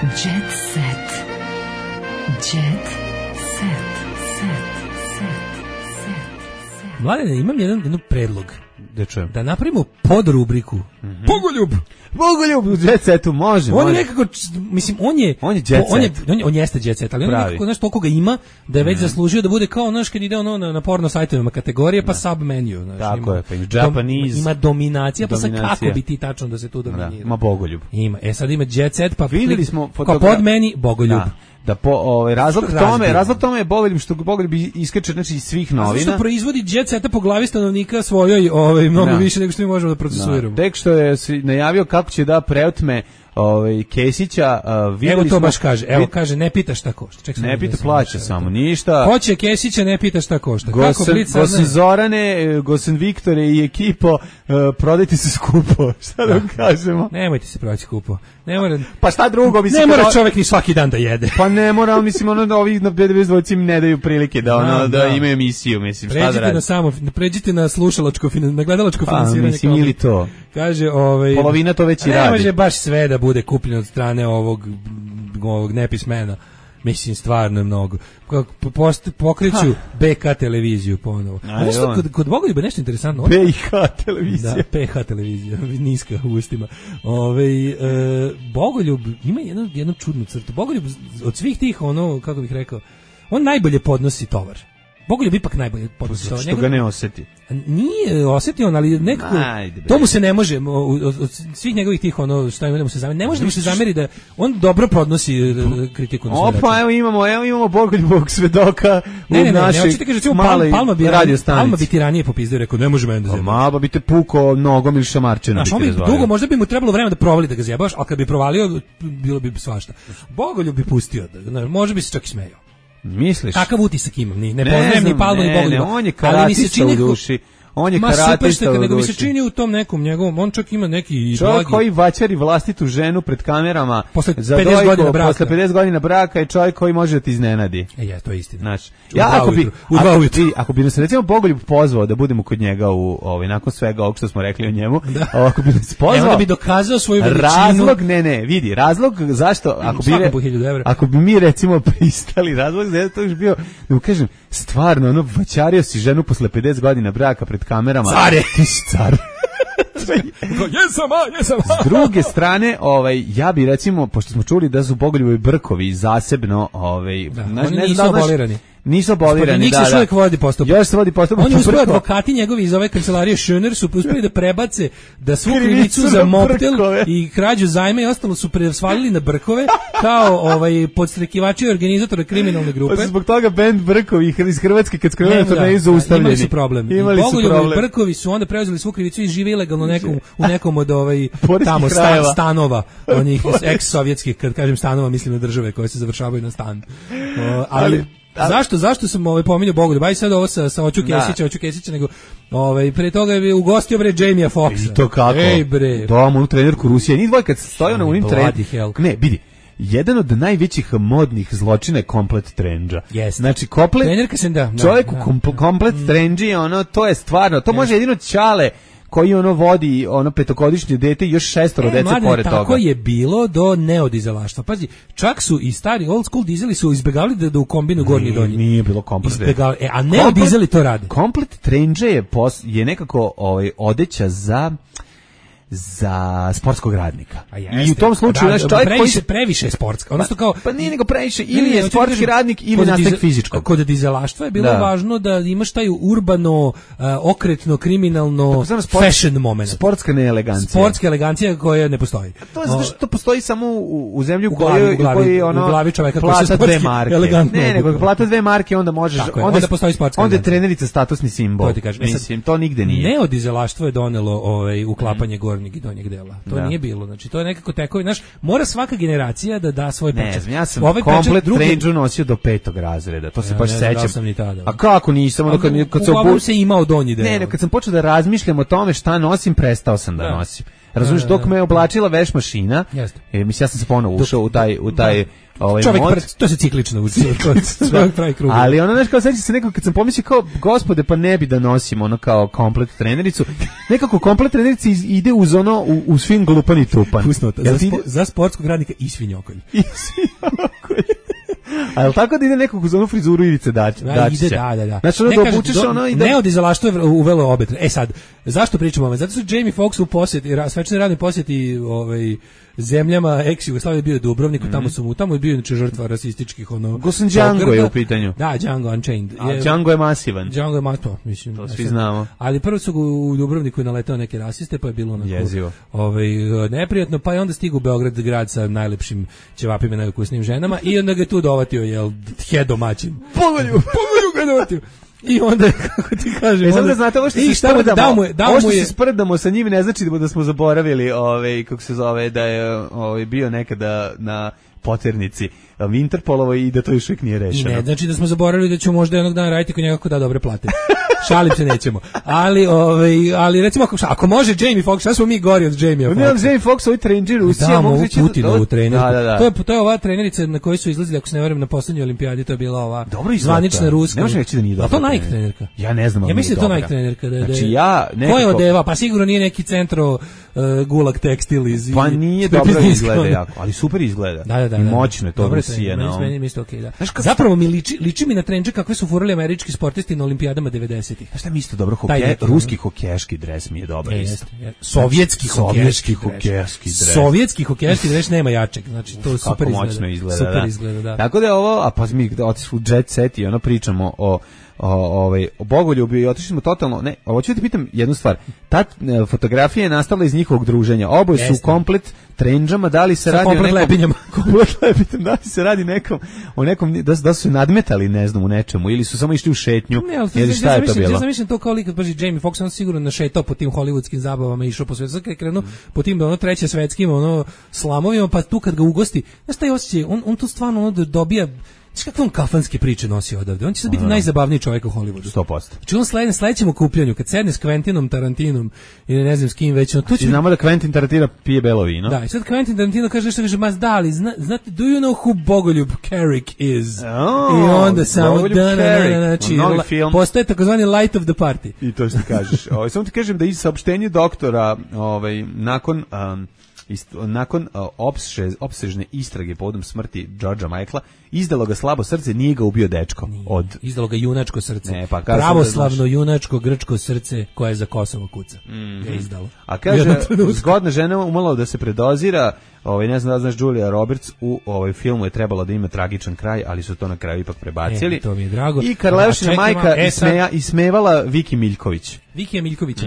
Jet set. Jet set. Mladene, imam jedan predlog. Da napravimo podrubriku Bogoljub u Jet Setu može. On je nekako, mislim, on je Jet Set. On jeste Jet Set, ali on nekako, znaš, toliko ga ima da je već zaslužio da bude kao, znaš, kad ide na porno sajtovima kategorije, pa submenu. Tako je, pa Japanese. Ima dominacija, pa sad kako bi ti tačno da se tu dominira. Ima Bogoljub. Ima, sad ima Jet Set, pa videli smo pod meni Bogoljub. Da razlog tome je Bogoljub što Bogoljub iskače, znači, iz svih novina. A što proizvodi Jet Seta po glavi stanovnika svojoj mnogo više nego što mi možemo da procesuiramo. Tek što je najavio kako će da preotme Kesića, evo to baš kaže, kaže ne pita šta košta. Ne pita, plaća samo, ništa. Hoće Kesića, ne pita šta košta. Gosen Zorane, Gosen Viktore i ekipo, prodajte se skupo, šta da vam kažemo? Nemojte se prodati skupo. Pa šta drugo, mislim, ne mora čovjek ni svaki dan da jede. Pa ne mora, mislim, ovi na B92 im ne daju prilike da imaju emisiju, mislim, šta da radi. Pređite na slušalačko, na gledalačko finansiranje. Mislim, ili to. Kaže, polovina to već i radi. Ne može baš sve da bude kupljeno od strane ovog nepismena. Mislim, stvarno je mnogo. Pokreću BK televiziju ponovo. Kod Bogoljuba je nešto interesantno. PH televizija. Da, PH televizija, niska u ustima. Bogoljub ima jednu čudnu crtu. Bogoljub od svih tih, kako bih rekao, on najbolje podnosi tovar. Bogoljub ipak najbolje podnosi tovar. Što ga ne osjeti. Nije osjetio on, ali nekako to mu se ne može od svih njegovih tih šta ima da mu se zameri. Ne može da mu se zameri da on dobro podnosi kritiku na svoj račun. Opa, evo imamo Bogoljubovog svedoka u našoj maloj radio stanici. Palma bi ti ranije popizdeo, rekao, ne može meni da zjebam. Malba bi te pukao nogom ili šamarčenom. Dugo, možda bi mu trebalo vremena da provali da ga zjebaš, ali kad bi provalio, bilo bi svašta. Bogoljub bi pustio, možda bi se čak i smejao. Misliš? Kakav utisak imam, ne poznajem ni Palmu ni Bogoljuba. On je karatista u duši. On je karatista u duši. Nego mi se čini u tom nekom njegovom, on čak ima neki čovjek koji vaćari vlastitu ženu pred kamerama posle 50 godina braka. Posle 50 godina braka je čovjek koji može da ti iznenadi. To je istina. Znači, ako bi nas recimo Bogoljub pozvao da budemo kod njega nakon svega ovog što smo rekli o njemu, ako bi nas pozvao, da bi dokazao svoju veličinu. Razlog zašto, ako bi mi recimo pristali, razlog za to je bio, da mu kažem, stvarno, vaćario si ženu posle 50 godina braka pred kamerama. Care! Ti si car. Jesam. S druge strane, ja bi recimo, pošto smo čuli da su Bogoljubovi brkovi zasebno, oni nisu abolirani. Nisu abolirani, Njih se još uvijek vodi postupak. Još se vodi postupak. Oni uspeli, advokati njegovi iz ove kancelarije Schöner su uspeli da prebace da svu krivicu za mobtel i krađu zajma i ostalo su svalili na Brkove kao podstrekivači i organizatora kriminalne grupe. Pa zbog toga bend Brkovi iz Hrvatske kad skrenuli turneju zaustavljeni. Imali su problem. Bogoljubovi Brkovi su onda preuzeli svu krivicu i žive ilegalno u nekom od tamo stanova, onih ex-sovjetskih, kad kažem stanova, mislim na države koje se završavaju na stan. Ali zašto sam pominjao Bogoljub? Aj sad ovo sa Oću Kesića, nego pre toga je ugostio Jamie Foxa. I to kako? Ej bre. Dom, onu trenerku Rusije. Ni dvoj kad stoji na unim trenerku. Ne, vidi. Jedan od najvećih modnih zločina je komplet trendža. Znači, čovjek u komplet trendži, to je stvarno, to može jedino Ćale koji vodi petogodišnje dete i još 6 dece pored toga. Tako je bilo do neodizelaštva. Pazi, čak su i stari old school dizeli su izbjegavali da ukombinu gornji i donji. Nije bilo komplet. A neodizeli to rade. Komplet trendže je nekako odeća za sportskog radnika. I u tom slučaju previše sportska. Odnosno kao pa nije nego previše ili je sportski radnik ili nastavnik fizičkog. Kod dizelaštva je bilo važno da imaš taj urbano, okretno, kriminalno fashion moment. Sportska neelegancija. Sportska elegancija koja ne postoji. To je zato što to postoji samo u zemlji u kojoj u glavi čoveka koji se sportski elegantno. Ne, nego plata 2 marke onda možeš onda postoji sportska. Onda je trenerica statusni simbol. Mislim to nigde nije. Neodizelaštvo je donelo uklapanje gornjeg i donjeg dela. To nije bilo. Znači to je nekako tekovi, znaš, mora svaka generacija da da svoj pečat. Ne, ja sam komplet trendžu nosio do 5. razreda. To se baš sećam. A kako nisam, kad se imao donji deo. Ne, kad sam počeo da razmišljam o tome šta nosim, prestao sam da nosim. Razumiješ, dok me oblačila veš mašina, mislim, ja sam se ponovo ušao u taj to se ciklično uči. Ali znaš, kao sećam se nekako kad sam pomislio kao, gospode, pa ne bi da nosim kao komplet trenericu. Nekako komplet trenerica ide uz u svim glupan i tupan. Za sportskog radnika i svinjokolj. A jel tako da ide nekog uz onu frizuru Ivice Dačića? Da. Znači da obučeš i da... Neodizelaštvo je uvelo obet. Sad, zašto pričamo o ovome? Zato su Jamie Foxx u posjeti, svečani radni posjeti zemljama ex-Jugoslavije bio u Dubrovniku, tamo je bio inače žrtva rasističkih Gosan Django je u pitanju. Da, Django Unchained. A Django je masivan. Django je masivan, mislim. To svi znamo. Ali prvo su u Dubrovniku naletao neke rasiste, pa je bilo jezivo. Neprijatno, pa je onda stigu u Beograd, grad sa najlepšim ćevapima i najukusnijim ženama, i onda ga tu dovatio, domaćin. Pogolju ga dovatio. I onda, kako ti kažem... Samo da znate, ovo što se sprdamo sa njim ne znači da smo zaboravili, kako se zove, da je bio nekada na poternici Interpolovoj i da to još uvijek nije rešeno. Ne, znači da smo zaboravili da ćemo možda jednog dana raditi kod njega kako da dobre plate. Šalim se, nećemo. Ali recimo, ako može Jamie Foxx, šta smo mi gori od Jamie Foxxa? Ne, Jamie Foxx, ovi trenđi Rusija, mogu reći... Putinovu trenerku. To je ova trenerica na kojoj su izlazili, ako se ne varam, na poslednjoj olimpijadi, to je bila ova zvanična ruska. Ne može reći da nije dobra. A to Nike trenerka? Ja ne znam, ali nije dobra. Ja mislim da to Nike trenerka. Znači ja nekako... Ko je odeva? Pa sigurno nije neki centro Gulag tekstil iz... Pa nije dobro izgleda jako, ali super izgleda. Da. I moćno je to Rusija. Meni isto okej, da. Zapravo mi liči mi na trendže kakve su furali američki sportisti na olimpijadama 90-ih. Znaš šta mi isto dobro, ruski hokejaški dres mi je dobar isto. Sovjetski hokejaški dres. Sovjetski hokejaški dres nema jačeg, znači to super izgleda. Super izgleda, da. Tako da je ovo, a pa mi otišli u Jet Set i pričamo o Bogoljubu i otišli smo totalno, ne, hoću da ti pitam jednu stvar, ta fotografija je nastala iz njihovog druženja, oboje su komplet trendžama, da li se radi o nekom... Komplet lepinjama. Da li se radi o nekom, da su nadmetali, ne znam, u nečemu, ili su samo išli u šetnju, ili šta je to bilo? Ja zamišljam to kao kad paži Jamie Foxx, on sigurno našetao po tim hollywoodskim zabavama, išao po svetu, kada je krenuo po tim treće svetskim slamovima, pa tu kad ga ugosti, znaš taj osjećaj, on tu stvarno dobija. Znaš kakve on kafanske priče nosi odavde? On će sad biti najzabavniji čovjek u Hollywoodu. 100%. Znači on sledećem okupljanju, kad sedne s Quentinom Tarantinom ili ne znam s kim već, tu će... Znamo da Quentin Tarantino pije belo vino. Da, i sad Quentin Tarantino kaže nešto, kaže, ma da li, znate, do you know who Bogoljub Carrick is? I onda samo, znači, postaje takozvani light of the party. I to što kažeš. Samo ti kažem da iz saopštenja doktora, nakon... nakon opsežne istrage povodom smrti Georgea Michaela, izdalo ga slabo srce, nije ga ubio dečko. Izdalo ga junačko srce. Ne, pa pravoslavno junačko grčko srce koje za Kosovo kuca. Ga izdalo. A kaže, zgodna žena umalo da se predozira, ne znam da znaš, Julia Roberts u filmu je trebalo da ima tragičan kraj, ali su to na kraju ipak prebacili. To mi je drago. I Karleušina majka ismevala Viki Miljković. Vikija Miljkovića.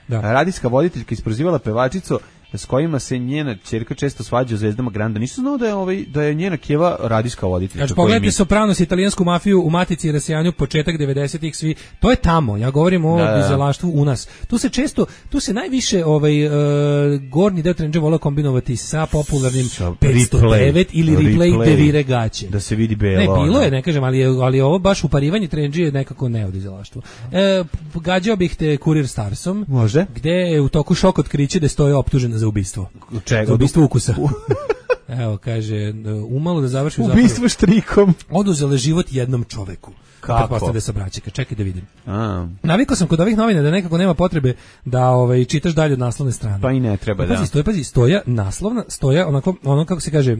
Da. Radijska voditeljka isprozivala pevačicu s kojima se njena ćerka često svađa u Zvezdama Granda. Nisam znao da je njena keva radijska voditeljica. Znači, pogledajte Sopranos, italijansku mafiju u Matici i rasijanju, početak 90-ih, svi. To je tamo. Ja govorim o dizelaštvu u nas. Tu se najviše gornji deo trendže volao kombinovati sa popularnim 509 ili replay devire gaće. Da se vidi belo. Ne, bilo je, ne kažem, ali ovo baš uparivanje trendže je nekako ne o dizelaštvu. Gađao bih te Kurir Starsom. Može. Gde je u toku šok otkriće da stoje optužena za ubistvo. Čega? Za ubistvo ukusa. Evo, kaže, umalo da završi ubistvo štrikom. Oduzele život jednom čoveku. Kako? Da se braćika, čekaj da vidim. Navikao sam kod ovih novina da nekako nema potrebe da čitaš dalje od naslovne strane. Pa i ne treba, Pazi, stoja naslovna, stoja ono kako se kaže,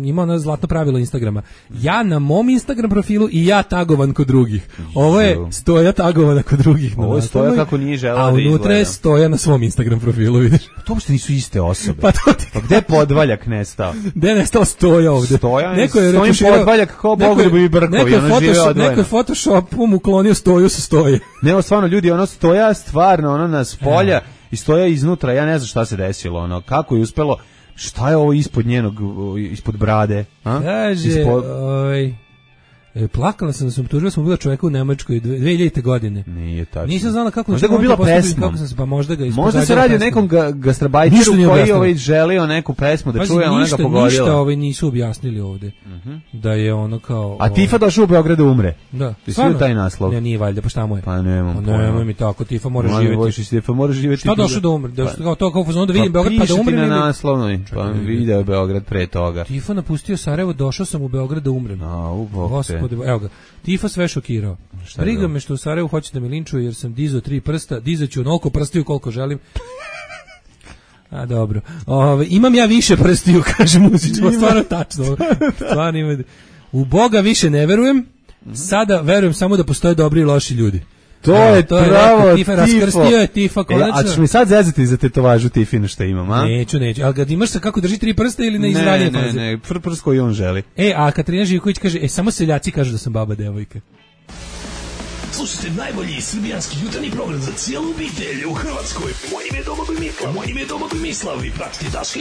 ima ono zlatno pravilo Instagrama. Ja na mom Instagram profilu i ja tagovan kod drugih. Ovo je stoja tagovana kod drugih. Ovo je stoja kako nije žela da izgleda. A unutra je stoja na svom Instagram profilu, vidiš. To uopšte nisu iste osobe. Pa to ti... Pa gde je Podvaljak nestao? Gde je nestao stoja ovde? Stoja, stojim Podvaljak kao Bogu da bi brkovi, ono žive odvojeno. Neko je Photoshopom uklonio stoju sa stoje. Ne, stvarno ljudi, stoja stvarno, nas polja i stoja iznutra, ja ne znam šta se desilo, kako je uspelo, šta je ovo ispod brade? Kaže, plakala sam da sam tužila, smo bila čoveka u Nemačkoj 2000. godine. Nije tačno. Nisam znala kako... Možda ga bila pesmom. Pa možda se radi o nekom gastrobajteru koji želeo neku pesmu da čuje, ona ga pogodila. Ništa nisu objasnili ovde. Da je ono kao... A Tifa došao u Beograd da umre. Da. Ti svi taj naslov. Ne, nije valjda, pa šta mu je? Pa nemam pojma. Nemoj mi tako, Tifa mora živjeti. Tifa mora živjeti. Šta došao da umre? To kao fuzonu da vidim Beograd pa da umrem. Pa piše ti na naslovnoj, pa video Beograd pre toga. Tifa napustio Sarajevo, došao sam u Beograd da umrem. Gospode, evo ga. Tifa sve šokirao. Briga me što u Sarajevu hoće da me linčuju jer sam dizao 3 prsta, dizaću onoliko prstiju koliko želim. A dobro. Imam ja više prstiju, kaže Muzić, stvarno tačno. Stvarno ima. U Boga više ne verujem. Sada verujem samo da postoje dobri i loši ljudi. To je pravo Tifa. Raskrstio je Tifa konačno. A ćeš mi sad zezati za tetovažu Tifinu što imam, a? Neću. Ali ga imaš sa kako drži 3 prsta ili na izranje faze? Ne, prst koji on želi. A Katarina Živković kaže, samo seljaci kažu da sam baba devojka. Slušajte najbolji srbijanski jutarnji program za cijelu obitelj u Hrvatskoj. Moje ime je Domagoj Mislav. Vi pratite Daška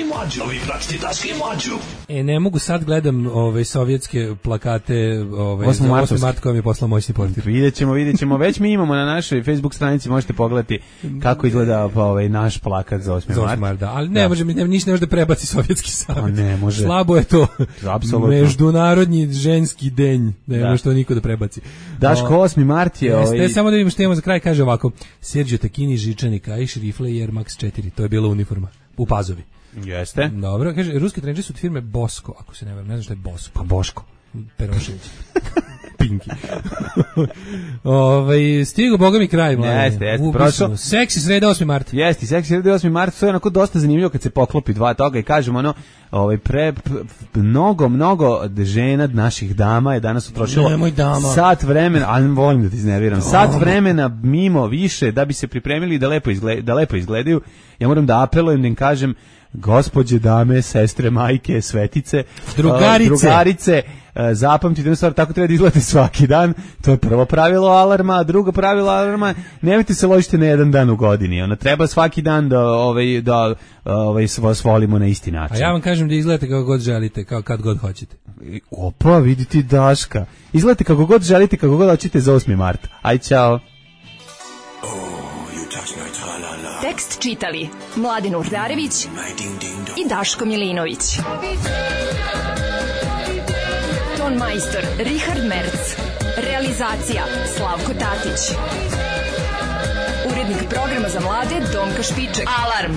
i Mlađu. Ne mogu sad gledam sovjetske plakate 8. marta koja mi je poslao moćni portir. Vidjet ćemo. Već mi imamo na našoj Facebook stranici, možete pogledati kako izgleda naš plakat za 8. marta. Ali ne može, ništa ne može da prebaci Sovjetski savez. Ne može. Slabo je to. Apsolutno. Međunarodni ženski den. Ne može to niko da prebaci. Daško 8. mart je samo da vidimo što imamo za kraj, kaže ovako: Sergio Tacchini, žičani kaiš, rifle i Air Max 4. To je bila uniforma u Pazovi. Jeste. Dobro, kaže, ruski trendži su od firme Bosko, ako se ne varam, ne znam što je Bosko. Pa Boško. Perošević. Pinki. Stigo, boga mi kraj. Jeste. Prošlo. Seksi sreda 8. marta. Jeste, seksi sreda 8. marta, to je onako dosta zanimljivo kad se poklopi dva toga i kažemo mnogo žena naših dama je danas utrošilo sat vremena, ali volim da ti iznerviram, sat vremena mimo više da bi se pripremili da lepo izgledaju. Ja moram da apelujem, da im kažem, gospođe, dame, sestre, majke, svetice, drugarice, zapamtite jednu stvar, tako treba da izgledate svaki dan. To je prvo pravilo alarma. Drugo pravilo alarma, nemojte se ložiti na jedan dan u godini. Treba svaki dan da vas volimo na isti način. A ja vam kažem da izgledate kako god želite, kad god hoćete. Opa, vidi ti Daška. Izgledate kako god želite, kako god hoćete za 8. marta. Aj, čao. Tekst čitali Mladin Urdarević i Daško Milinović. Ton majstor Richard Merc. Realizacija Slavko Tatić. Urednik programa za mlade Donka Špiček. Alarm!